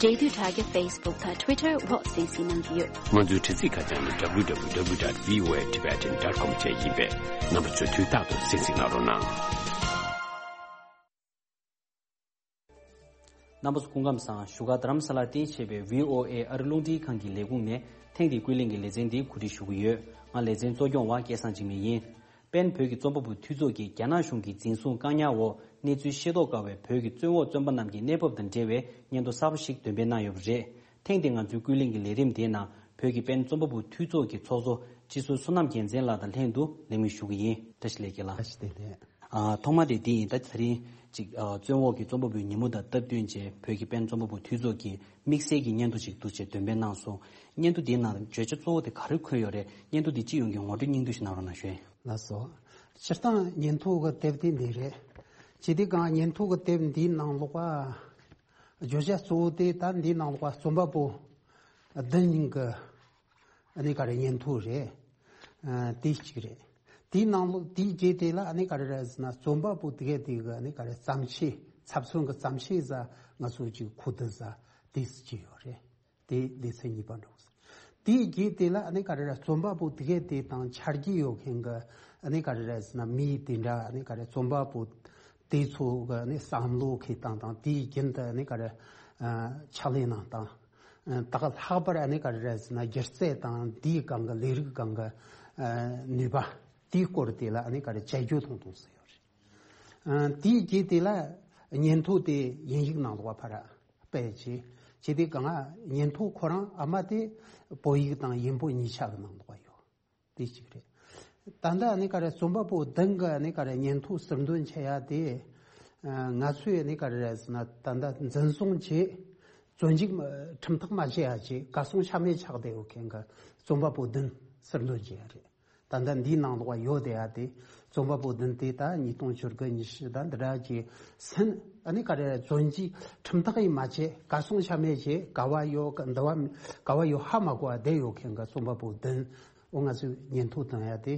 འབྲེལ་མཐུད་དྲ་རྒྱ་Facebook་དང་Twitter་འོག་གསན་གཟིགས་གནང་གི་ཡོད། ང་ཚོའི་དྲ་ཚིགས་ཁ་བྱང་ནི་www.voatibetan.com་བཅས་ཡིན་པས། རྣམ་པ་ཚོས་དུས་རྟག་ཏུ་གསན་གཟིགས་གནང་རོགས་གནང་། རྣམ་པ་ཚོ་སྐུ་ཁམས་བཟང་། བཞུགས་སྒར་རྡ་རམ་ས་ལར་རྟེན་བྱས་པའི་ཝི་ཨོ་ཨེ་ཨ་རི་རླུང་འཕྲིན་ཁང་གི་ལས་ཁུངས་ནས་ཐེངས་འདིའི་ཀུན་གླེང་གི་ལེ་ཚན་འདི་གོ་སྒྲིག་ཞུ་གི་ཡོད། ང་ལེ་ཚན་གཙོ་སྐྱོང་བ་སྐལ་བཟང་འཇིགས་མེད་ཡིན། པེན་བོད་ཀྱི་རྩོམ་པ་པོ་འཐུས་ཚོགས་ཀྱིས་རྒྱ་ནག་གཞུང་གིས་འཛིན་བཟུང་བཀག་ཉར་འོག་གནས་ཚུལ་ཤེས་རྟོགས་དཀའ་བའི་བོད་ཀྱི་བཙོན་འོག་བཙོན་པ་རྣམས་ཀྱི་གནས་བབ་དང་འབྲེལ་བའི་སྙན་ཐོ་གསར་པ་ཞིག་འདོན་སྤེལ་གནང་ཡོད་པ་རེད། ཐེངས་འདིའི་ང་ཚོའི་ཀུན་གླེང་གི་ལས་རིམ་དེའི་ནང་བོད་ཀྱི་པེན་རྩོམ་པ་པོ་འཐུས་ཚོགས་ཀྱི་ཚོགས་གཙོ་སྤྱི་ཟུར་བསོད་ནམས་རྒྱལ་མཚན་ལགས་དང་ལྷན་དུ་ལེགས་སྨོན་ཞུ་གི་ཡིན། བཀྲ་ཤིས་བདེ་ལེགས། ཨ་ཐོག་མ་དེ་འདི་ཡིན། ད་དེ་རིང་ཅིག་ཨ་བཙོན་འོག་གི་རྩོམ་པ་པོའི་ཉིན་མོ་དང་སྟབས་བསྟུན་བྱས་བོད་ཀྱི་པེན་རྩོམ་པ་པོ་འཐུས་ཚོགས་ཀྱིས་དམིགས་བསལ་གྱི་སྙན་ཐོ་ཞིག་འདུག་ཅེས་འདོན་སྤེལ་གནང་སོང་། སྙན་ཐོ་འདིའི་ནང་བརྗོད་བྱ་གཙོ་བོ་དེ་ག་རེ་འཁོད་ཡོད་རེད། སྙན་ཐོ་འདི་སྤྱི་ཡོངས་ཀྱི་ངོ་སྤྲོད་སྙིང་བསྡུས་ཤིག་གནང་རོགས་གནང་ཞུ། ལགས་སོ། སྤྱིར་བཏང་སྙན་ཐོ་གི་དེབ་དེ་འདི་རེད། ཇི་སྟེ་གང་སྙན་ཐོ་གི་དེབ་འདིའི་ནང་ལོགས་པ་བརྗོད་བྱ་གཙོ་བོ་དེ་ད་འདིའི་ནང་ལོགས་པ་རྩོམ་པ་པོ་བདུན་གྱི་ཨ་ནི་ག་རེ་སྙན་ཐོ་རེད། ཨ་དེ་གཅིག་རེད། དེའི་ནང་ལོགས་དེའི་རྗེས་དེ་ལ་ཨ་ནི་ག་རེ་རེད་ཟེར་ན་རྩོམ་པ་པོ་དེ་གས་དེ་གི་ཨ་ནི་ག་རེ་བརྩམས་ཆོས་ཚབ་མཚོན་གྱི་བརྩམས་ཆོས་ཟེར་ང་ཚོ་གཅིག་ཁུ་བསྡུ་ཟེར་དེ་གཅིག་ཡོད་རེད། དེ་སྡེ་ཚན་གཉིས་པ་འགྲོ་གི་རེད། དེའི་རྗེས་དེ་ལ་ཨ་ནི་ག་རེ་རེད་རྩོམ་པ་པོ་དེ་གས་དེ་དང་ཆ་རྒྱུས་ཡོད་མཁན་གྱི་ཨ་ནི་ག་རེ་རེད་ཟེར་ན་མི་དེ་འདྲ་ཨ་ནི་ག་རེ་རྩོམ་པ་པོ་དེ་ཚོ་གི་ཨ་ནི་བསམ་བློ་འཁྱེར་སྟངས་དང་དེའི་རྒྱུན་དུ་ཨ་ནི་ག་རེ་ཕྱག་ལས་གནང་སྟངས། ད་ག་ལྷག་པར་ཨ་ནི་ག་རེ་རེད་ཟེར་ན་སྒྱུ་རྩལ་དང་དེའི་སྒང་གི་ལས་རིགས་སྒང་གི་ནུས་པ་དེའི་སྐོར་དེ་ལ་ཨ་ནི་ག་རེ་དཔྱད་བརྗོད་གཏོང་གཏོང་ཟེར་ཡོད་རེད། དེའི་རྗེས་དེ་ལ་སྙན་ཐོ་དེ་དབྱིན་ཡིག་ནང་ལོགས་ཕར་སྤེལ་བྱས་བྱས་དེ་གང་སྙན་ཐོ་ཁོ་རང་ཨ་མ་དེ་བོད་ཡིག་དང་དབྱིན་པོ་གཉིས་ཆ་གི་ནང་ལོགས་ཡོད། དེ་གཅིག་རེད། ད་ལྟ་ཨ་ནི་ག་རེ་རྩོམ་པ་པོ་བདུན་གྱི་ཨ་ནི་ག་རེ་སྙན་ཐོ་ཟུར་འདོན་བྱེད་ཡ་དེ། ང་ཚོས་ཨ་ནི་ག་རེ་རེད་ཟེར་ན་ད་ལྟ་འཛིན་བཟུང་བྱས་བཙོན་འཇུག་ཁྲིམས་ཐག་མ་བཅད་ཡ་བྱས་གར་སོང་ཆ་མེད་ཆགས་བསྡད་ཡོད་མཁན་གྱི་རྩོམ་པ་པོ་བདུན་ཟུར་འདོན་བྱེད་ཡ་རེད། ད་ལྟ་འདིའི་ནང་ལོགས་ཡོད་བསྡད་ཡ་དེ་རྩོམ་པ་པོ་བདུན་དེ་ད་ཉིས་སྟོང་བཅུ་དགུ་ཉི་ཤུ་ད་འདི་འདྲ་གྱི་སེམས་ཨ་ནི་ག་རེ་རེད་བཙོན་འཇུག་ཁྲིམས་ཐག་ཡིན་མ་བཅད་གར་སོང་ཆ་མེད་བྱས་ག་བ་ཡོད་ག་འདི་བ་ག་བ་ཡོད་ཧ་མ་གོ་བ་བསྡད་ཡོད་མཁན་གྱི་རྩོམ་པ་པོ་བདུན། འོ་ང་ཚོས་སྙན་ཐོ་བཏང་ཡ་དེ་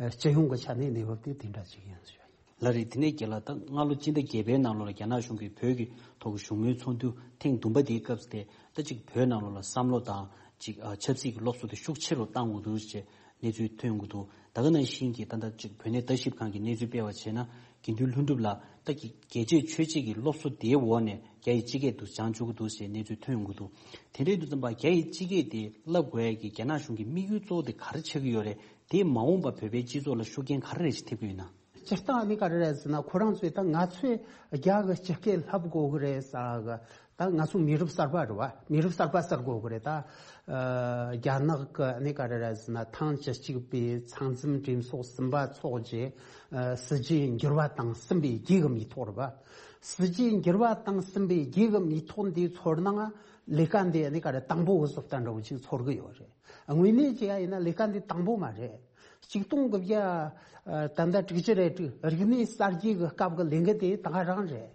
ཨ་སྤྱི་ཡོངས་ཀྱི་ཆ་ནས་གནས་བབ་དེ་དེ་འདྲ་ཅིག་ཡིན་ཟེར་བ་ཡིན། ལགས་རེད། དེ་ནས་རྒན་ལགས་ད་སྔ་ལོ་སྤྱི་ཟླ་བརྒྱད་པའི་ནང་ལོགས་ལ་རྒྱ་ནག་གཞུང་གིས་བོད་ཀྱི་ཐོག་གི་བཞུགས་མོལ་ཚོགས་འདུ་ཐེངས་བདུན་པ་དེའི་སྐབས་སུ་དེ་ད་ཅིག་བོད་ནང་ལོགས་ལ་བསམ་བློ་དང་ཅིག་ཨ་ཆབ་སྲིད་ཀྱི་སློབ་གསོ་དེ་ཤུགས་ཆེ་རུ་བཏང་དགོས་འདུག་ཅེས་ གནས་ཚུལ་ཐོན་ཡོང་གི་འདུག་ད་ག་ནང་བཞིན་གྱི་ད་ལྟ་ཅིག་བོད་གནས་ལྟ་ཞིབ་ཁང་གི་གནས་ཚུལ་སྤེལ་བ་བྱས་ན། དགེ་འདུན་ལྷུན་གྲུབ་ལགས་ད་གི་རྒྱལ་གཅེས་ཆོས་གཅེས་ཀྱི་སློབ་གསོ་དེའི་འོག་ནས་རྒྱ་ཡི་སྤྱི་སྐད་དུ་སྦྱང་བཅུག་གི་འདུག་ཞེས་གནས་ཚུལ་ཐོན་ཡོང་གི་འདུག་དེ་འདྲ་ཡིན་དུས་ཙམ་པ་རྒྱ་ཡི་སྤྱི་སྐད་དེ་བསླབ་དགོས་ཡ་གི་རྒྱ་ནག་གཞུང་གི་དམིགས་ཡུལ་གཙོ་བོ་དེ་ག་རེ་ཆགས་ཀྱི་ཡོད་རེད། དེས་མ་འོངས་པ་བོད་པའི་སྤྱི་ཚོགས་ལ་ཤུགས་རྐྱེན་ག་རེ་རེ་ཞིག་ཐེབས་ཀྱི་ཡོད་ན། སྤྱིར་བཏང་ཨ་ནི་ག་རེ་རེད་ཟེར་ན། ཁོ་རང་ཚོས་ད་ང་ཚོས་རྒྱ་གི་སྤྱི་སྐད་བསླབ་དགོས་གི་རེད་ཟེར་གི། ད་ང་ཚོ་མི་རབས་གསར་པ་རེད་བ། མི་རབས་གསར་པ་ཟེར་དགོས་གི་རེད། ད་ཨ་རྒྱ་ནག་གི་ཨ་ནི་ག་རེ་རེད་ཟེར་ན། ཐེངས་བཅུ་གཅིག་པའི་ཚང་འཛོམས་གྲོས་ཚོགས་གསུམ་པ་འཚོགས་རྗེས་ཨ་སྲིད་ཇུས་འགྱུར་བ་བཏང་ཟིན་པའི་རྗེས་ཀྱི་མི་ཐོག་རེད་བ། སྲིད་ཇུས་འགྱུར་བ་བཏང་ཟིན་པའི་རྗེས་ཀྱི་མི་ཐོག་འདིའི་ཚོར་སྣང་ལས་ཀ་འདི་ཨ་ནི་ག་རེ་དང་པོ་གི་བཟོ་ལྟ་འདྲ་བོ་ཅིག་ཚོར་གི་ཡོད་རེད། དངོས་གནས་བྱས་ཡ་ཡིན་ན་ལས་ཀ་འདི་དང་པོ་མ་རེད། ཆིག་སྟོང་དགུ་བརྒྱ་ད་ལྟ་དྲུག་ཅུ་རེ་དྲུག་རིག་གནས་གསར་བརྗེ་གི་སྐབས་ཀྱི་ལས་འགུལ་དེ་ད་ག་རང་རེད།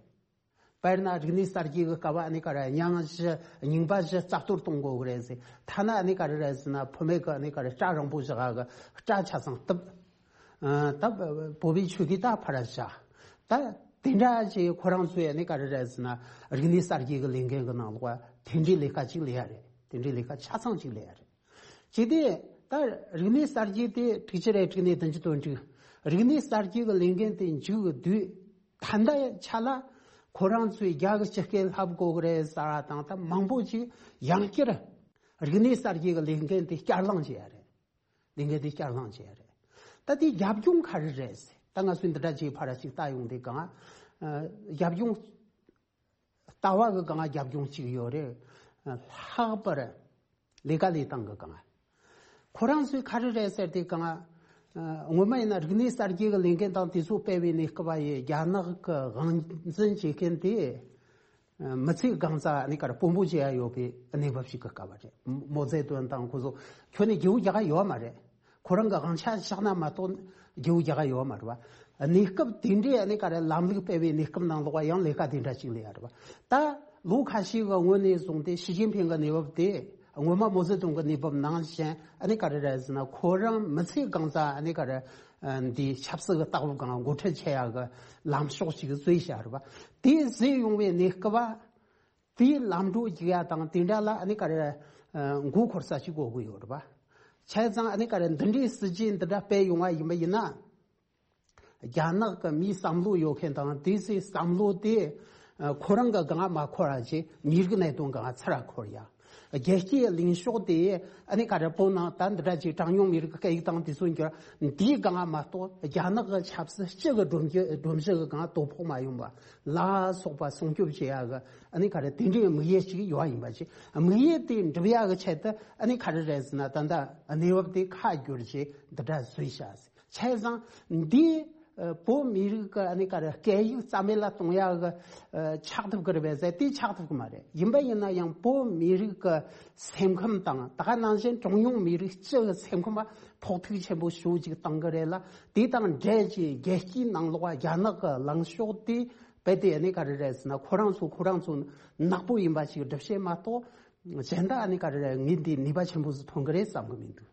དཔེར་ན་རིག་གནས་གསར་བརྗེ་གི་སྐབས་ཨ་ནི་ག་རེ་རྙིང་བཞི་རྙིང་པ་བཞི་རྩ་གཏོར་གཏོང་དགོས་གི་རེད་ཟེར། ཐ་ན་ཨ་ནི་ག་རེ་རེད་ཟེར་ན། བུད་མེད་ཀྱི་ཨ་ནི་ག་རེ་སྐྲ་རིང་པོ་བཞག་གི་སྐྲ་ཆ་ཚང་གཏུབ། ཨ་ད་བོད་པའི་ཆོས་གོས་ད་ཕར་བཞག་ད་དེ་འདྲ་ཅིག་ཁོ་རང་ཚོས་ཨ་ནི་ག་རེ་རེད་ཟེར་ན། རིག་གནས་གསར་བརྗེ་གི་ལས་འགན་གི་ནང་ལོགས་དེ་འདྲའི་ལས་ཀ་ཅིག་ལས་ཡ་རེད། དེ་འདྲའི་ལས་ཀ་ཆ་ཚང་ཅིག་ལས་ཡ་རེད། ཅི་སྟེ་ད་རིག་གནས་གསར་བརྗེ་དེ་དྲུག་ཅུ་རེ་དྲུག་ནས་བདུན་ཅུ་དོན་དྲུག་རིག་གནས་གསར་བརྗེ་གི་ལས་འགན་དེ་མཇུག་བསྡུས། ད་ལྟ་ཆ་ལ་ཁོ་རང་ཚོས་རྒྱ་གི་སྤྱི་སྐད་བསླབ་དགོས་གི་རེད་ཟེར་བ་དང་། ད་མང་པོ་ཅིག་ཡང་བསྐྱར་རིག་གནས་གསར་བརྗེ་གི་ལས་འགན་དེ་བསྐྱར་ལངས་བྱས་ཡ་རེད། ལས་འགན་དེ་བསྐྱར་ལངས་བྱས་ཡ་རེད། ད་དེའི་རྒྱབ་ལྗོངས་ག་རེ་རེད་ཟེར། ད་ང་ཚོས་འདི་འདྲ་ཅིག་ཕར་ཞིག་ལྟ་ཡོང་དུས་གང་། ཨ་རྒྱབ་ལྗོངས། ལྟ་བ་གི་སྒང་རྒྱབ་ལྗོངས་གཅིག་ཡོད་རེད། ལྷག་པར་ལས་ཀ་ལས་སྟངས་གི་སྒང་། ཁོ་རང་ཚོས་ག་རེ་རེད་ཟེར་དུས་སྒང་། སྔོན་མ་ཡིན་ན་རིག་གནས་གསར་བརྗེ་གི་ལས་འགན་དང་དེ་ཚོ་སྤེལ་བའི་གནས་སྐབས་ཡི་རྒྱ་ནག་གི་དབང་འཛིན་བྱེད་མཁན་དེ་མི་ཚེ་གང་ཙམ་ནི་ག་རེ་དཔོན་པོ་བྱེད་ཡ་ཡོད་པའི་གནས་བབ་ཞིག་གི་སྐབས་རེད། མའོ་ཙེ་ཏུང་དང་ཁོ་ཚོ་ཁྱོན་ནས་རྒྱལ་པོ་རྒྱག་ག་ཡོད་མ་རེད། ཁོ་རང་གི་དབང་ཆ་བཞག་ན་མ་གཏོགས་རྒྱལ་པོ་རྒྱག་ག་ཡོད་མ་རེད་བ། གནས་སྐབས་དེ་འདྲའི་ཨ་ནི་ག་རེ་ལམ་ལུགས་སྤེལ་བའི་གནས་སྐབས་ནང་ལོགས་ཡང་ལས་ཀ་དེ་འདྲ་ཅིག་ལས་ཡ་རེད་བ། ད་ལོ་ཁ་ཤས་ཀྱི་སྔོན་ནས་བཟུང་སྟེ་ཞི་ཅིན་ཕིང་གི་གནས་བབ་དེ་སྔོན་མ་མའོ་ཙེ་ཏུང་གི་གནས་བབ་ནང་བཞིན་ཨ་ནི་ག་རེ་རེད་ཟེར་ན། ཁོ་རང་མི་ཚེ་གང་ཙམ་ཨ་ནི་ག་རེ་འདི་ཆབ་སྲིད་ཀྱི་ལྟ་བ་སྒང་འགོ་ཁྲིད་བྱེད་ཡ་གི་ལམ་ཕྱོགས་ཅིག་བཟོས་བཞག་རེད་བ། དེ་བཟོས་ཡོང་བའི་གནས་སྐབས་བ། དེའི་ལམ་འགྲོ་རྒྱུག་ཡ་དང་དེ་འདྲ་ལ་ཨ་ནི་ག་རེ་མགོ་འཁོར་ས་ཞིག་དགོས་ཀྱི་ཡོད་རེད་བ། བྱས་ཙང་ཨ་ནི་ག་རེ་འདི་འདྲའི་སྲིད་ཇུས་འདི་འདྲ་སྤེལ་ཡོང་བ་ཡིན་པ་ཡིན་ན། རྒྱ་ནག་གི་མིའི་བསམ་བློ་ཡོད་མཁན་དང་དེ་ཚོའི་བསམ་བློ་དེ་ཁོ་རང་གི་སྒང་མ་འཁོར་བ་བྱས། མི་རིགས་གནད་དོན་སྒང་ཚུར་འཁོར་ཡ། རྒྱལ་སྤྱིའི་ལངས་ཕྱོགས་དེ་ཨ་ནི་ག་རེ་བོད་ནང་ད་འདི་འདྲ་ཅིག་གྲངས་ཉུང་མི་རིགས་ཀྱི་སྐད་ཡིག་དང་དེ་ཚོ་འགྱུར། འདིའི་སྒང་མ་གཏོགས་རྒྱ་ནག་གི་ཆབ་སྲིད་སྤྱི་གི་སྒྲོམ་གཞི་སྒྲོམ་གཞི་གི་སྒང་དོ་ཕོག་མ་ཡོང་བ་ལ་སོགས་པ་སྲུང་སྐྱོབ་བྱེད་ཡ་གི་ཨ་ནི་ག་རེ་དེ་འདྲའི་དམིགས་ཡུལ་ཅིག་ཡོད་པ་ཡིན་པ་ཅིག་དམིགས་ཡུལ་དེ་འགྲུབ་ཡ་གི་ཆེད་དུ་ཨ་ནི་ག་རེ་རེད་ཟེར་ན། ད་ལྟ་གནས་བབ་དེ་ཁ་བསྒྱུར་བྱས་འདི་འདྲ་བཟོས་བཞག་ཟེར། བྱས་ཙང་འདི་ཨ་བོད་མི་རིགས་ཀྱི་ཨ་ནི་ག་རེ་སྐད་ཡིག་རྩ་མེད་ལ་གཏོང་ཡ་གི་ཨ་ཆགས་ཐུབ་ཀྱི་རེད་པས་ཟེར། དེ་ཆགས་ཐུབ་ཀྱི་མ་རེད། ཡིན་པ་ཡིན་ན་ཡང་བོད་མི་རིགས་ཀྱི་སེམས་ཁམས་དང་ད་ག་ནང་བཞིན་གྲངས་ཉུང་མི་རིགས་སྤྱི་གི་སེམས་ཁམས་ལ་ཕོག་ཐུག་ཆེན་པོ་ཞེ་པོ་ཅིག་བཏང་གི་རེད་ལ། དེ་དང་འབྲེལ་གྱི་རྒྱལ་སྤྱིའི་ནང་ལོགས་རྒྱ་ནག་གི་ལངས་ཕྱོགས་དེ་རྦད་དེ་ཨ་ནི་ག་རེ་རེད་ཟེར་ན། ཁོ་རང་ཚོ་ཁོ་རང་ཚོ་ནག་པོ་ཡིན་པ་ཞིག་སྒྲུབ་བྱེད་མ་གཏོགས་གཞན་དག་ཨ་ནི་ག་རེ་རེད། ངས་འདི་ནུས་པ་ཆེན་པོ་ཟིག་ཐོན་གི་རེད་བསམ་གི་མི་འདུག་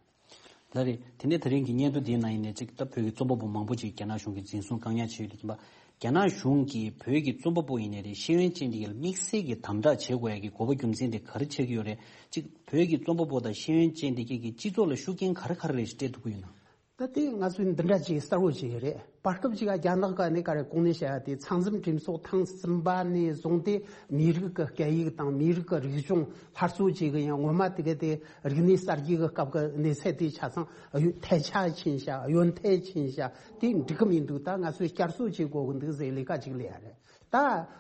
ལགས་རེད། དེ་ནས་ད་རིང་གི་སྙན་ཐོ་འདིའི་ནང་ཡིན་ནའི་གཅིག་ད་བོད་ཀྱི་རྩོམ་པ་པོ་མང་པོ་ཅིག་རྒྱ་ནག་གཞུང་གིས་འཛིན་བཟུང་བཀག་ཉར་བྱས་ཡོད་དེ་ཡིན་པ། རྒྱ་ནག་གཞུང་གིས་བོད་ཀྱི་རྩོམ་པ་པོ་ཡིན་ནའི་རེད། ཤེས་ཡོན་ཅན་དེ་གའི་དམིགས་བསལ་གྱི་དམ་དྲག་བྱེད་དགོས་ཡ་གི་དགོས་པ་རྒྱུ་མཚན་དེ་ག་རེ་ཆགས་ཀྱི་ཡོད་རེད། གཅིག་བོད་ཀྱི་རྩོམ་པ་པོ་དང་ཤེས་ཡོན་ཅན་དེ་གའི་གི་སྤྱི་ཚོགས་ལ་ཤུགས་རྐྱེན་ག་རེ་ག་རེ་རེད་ཞིག་སྤྲད་ཐུབ་ཀྱི་ཡོད་ན། ད་དེ་ང་ཚོས་འདི་འདྲ་ཅིག་གསལ་བོ་བྱེད་ཀྱི་རེད། བར་སྐབས་ཅིག་རྒྱ་ནག་གི་ཨ་ནི་ག་རེ་གོང་ནས་བཤད་ཡ་དེ་ཚང་འཛོམས་གྲོས་ཚོགས་ཐེངས་གསུམ་པ་ནས་བཟུང་སྟེ་མི་རིགས་ཀྱི་སྐད་ཡིག་དང་མི་རིགས་ཀྱི་རིག་གཞུང་སླར་གསོ་བྱེད་ཀྱི་ཡང་ངོ་མ་དེ་ག་དེ་རིག་གནས་གསར་བརྗེ་གི་སྐབས་ཀྱི་གནས་ཚད་དེ་ཆ་ཚང་ཨ་ཡོད་ཐལ་ཆ་ཕྱིན་ཤག་ཨ་ཡོད་ཐལ་ཕྱིན་ཤག་དེ་འགྲིག་གི་མི་འདུག་ད་ང་ཚོས་བསྐྱར་གསོ་བྱེད་དགོས་ཀྱི་འདུག་ཟེར་ལས་ཀ་ཅིག་ལས་ཡ་རེད། ད་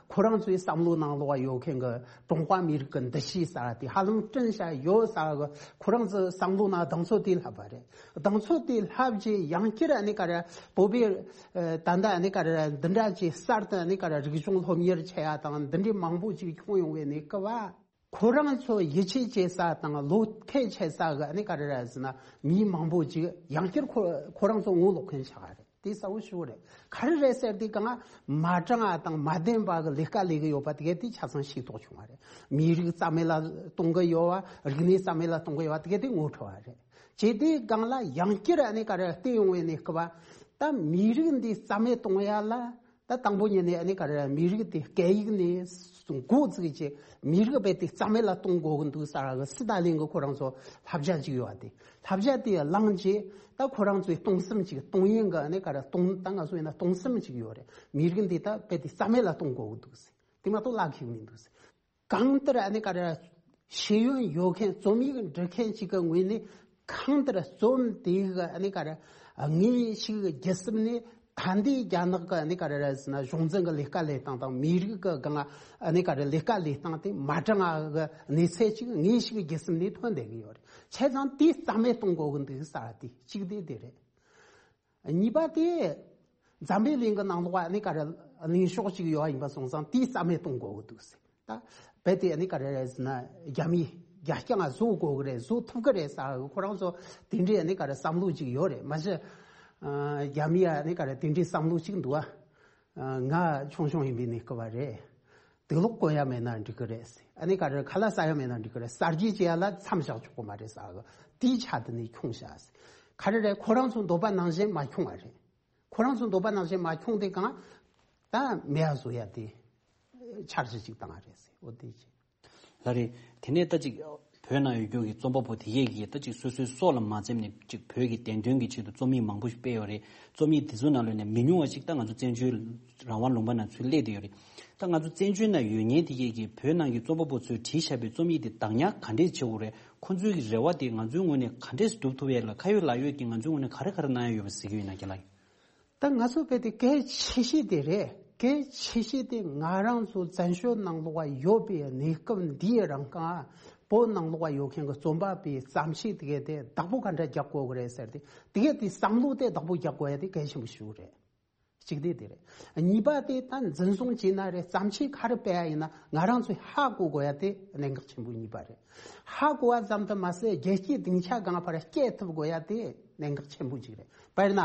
ཁོ་རང་ཚོའི་བསམ་བློ་ནང་ལོགས་ཡོད་མཁན་གྱི་ཀྲུང་ཧྭ་མི་རིགས་ཀྱི་འདུ་ཤེས་ཟེར་བ་དེ་ཧ་ལམ་བསྐྲུན་བཞག་ཡོད་ཟེར་བ་གི་ཁོ་རང་ཚོའི་བསམ་བློ་ནང་གདེང་ཚོད་དེ་ལྷབ་པ་རེད། གདེང་ཚོད་དེ་ལྷབ་རྗེས་ཡང་བསྐྱར་ཨ་ནི་ག་རེ་བོད་པའི་ཨ་ད་ལྟ་ཨ་ནི་ག་རེ་འདི་འདྲ་ཅིག་གསར་དུ་ཨ་ནི་ག་རེ་རིག་གཞུང་སློབ་གཉེར་བྱེད་ཡ་དང་འདི་འདྲའི་མང་པོ་ཅིག་བྱུང་ཡོང་བའི་གནས་སྐབས་བ། ཁོ་རང་ཚོ་ཡིད་ཆེས་བྱེད་ས་དང་བློ་ཁེལ་བྱེད་ས་གི་ཨ་ནི་ག་རེ་རེད་ཟེར་ན། མི་མང་པོ་ཅིག་ཡང་བསྐྱར་ཁོ་ཁོ་རང་ཚོ་ངོ་ལོག་མཁན་ཆགས་པ་རེད། དེ་གསལ་བོ་ཞེ་པོ་རེད། ག་རེ་རེད་ཟེར་དུས་གང་མ་དྲང་བ་དང་མ་བདེན་པ་གི་ལས་ཀ་ལས་གི་ཡོད་པ་དེ་གས་དེ་ཆ་ཚང་ཤེས་རྟོགས་བྱུང་བ་རེད། མི་རིགས་རྩ་མེད་ལ་གཏོང་གི་ཡོད་པ། རིག་གནས་རྩ་མེད་ལ་གཏོང་གི་ཡོད་པ་དེ་གས་དེ་ངོ་འཕྲོད་པ་རེད། བྱས་དུས་གང་ལ་ཡང་བསྐྱར་ཨ་ནི་ག་རེ་བལྟས་ཡོང་བའི་གནས་སྐབས་བ། ད་མི་རིགས་འདི་རྩ་མེད་གཏོང་ཡ་ལ་ ད་དང་པོ་ཉིད་ནས་ཨ་ནི་ག་རེ་མི་རིགས་དེ་སྐད་ཡིག་ནས་འགོ་བཙུགས་བྱས་མི་རིགས་རྦད་དེ་རྩ་མེད་ལ་གཏོང་དགོས་ཀྱི་འདུག་ཟེར་གི་སི་ཏཱ་ལིན་གྱི་ཁོ་རང་ཚོ་བསླབ་བྱ་ཅིག་ཡོད་པ་དེ་བསླབ་བྱ་དེ་བླངས་རྗེས་ད་ཁོ་རང་ཚོའི་གཏོང་སེམས་ཅིག་གཏོང་ཡིན་གི་ཨ་ནི་ག་རེ་གཏོང་ད་ང་ཚོ་ཡིན་ན་གཏོང་སེམས་ཅིག་ཡོད་རེད། མི་རིགས་འདི་ད་རྦད་དེ་རྩ་མེད་ལ་གཏོང་དགོས་ཀྱི་འདུག་ཟེར། དེ་མ་གཏོགས་བརླག་གི་མི་འདུག་ཟེར། གང་ལྟར་ཨ་ནི་ག་རེ་ཤེས་ཡོན་ཡོད་མཁན་རྩོམ་ཡིག་འབྲི་མཁན་ཞིག་གི་ངོས་ནས་གང་ལྟར་རྩོམ་དེ་གི་ཨ་ནི་ག་རེ་དངོས་ཤིག་བརྒྱུད་གསུམ་ནས་ད་ལྟའི་རྒྱ་ནག་གི་ཨ་ནི་ག་རེ་རེད་ཟེར་ན་གཞུང་འཛིན་གྱི་ལས་ཀ་ལས་སྟངས་དང་མི་རིགས་ཀྱི་སྒང་ཨ་ནི་ག་རེ་ལས་ཀ་ལས་སྟངས་དེ་མ་འདྲ་ང་གི་གནས་ཚད་ཅིག་དངོས་ཤིག་བརྒྱུད་གསུམ་ནས་ཐོན་བསྡད་ཀྱི་ཡོད་རེད། བྱས་ཙང་དེ་རྩ་མེད་གཏོང་དགོས་ཀྱི་འདུག་ཟེར་བ་དེ་གཅིག་དེ་དེ་རེད། གཉིས་པ་དེ། འཛམ་བུའི་གླིང་གི་ནང་ལོགས་ཨ་ནི་ག་རེ་གླེང་ཕྱོགས་ཅིག་ཡོད་པ་ཡིན་པ་སོང་ཙང་དེའི་རྩ་མེད་གཏོང་དགོས་ཀྱི་འདུག་ཟེར། ད་རྦད་དེ་ཨ་ནི་ག་རེ་རེད་ཟེར་ན་རྒྱ་མིས་རྒྱ་རྐྱང་ང་བཟོ་དགོས་ཀྱི་རེད། བཟོ་ཐུབ་ཀྱི་རེད་ཟེར་གི་ཁོ་རང་ཚོ་དེ་འདྲའི་ཨ་ནི་ག་རེ་བསམ་བློ་ཅིག་ཡོད་རེད། མ་གཞི་ཨ་རྒྱ་མིའི་ཨ་ནི་ག་རེ་དེ་འདྲའི་བསམ་བློ་ཅིག་འདུག་ཨ། ང་ཆུང་ཆུང་ཡིན་པའི་གནས་སྐབས་རེད། དུག་ལོག་གོན་ཡ་མེད་ན་འགྲིག་གི་རེད་ཟེར། ཨ་ནི་ག་རེ་ཁ་ལག་ཟ་ཡ་མེད་ན་འགྲིག་གི་རེད། གསར་བརྗེ་བྱེད་ཡ་ལ་མཚམས་བཞག་ཆོག་གི་མ་རེད་ཟེར་གི། དེའི་ཆ་དེ་ནས་ཁྱོངས་བཞག་ཟེར། ག་རེ་རེད། ཁོ་རང་ཚོ་འདོད་པ་ནང་བཞིན་མ་ཁྱོངས་པ་རེད། ཁོ་རང་ཚོ་འདོད་པ་ནང་བཞིན་མ་ཁྱོངས་དེ་གང་ད་མེད་ཡ་བཟོ་ཡ་དེ་འཆར་གཞི་ཅིག་བཏང་བ་རེད་ཟེར། འོ་དེ་བྱས། ལགས་རེད། དེ་ནས་ད་ཅིག་བོད་ནང་ཡོད་རྒྱུ་གི་རྩོམ་པ་པོ་དེ་གས་ཀྱིས་ད་ཅིག་སོ་སོའི་སྲོག་ལ་མ་འཛེམས་ནས་ཅིག་བོད་ཀྱི་བདེན་དོན་གྱི་ཆེད་དུ་རྩོམ་ཡིག་མང་པོ་ཞིག་སྤེལ་ཡོད་རེད། རྩོམ་ཡིག་དེ་ཚོའི་ནང་ལོགས་ནས་མི་ཉུང་བ་ཞིག་ད་ང་ཚོ་བཙན་བྱོལ་རང་དབང་ལུང་པ་ནང་ཚུར་སླེབས་བསྡད་ཡོད་རེད། ད་ང་ཚོ་བཙན་བྱོལ་ནང་ཡོད་མཁན་དེ་གས་ཀྱིས་བོད་ནང་གི་རྩོམ་པ་པོ་ཚོས་བྲིས་བཞག་པའི་རྩོམ་ཡིག་དེ་བདག་ཉར་ག་འདྲས་བྱེད་དགོས་རེད། ཁོ་ཚོའི་གི་རེ་བ་དེ་ང་ཚོའི་ངོས་ནས་ག་འདྲས་སྒྲུབ་ཐུབ་ཡས་ལ་ཁ་ཡོད་ལག་ཡོད་ཀྱིས་ང་ཚོའི་ངོས་ནས་ག་རེ་ག་རེ་གནང་ཡ་ཡོད་པ་གཟིགས་ཀྱི་ཡོད་ན་རྒན་ལགས། ད་ང་ཚོ་བོད་དེ་གལ་ཆེ་ཤོས་དེ་རེད། གལ་ཆེ་ཤོས་དེ་ང་རང་ཚོ་བཙན་བྱོལ་ནང་ལོགས་ཡོད་པའི་གནས་སྐབས་འདིའི་རིང་གང་བོད་ནང་ལོགས་ཡོད་མཁན་གྱི་རྩོམ་པ་པོའི་བརྩམས་ཆོས་དེ་གས་དེ་བདག་པོ་ག་འདྲ་རྒྱག་དགོས་ཀྱི་རེད་ཟེར་ཏེ་དེ་གས་དེ་བསམ་བློ་དེ་བདག་པོ་རྒྱག་དགོས་ཡ་དེ་གལ་ཆེན་པོ་ཞིག་རེད། གཅིག་དེ་དེ་རེད། གཉིས་པ་དེ་ད་འཛིན་བཟུང་བྱས་ན་རེད། བརྩམས་ཆོས་ག་རེ་སྤེལ་ཡ་ཡིན་ན་ང་རང་ཚོས་ཧ་གོ་དགོས་ཡ་དེ་གནད་འགག་ཆེན་པོ་གཉིས་པ་རེད། ཧ་གོ་བ་ཙམ་དུ་མ་ཟད་རྒྱལ་སྤྱིའི་སྡིངས་ཆ་སྒང་ཕར་སྐྱེལ་ཐུབ་དགོས་ཡ་དེ་གནད་འགག་ཆེན་པོ་གཅིག་རེད། དཔེར་ན།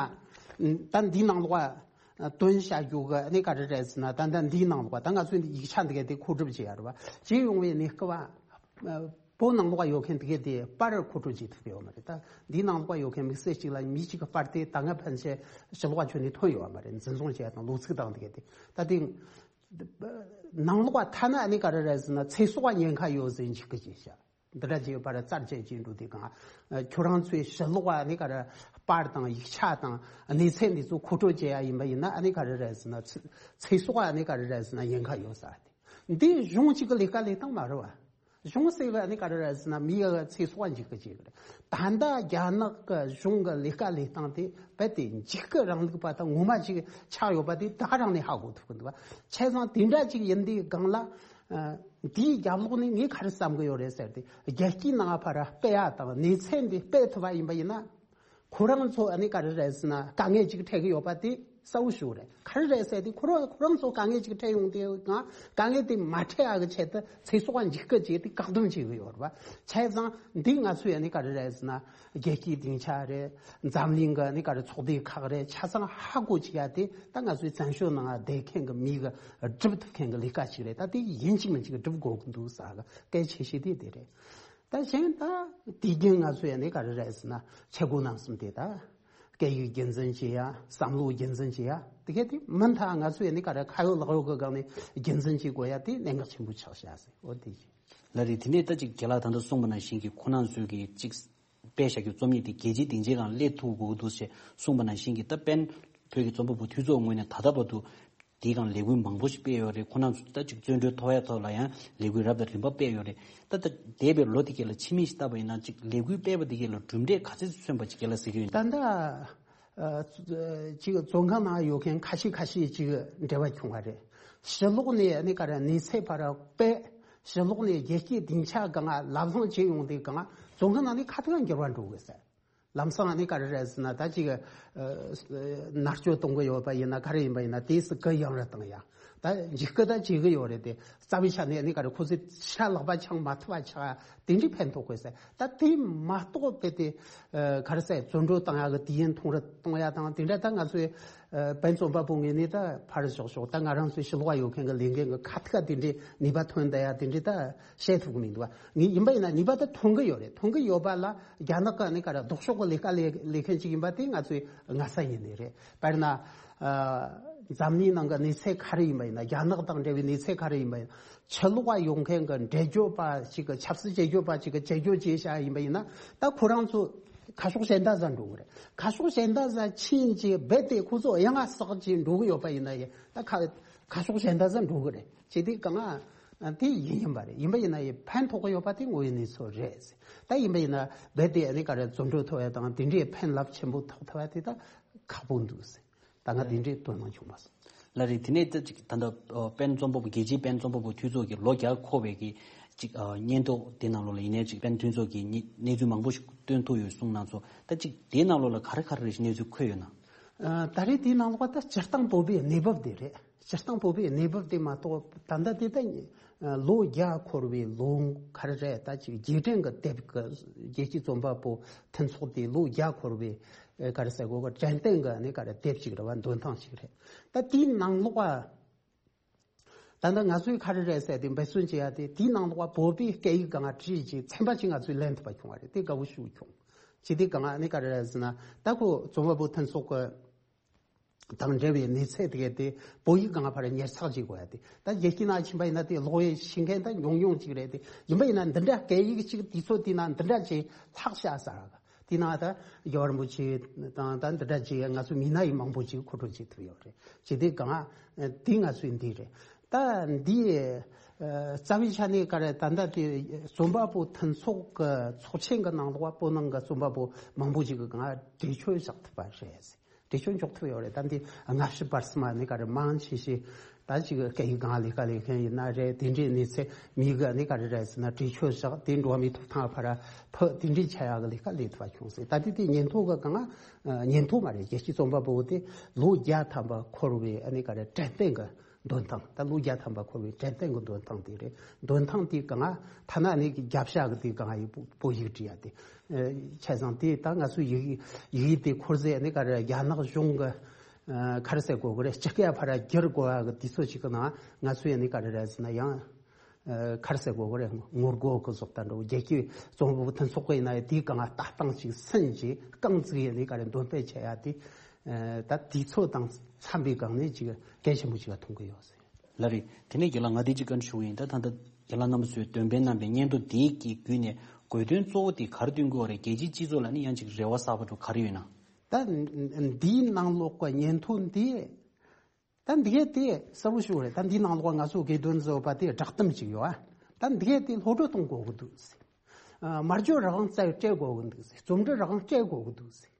ད་འདིའི་ནང་ལོགས་ཨ། དོན་བྱ་རྒྱུ་གི་ཨ་ནི་ག་རེ་རེད་ཟེར་ན་ད་ལྟ་འདིའི་ནང་ལོགས་ད་ང་ཚོས་འདི་ཡིག་ཆ་འདི་ག་དེ་མཁོ་སྒྲུབ་བྱེད་ཡ་རེད་བ། བྱེད་ཡོང་བའི་གནས་སྐབས་ཨ། བོད་ནང་ལོགས་ཡོད་མཁན་འདི་ག་དེ་པར་མཁོ་སྤྲོད་བྱེད་ཐུབ་ཡོད་མ་རེད། ད་འདིའི་ནང་ལོགས་ཡོད་མཁན་དམིགས་བསལ་གཅིག་ལ་མི་གཅིག་གི་པར་དེ་ད་སྔ་ཕན་ཆད་ཕྱི་ལོགས་ཁྱོན་ནས་ཐོན་ཡོད་མ་རེད། འཛིན་བཟུང་བྱེད་ཡ་དང་ལོ་ཚིགས་དང་འདི་ག་དེ་ད་དེ། ནང་ལོགས་ཐ་ན་ཨ་ནི་ག་རེ་རེད་ཟེར་ན་ཚེ་སྲོག་ཉེན་ཁ་ཡོད་ཟེར་འཇིགས་སྐུལ་བྱས་ཤག་འདི་འདྲ་བྱས་པར་རྩར་བཅད་ཀྱིན་འགྲོ་དུས་གང་ཁྱོད་རང་ཚོའི་ཕྱི་ལོགས་ཨ་ནི་ག་རེ་པར་དང་ཡིག་ཆ་དང་གནས་ཚད་འདི་ཚོ་མཁོ་སྤྲོད་བྱེད་ཡ་ཡིན་པ་ཡིན་ན་ཨ་ནི་ག་རེ་རེད་ཟེར་ན་ཚེ་ཚེ་སྲོག་ཨ་ནི་ག་རེ་རེད་ཟེར་ན་ཉེན་ཁ་ཡོད་ས་དེ་འདི་གཞུང་གཅིག་གི་ལས་ཀ་ལས་སྟངས་མ་རེད་བ། གཞུང་ཟེར་བ་ཨ་ནི་ག་རེ་རེད་ཟེར་ན་མི་ཡ་ཚེ་སྲོག་འཇིགས་སྐུལ་བྱེད་གི་རེད། ད་ལྟ་རྒྱ་ནག་གི་གཞུང་གི་ལས་ཀ་ལས་སྟངས་དེ་རྦད་དེ་འཇིགས་སྐུལ་རིང་ལུགས་པ་དང་ངོ་མ་ཅིག་ཆགས་ཡོད་པ་དེ་ད་ག་རང་ནས་ཧ་གོ་ཐུབ་གི་འདུག་བ། བྱས་ཙང་དེ་འདྲ་ཅིག་ཡིན་དུས་སྒང་ལ། འདིའི་རྒྱབ་ལོགས་ནས་ངས་ག་རེ་བསམ་གི་ཡོད་རེད་ཟེར་ཏེ་རྒྱལ་སྤྱིའི་ནང་ཕར་སྤེལ་ཡ་དང་གནས་ཚད་འདི་སྤེལ་ཐུབ་པ་ཡིན་པ་ཡིན་ན། ཁོ་རང་ཚོ་ཨ་ནི་ག་རེ་རེད་ཟེར་ན་དཀའ་ངལ་ཅིག་འཕྲད་གི་ཡོད་པ་དེ་གསལ་བོ་ཞིག་རེད། ག་རེ་རེད་ཟེར་ཏེ་ཁོ་རང་ཁོ་རང་ཚོ་དཀའ་ངལ་ཅིག་འཕྲད་ཡོང་དུས་ང་དཀའ་ངལ་དེ་མ་འཕྲད་ཡ་གི་ཆེད་དུ་ཚེ་སྲོག་འཇིགས་སྐུལ་བྱས་ཏེ་བཀག་སྡོམ་བྱེད་གི་ཡོད་རེད་བ། བྱས་ཙང་འདི་ང་ཚོས་ཨ་ནི་ག་རེ་རེད་ཟེར་ན་རྒྱལ་སྤྱིའི་སྡིངས་ཆ་རེད། འཛམ་གླིང་གི་ཨ་ནི་ག་རེ་ཚོགས་སྡེ་ཁག་རེད། ཆ་ཚང་ཧ་གོ་བྱེད་ཡ་དེ་ད་ང་ཚོའི་བཙན་བྱོལ་ནང་བསྡད་མཁན་གི་མི་གི་སྒྲུབ་ཐུབ་མཁན་གི་ལས་ཀ་ཞིག་རེད། ད་དེ་ཡིན་གཅིག་མིན་གཅིག་སྒྲུབ་དགོས་ཀྱི་འདུག་ཟེར་གི་གལ་ཆེ་ཤོས་དེ་དེ་རེད། ད་གཞན་ད་དུས་རྒྱུན་ང་ཚོ་ཡ་ནི་ག་རེ་རེད་ཟེར་ན་ཆས་གོས་རྣམ་གསུམ་དེ་ད་སྐད་ཡིག་རྒྱུན་འཛིན་བྱེད་ཡ། བསམ་བློ་རྒྱུན་འཛིན་བྱེད་ཡ། དེ་ག་དེ་མུ་མཐུད་ང་ཚོ་ཡ་ནི་ག་རེ་ཁ་ཡོད་ལག་ཡོད་གི་སྒང་ནས་རྒྱུན་འཛིན་བྱེད་དགོས་ཡ་དེ་གནད་འགག་ཆེན་པོ་ཆགས་བཞག་ཟེར། འོ་དེ་བཞིན། ལགས་རེད། དེ་ནས་ད་ཅིག་རྒན་ལགས་ད་ལྟ་གསུངས་པ་ནང་བཞིན་གྱི་ཁོ་རང་ཚོའི་གི་ཅིག་དཔེ་བཞག་རྒྱུ་རྩོམ་ཡིག་དེ་རྒྱལ་སྤྱིའི་སྡིངས་ཆའི་སྒང་སླེབས་ཐུབ་དགོས་ཀྱི་འདུག་ཅེས་གསུངས་པ་ནང་བཞིན་གྱི་ད་དཔེར་ན་བོད་ཀྱི་རྩོམ་པ་པོ་དེ་ཚོའི་ངོས་ནས་ད་ལྟ་བར་དུ་དེའི་སྒང་ལས་འགུལ་མང་པོ་ཞིག་སྤེལ་ཡོད་རེད། ཁོ་རང་ཚོ་ད་ཅིག་བཙོན་གྲོལ་ཐོབ་ཡ་ཐོག་ལ་ཡང་ལས་འགུལ་རབ་དང་རིམ་པ་སྤེལ་ཡོད་རེད། ད་ད་འདས་པའི་ལོ་དེ་གས་ལ་ཕྱི་མིག་ཅིག་བལྟས་པ་ཡིན་ན་ཅིག་ལས་འགུལ་སྤེལ་བ་དེ་གས་ལ་གྲུབ་འབྲས་ག་ཚོད་ཅིག་སོན་པ་ཅིག་རྒན་ལགས་གཟིགས་ཀྱི་ཡོད་ན། ད་ལྟ་ཨ་ཅིག་བཙོན་ཁང་ནང་ཡོད་མཁན་ཁ་ཤས་ཁ་ཤས་ཅིག་འབྲེལ་བ་བྱུང་བ་རེད། ཕྱི་ལོགས་ནས་ཨ་ནི་ག་རེ་གནས་ཚད་ཕར་སྤེལ། ཕྱི་ལོགས་ནས་རྒྱལ་སྤྱིའི་སྡིངས་ཆ་སྒང་ལབ་གླེང་བྱེད་ཡོང་དུས་སྒང་བཙོན་ཁང་ནང་ནས་ཁ་ཐུག་འགྱུར་བ་འགྲོ་དགོས་ཟེར། ལམ་སང་ཨ་ནི་ག་རེ་རེད་ཟེར་ན་ད་ཅིག་ཨ་མནར་གཅོད་གཏོང་གི་ཡོད་པ་ཡིན་ན་ག་རེ་ཡིན་པ་ཡིན་ན་དེས་སུ་གུ་ཡངས་རུ་བཏང་ཡ། ད་འཇིགས་སྐུལ་ད་བྱེད་གི་ཡོད་རེད་དེ་རྩ་བའི་ཆ་ནས་ཨ་ནི་ག་རེ་ཁོ་ཚོས་ཕྱིར་ལག་པ་འཆང་མ་ཐུབ་པ་ཆགས་དེ་འདྲའི་ཕན་ཐོགས་དགོས་ཟེར། ད་དེ་མ་གཏོགས་དཔེ་དེ་ཨ་ག་རེ་ཟེར་བཙོན་གྲོལ་བཏང་ཡ་གི་དུས་ཡུན་ཐུང་རུ་གཏོང་ཡ་དང་དེ་འདྲ་ད་ང་ཚོའི་ཨ་བན་རྩོམ་པ་པོ་ངོས་ནས་ད་ཕར་ཞོག་ཞོག་ད་ང་རང་ཚོའི་ཕྱི་ལོགས་ཡོད་མཁན་གི་ལས་འགན་གི་ཁ་ཐུག་དེ་འདྲའི་ནུས་པ་ཐོན་བསྡད་ཡ་དེ་འདྲའི་ད་བཤད་ཐུབ་གི་མི་འདུག་བ། ངས་ཡིན་པ་ཡིན་ན་ནུས་པ་ད་ཐོན་གི་ཡོད་རེད། ཐོན་གི་ཡོད་པ་ལ་རྒྱ་ནག་གི་ཨ་ནི་ག་རེ་ལྡོག་ཕྱོགས་གི་ལས་ཀ་ལས་ལས་མཁན་ཅིག་ཡིན་པ་དེ་ང་ཚོའི་སྔ་ས་ཡིན་ནི་རེད། དཔེར་ན་ཨ། འཛམ་གླིང་ནང་གི་གནས་ཚད་ག་རེ་ཡིན་པ་ཡིན་ན། རྒྱ་ནག་དང་འབྲེལ་བའི་གནས་ཚད་ག་རེ་ཡིན་པ་ཡིན་ན། ཕྱི་ལོགས་ལ་ཡོང་མཁན་གྱི་འགྲེལ་བརྗོད་པ་ཞིག་གི་ཆབ་སྲིད་འགྲེལ་བརྗོད་པ་ཞིག་གི་འགྲེལ་བརྗོད་བྱས་བཞག་ཡིན་པ་ཡིན་ན། ད་ཁོ་རང་ཚོ་ཁ་ཕྱོགས་གཞན་དག་ཟ་འགྲོ་གི་རེད། ཁ་ཕྱོགས་གཞན་དག་ཟ་ཕྱིན་ཅི་རྦད་དེ་ཁོ་ཚོ་ཡང་ང་ཟག་ཅིག་འགྲོ་གི་ཡོད་པ་ཡིན་ན་ཡང་། ད་ཁ་ཁ་ཕྱོགས་གཞན་དག་ཟ་འགྲོ་གི་རེད། ཅི་སྟེ་གང་ང་དེ་ཡིན་ཡིན་པ་རེད། ཡིན་པ་ཡིན་ན་ཡང་ཕན་ཐོགས་གི་ཡོད་པ་དེ་དངོས་ཡོད་གནས་ཚུལ་རེད། ད་ཡིན་པ་ཡིན་ན་རྦད་དེ་ཨ་ནི་ག་རེ་རྫུ་འཕྲུལ་ཐོབ་ཡ་དང་དེ་འདྲའི་ཕན་རླབས་ཆེན་པོ་ཐོབ་ཐུབ་ཡ་དེ་ད་ཁག་པོ་འདུག་ཟེར། ད་ང་དེ་འདྲའི་དོ་སྣང་བྱུང་བ་སོང་། ལགས་རེད། དེ་ནས་ད་ཅིག་ད་ལྟ་ཨ་པེན་རྩོམ་པ་པོ་རྒྱལ་སྤྱིའི་པེན་རྩོམ་པ་པོ་འཐུས་ཚོགས་ཀྱི་ལོ་བརྒྱ་འཁོར་བའི་གི་ཅིག་ཨ་སྙན་ཐོ་དེ་ནང་ལོགས་ལ་ཡིན་ནའི་ཅིག་པེན་འཐུས་ཚོགས་ཀྱིས་ཉི་གནས་ཚུལ་མང་པོ་ཞིག་བཏོན་ཐུབ་ཡོད་གསུངས་གནང་སོང་། ད་ཅིག་དེའི་ནང་ལོགས་ལ་ག་རེ་ག་རེ་རེ་ཞིག་གནས་ཚུལ་འཁོད་ཡོད་ན། ཨ་ད་རེས་དེའི་ནང་ལོགས་ད་སྤྱིར་བཏང་བོད་པའི་གནས་བབ་དེ་རེད། སྤྱིར་བཏང་བོད་པའི་གནས་བབ་དེ་མ་གཏོགས། ད་ལྟ་དེ་ད་ལོ་བརྒྱ་འཁོར་བའི་ལོ་ག་རེ་རེད། ད་ཅིག་རྗེས་དྲན་གྱི་དེབ་ཀྱི་རྒྱལ་སྤྱིའི་རྩོམ་པ་པོ་མཐུན་ཚོགས་དེ་ལོ་བརྒྱ་འཁོར་བའི་ཨེ་ག་རེ་ཟེར་དགོས་གི། དྲན་རྟེན་གྱི་ཨ་ནི་ག་རེ་དེབ་ཅིག་རེད་བ། འདོན་ཐངས་ཤིག་རེད། ད་དེའི་ནང་ལོགས་ཨ་ད་ལྟ་ང་ཚོས་ག་རེ་རེད་ཟེར་དེ་འབད་བརྩོན་བྱེད་ཡ་དེ། དེའི་ནང་ལོགས་ཨ་བོད་པའི་སྐད་ཡིག་སྒང་ང་བྲིས་ཀྱི་ཚན་པ་ཅིག་ང་ཚོས་ལེན་ཐུབ་པ་བྱུང་བ་རེད། དེ་དགའ་བོ་ཞེ་པོ་བྱུང་། ཅི་སྟེ་གང་ཨ་ནི་ག་རེ་རེད་ཟེར་ན། ད་ཁོ་རྩོམ་པ་པོ་མཐུན་ཚོགས་ཀྱི་དང་འབྲེལ་བའི་གནས་ཚད་དེ་གས་དེ་བོད་ཡིག་སྒང་ཕར་ཉར་ཚགས་བྱེད་དགོས་ཡ་དེ། ད་རྒྱལ་སྤྱིའི་ནང་ཕྱིན་པ་ཡིན་ན་དེ་ཀློག་ཡས་ཤེས་མཁན་ད་ཉུང་ཉུང་ཅིག་རེད་དེ། ཡིན་པ་ཡིན་ན་འདི་འདྲ་སྐད་ཡིག་ཅིག་དུས་ཚོད་དེ་ན་འདི་འདྲ་ཅིག་ལྷག་བཞག་ས་ར། དེ་ན་ད་རྒྱལ་བ་རིན་པོ་ཆེ་དང་ད་འདི་འདྲ་ཅིག་ང་ཚོ་མི་སྣ་ཡི་མང་པོ་ཅིག་མཁོ་སྤྲོད་བྱེད་ཐུབ་ཡོད་རེད། ཅི་སྟེ་གང་དེ་ང་ཚོའི་འདི་རེད། ད་འདི་ཨ་རྩ་བའི་ཆ་ནས་ག་རེ། ད་ལྟ་དེ་རྩོམ་པ་པོ་མཐུན་ཚོགས་ཀྱི་ཚོགས་ཆེན་གྱི་ནང་ལོགས་བོད་ནང་གི་རྩོམ་པ་པོ་མང་པོ་ཅིག་གི་སྒང་འགྲེལ་བརྗོད་བཞག་ཐུབ་པ་རེད། འགྲེལ་བརྗོད་འཇོག་ཐུབ་ཡོད་རེད། ད་འདི་སྔ་ཕྱི་བར་གསུམ་ཨ་ནི་ག་རེ་མང་ཆེ་ཤོས་ད་ཅིག་སྐད་ཡིག་སྒང་ལས་ཀ་ལས་མཁན་ཡིན་ན་རེད། དེ་འདྲའི་གནས་ཚད་མི་གི་ཨ་ནི་ག་རེ་རེད་ཟེར་ན་འགྲེལ་བརྗོད་བཞག་དེ་འགྲོ་བ་མིའི་ཐོབ་ཐང་ཕར་ཕུད། དེ་འདྲའི་ཆ་ཡག་གི་ལས་ཀ་ལས་ཐུབ་པ་བྱུང་ཟེར། ད་དེ་དེ་སྙན་ཐོ་གི་སྒང་ཨ་སྙན་ཐོ་མ་རེད། རྒྱལ་སྤྱིའི་རྩོམ་པ་པོ་དེ་ལོ་བརྒྱ་ཐམ་པ་འཁོར་བའི་ཨ་ནི་ག་རེ་དྲན་རྟེན་གྱི་འདོན་ཐངས། ད་ལོ་བརྒྱ་ཐམ་པ་འཁོར་བའི་དྲན་རྟེན་གྱི་འདོན་ཐངས་དེ་རེད། འདོན་ཐངས་དེ་གང་ཨ་ཐ་ན་ནི་རྒྱབ་ཤ་གི་དེ་གང་ཨ་ཡི་བོད་ཡིག་བྲིས་ཡ་དེ། ཨ་བྱས་ཙང་དེ་ད་ང་ཚོའི་ཡིག་ཡིག་དེ་འཁོར་ཟས་ནི་ག་རེ་རྒྱ་ནག་གཞུང་གི་ཨ་ག་རེ་ཟེར་དགོས་གི་རེད། སྤྱི་སྐད་ཕར་བསྒྱུར་དགོས་ཡ་གི་དུས་ཚོད་ཅིག་གི་ནང་ང་ཚོས་ནི་ག་རེ་རེད་ཟེར་ན་ཡང་ཨ་ག་རེ་ཟེར་དགོས་གི་རེད། ངོ་རྒོལ་གི་བཟོ་ལྟ་འགྲོ། རྒྱལ་སྤྱིའི་རྩོམ་པ་པོ་མཐུན་ཚོགས་གི་ཡིན་ན་ཡང་དེའི་སྒང་ལ་ལྟ་སྟངས་ཅིག་སུན་ཅིག་རྐང་བཙུགས་ཡ་ནི་ག་རེ་འདོན་སྤེལ་བྱེད་ཡ་དེ། ཨ་ད་དུས་ཚོད་དང་འཚམ་པའི་སྒང་ནས་ཅིག་གལ་ཆེན་པོ་ཅིག་ལ་མཐོང་གི་ཡོད་ཟེར། ལགས་རེད། དེ་ནས་རྒན་ལགས་ང་འདི་གཅིག་བཀའ་འདྲི་ཞུ་གི་ཡིན། ད་ད་ལྟ་རྒན་ལགས་རྣམ་པ་ཚོས་འདོན་སྤེལ་གནང་པའི་སྙན་ཐོ་འདིའི་གི་བརྒྱུད་ནས་དགོས་དོན་གཙོ་བོ་དེ་ག་རེ་སྟོན་དགོས་རེད། རྒྱལ་སྤྱིའི་སྤྱི་ཚོགས་ལ་ནི་ཡང་ཅིག་རེ་བ་གསར་པ་འདྲ་ག་རེ་ཡོད་ན། ད་འདིའི་ནང་ལོགས་ཀྱི་སྙན་ཐོ་འདི་ད་འདི་གས་དེ་གསལ་པོ་ཞུ་རེད། ད་འདིའི་ནང་ལོགས་ང་ཚོ་དགེ་འདུན་བཟོ་བ་དེ་བསྒྲགས་གཏམ་ཅིག་ཡོད་ཨ། ད་འདི་གས་དེ་སློབ་སྦྱོང་གཏོང་དགོས་ཀྱི་འདུག་ཟེར། ཨ་སྨྲ་བརྗོད་རང་དབང་རྩ་བའི་སྤྲད་དགོས་ཀྱི་འདུག་ཟེར། རྩོམ་འབྲི་རང་དབང་སྤྲད་དགོས་ཀྱི་འདུག་ཟེར།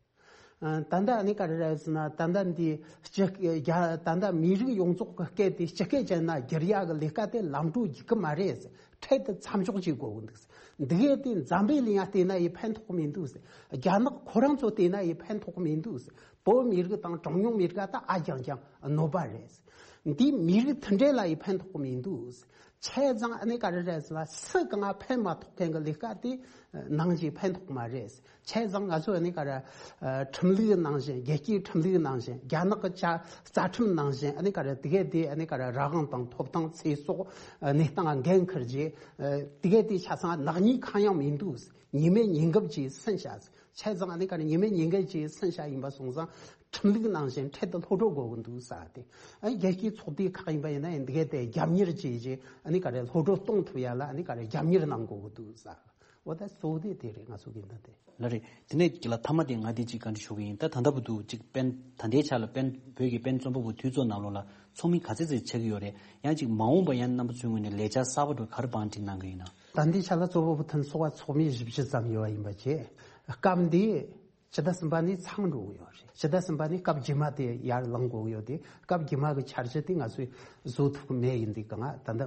ཨ་ད་ལྟ་ཨ་ནི་ག་རེ་རེད་ཟེར་ན། ད་ལྟ་འདི་སྤྱི་རྒྱ་ད་ལྟ་མི་རིགས་ཡོངས་རྫོགས་ཀྱི་སྐད་དེ་སྤྱི་སྐད་ཅན་ན་བསྒྱུར་ཡག་གི་ལས་ཀ་དེ་ལམ་འགྲོ་རྒྱུག་གི་མ་རེད་ཟེར། འཕྲལ་དུ་མཚམས་འཇོག་བྱེད་དགོས་ཀྱི་འདུག་ཟེར། འདི་གས་དེ་འཛམ་བུའི་གླིང་ཡ་བལྟས་ན་ཡི་ཕན་ཐོགས་མི་འདུག་ཟེར། རྒྱ་ནག་ཁོ་རང་ཚོ་བལྟས་ན་ཡི་ཕན་ཐོགས་མི་འདུག་ཟེར། བོད་མི་རིགས་དང་གྲངས་ཉུང་མི་རིགས་ད་ཨ་རྐྱང་རྐྱང་གནོད་པ་རེད་ཟེར། འདི་མི་རིགས་མཐུན་སྒྲིལ་ལ་ཡི་ཕན་ཐོགས་མི་འདུག་ཟེར། བྱས་ཙང་ཨ་ནི་ག་རེ་རེད་ཟེར་ན། སུ་གང་ལ་ཕན་མ་ཐོགས་མཁན་གྱི་ལས་ཀ་དེ་ནང་བཞིན་ཕན་ཐོགས་མ་རེད། བྱས་ཙང་ང་ཚོ་ཨ་ནི་ག་རེ་ཁྲིམས་ལུགས་ནང་བཞིན། རྒྱལ་སྤྱིའི་ཁྲིམས་ལུགས་ནང་བཞིན། རྒྱ་ནག་གི་བཅའ་རྩ་ཁྲིམས་ནང་བཞིན་ཨ་ནི་ག་རེ་དེ་གས་དེ་ཨ་ནི་ག་རེ་རང་དབང་དང་ཐོབ་ཐང་ཚེ་སྲོག་གནས་སྟངས་འགན་འཁུར་རྗེས་དེ་གས་དེ་ཆ་ཚང་ནག་ཉེས་གང་ཡང་མི་འདུག། ཉེས་མེད་ཉེས་འགབ་ཀྱིས་ཟིན་བྱ། བྱས་ཙང་ཨ་ནི་ག་རེ་ཉེས་མེད་ཉེས་འགལ་གྱི་ཟིན་བྱ་ཡིན་པ་སོང་ཙང་ཁྲིམས་ལུགས་ནང་བཞིན་འཕྲལ་དུ་སློབ་སྦྱོང་དགོས་ཀྱི་འདུག་ཟེར་ཏེ། ཨ་རྒྱལ་སྤྱིའི་ཚོགས་སྡེ་ཁག་ཡིན་པ་ཡིན་ན་ཡང་འདི་གའི་དེ་རྒྱབ་གཉེར་བྱས་རྗེས་ཨ་ནི་ག་རེ་སློབ་སྦྱོང་གཏོང་ཐུབ་ཡ་ལ་ཨ་ནི་ག་རེ་རྒྱབ་གཉེར་གནང་དགོས་ཀྱི་འདུག་ཟེར། འོ་ད་གཙོ་བོ་དེ་དེ་རེད། ང་ཚོ་གི་འདི་དེ། ལགས་རེད། དེ་ནས་ཀྱི་ལ་མཐའ་མ་དེ་ང་དེ་གཅིག་བཀའ་འདྲི་ཞུ་གི་ཡིན། ད་ད་ལྟ་བར་དུ་གཅིག་པེན་ད་ལྟའི་ཆ་ལ་པེན་བོད་ཀྱི་པེན་རྩོམ་པ་པོ་འཐུས་ཚོགས་ནང་ལོགས་ལ་ཚོགས་མི་ག་ཚད་ཙམ་ཆགས་ཀྱི་ཡོད་རེད། ཡང་གཅིག་མ་འོངས་པ་ཡང་རྣམ་པ་ཚོའི་ངོས་ནས་ལས་འཆར་གསར་པ་འདྲ་ག་རེ་བང་སྒྲིག་གནང་གི་ཡིན་ན། ད་ལྟའི་ཆ་ལ་རྩོམ་པ་པོ་འཐུས་ཚོགས་ལ་ཚོགས་མི་བཞི་བཅུ་ཙམ་ཡོད་པ་ཡིན་པ་བྱས། སྐབས་འདི་ཕྱི་ཟླ་གསུམ་པ་ནས་ཚང་འགྲོ་གི་ཡོད་རེད། ཕྱི་ཟླ་གསུམ་པ་ནས་སྐབས་རྗེས་མ་དེ་ཡར་ལངས་དགོས་ཀྱི་ཡོད་དེ། སྐབས་རྗེས་མ་གི་འཆར་གཞི་དེ་ང་ཚོས་བཟོ་ཐུབ་ཀྱི་མེད་ཡིན་དུས་གང་ད་ལྟ་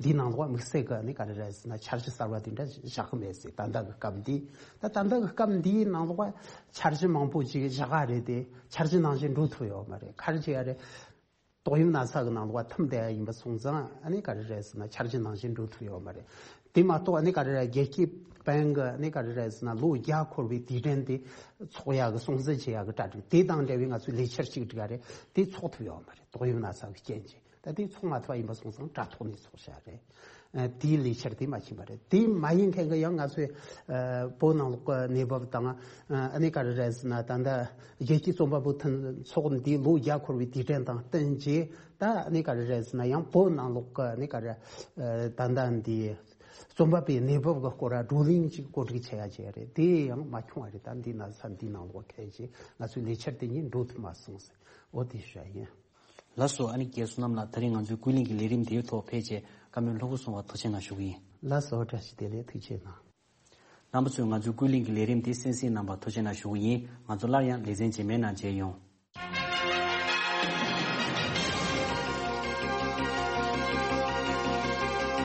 འདིའི་ནང་ལོགས་དམིགས་བསལ་གི་ནི་ག་རེ་རེད་ཟེར་ན། འཆར་གཞི་གསར་བ་དེ་འདྲ་བཞག་གི་མེད་ཟེར། ད་ལྟ་གི་སྐབས་འདི་ད་ད་ལྟ་གི་སྐབས་འདིའི་ནང་ལོགས་འཆར་གཞི་མང་པོ་ཅིག་བཞག་ག་རེད་དེ། འཆར་གཞི་ནང་བཞིན་འགྲོ་ཐུབ་ཡོད་མ་རེད། ག་རེ་བྱེད་ཡ་རེད། ཏོག་དབྱིབས་ན་ཚ་གི་ནང་ལོགས་ཐིམ་བསྡད་ཡ་ཡིན་པ་སོང་ཙང་ཨ་ནི་ག་རེ་རེད་ཟེར་ན། འཆར་གཞི་ནང་བཞིན་འགྲོ་ཐུབ་ཡོད་མ་རེད། དེ་མ་གཏོགས་ཨ་ནི་ག་རེ་རེད། རྒྱལ་སྤྱིའི་པེན་གི་ཨ་ནི་ག་རེ་རེད་ཟེར་ན། ལོ་བརྒྱ་འཁོར་བའི་དུས་དྲན་དེ་ཚོགས་ཡག་གི་སྲུང་བརྩི་བྱེད་ཡག་གི་གྲ་སྒྲིག་དེ་དང་འབྲེལ་བའི་ང་ཚོའི་ལས་འཆར་ཞིག་སྒྲིག་ཡ་རེད། དེ་ཚོགས་ཐུབ་ཡོད་མ་རེད། ཏོག་དབྱིབས་ན་ཚ་གི་རྐྱེན་གྱིས། ད་དེ་ཚོགས་མ་ཐུབ་པ་ཡིན་པ་སོང་ཙང་དྲ་ཐོག་ནས་ཚོགས་བཞག་རེད། ཨ་དེའི་ལས་འཆར་དེ་མ་ཕྱིན་པ་རེད། དེ་མ་ཡིན་མཁན་གྱི་ཡང་ང་ཚོའི་ཨ་བོད་ནང་ལོགས་ཀྱི་གནས་བབ་དང་། ཨ་ནི་ག་རེ་རེད་ཟེར་ན། ད་ལྟ་རྒྱལ་སྤྱིའི་རྩོམ་པ་པོ་མཐུན་ཚོགས་འདིའི་ལོ་བརྒྱ་འཁོར་བའི་དུས་དྲན་དང་བསྟུན་བྱས། ད་ཨ་ནི་ག་རེ་རེད་ཟེར་ན། ཡང་བོད་ནང་ལོགས་ཀྱི་ཨ་ནི་ག་རེ་ཨ་ད་ལྟ་འདི་རྩོམ་པ་པོའི་གནས་བབ་ཀྱི་སྐོར་བགྲོ་གླེང་ཅིག་གོ་སྒྲིག་བྱེད་ཡ་བྱས་རེད། དེ་ཡང་མ་བྱུང་བ་རེད། ད་འདི་ན་ས་འདི་ནང་ལོགས་ཁེལ་བྱས་ང་ཚོའི་ལས་འཆར་དེ་གཉིས་འགྲོ་ཐུབ་མ་སོང་ཟེར། འོ་དེ་ཞུ་ཡ་ཡིན། ལགས་སོ། ཨ་ནི་རྒན་བསོད་ནམས་ལགས། ད་རིང་ང་ཚོའི་ཀུན་གླེང་གི་ལས་རིམ་དེའི་ཐོག་ཕེབས་བྱས་བཀའ་མོལ་ལྷུག་པོ་གསུངས་པར་ཐུགས་རྗེ་གནང་ཞུ་གི་ཡིན། ལགས་སོ། བཀྲ་ཤིས་བདེ་ལེགས། ཐུགས་རྗེ་གནང་། རྣམ་པ་ཚོས་ང་ཚོའི་ཀུན་གླེང་གི་ལས་རིམ་དེ་གསན་གཟིགས་གནང་བར་ཐུགས་རྗེ་གནང་ཞུ་གི་ཡིན། ང་ཚོ་སླར་ཡང་ལེ་ཚན་རྗེས་མའི་ནང་མཇལ་ཡོང་།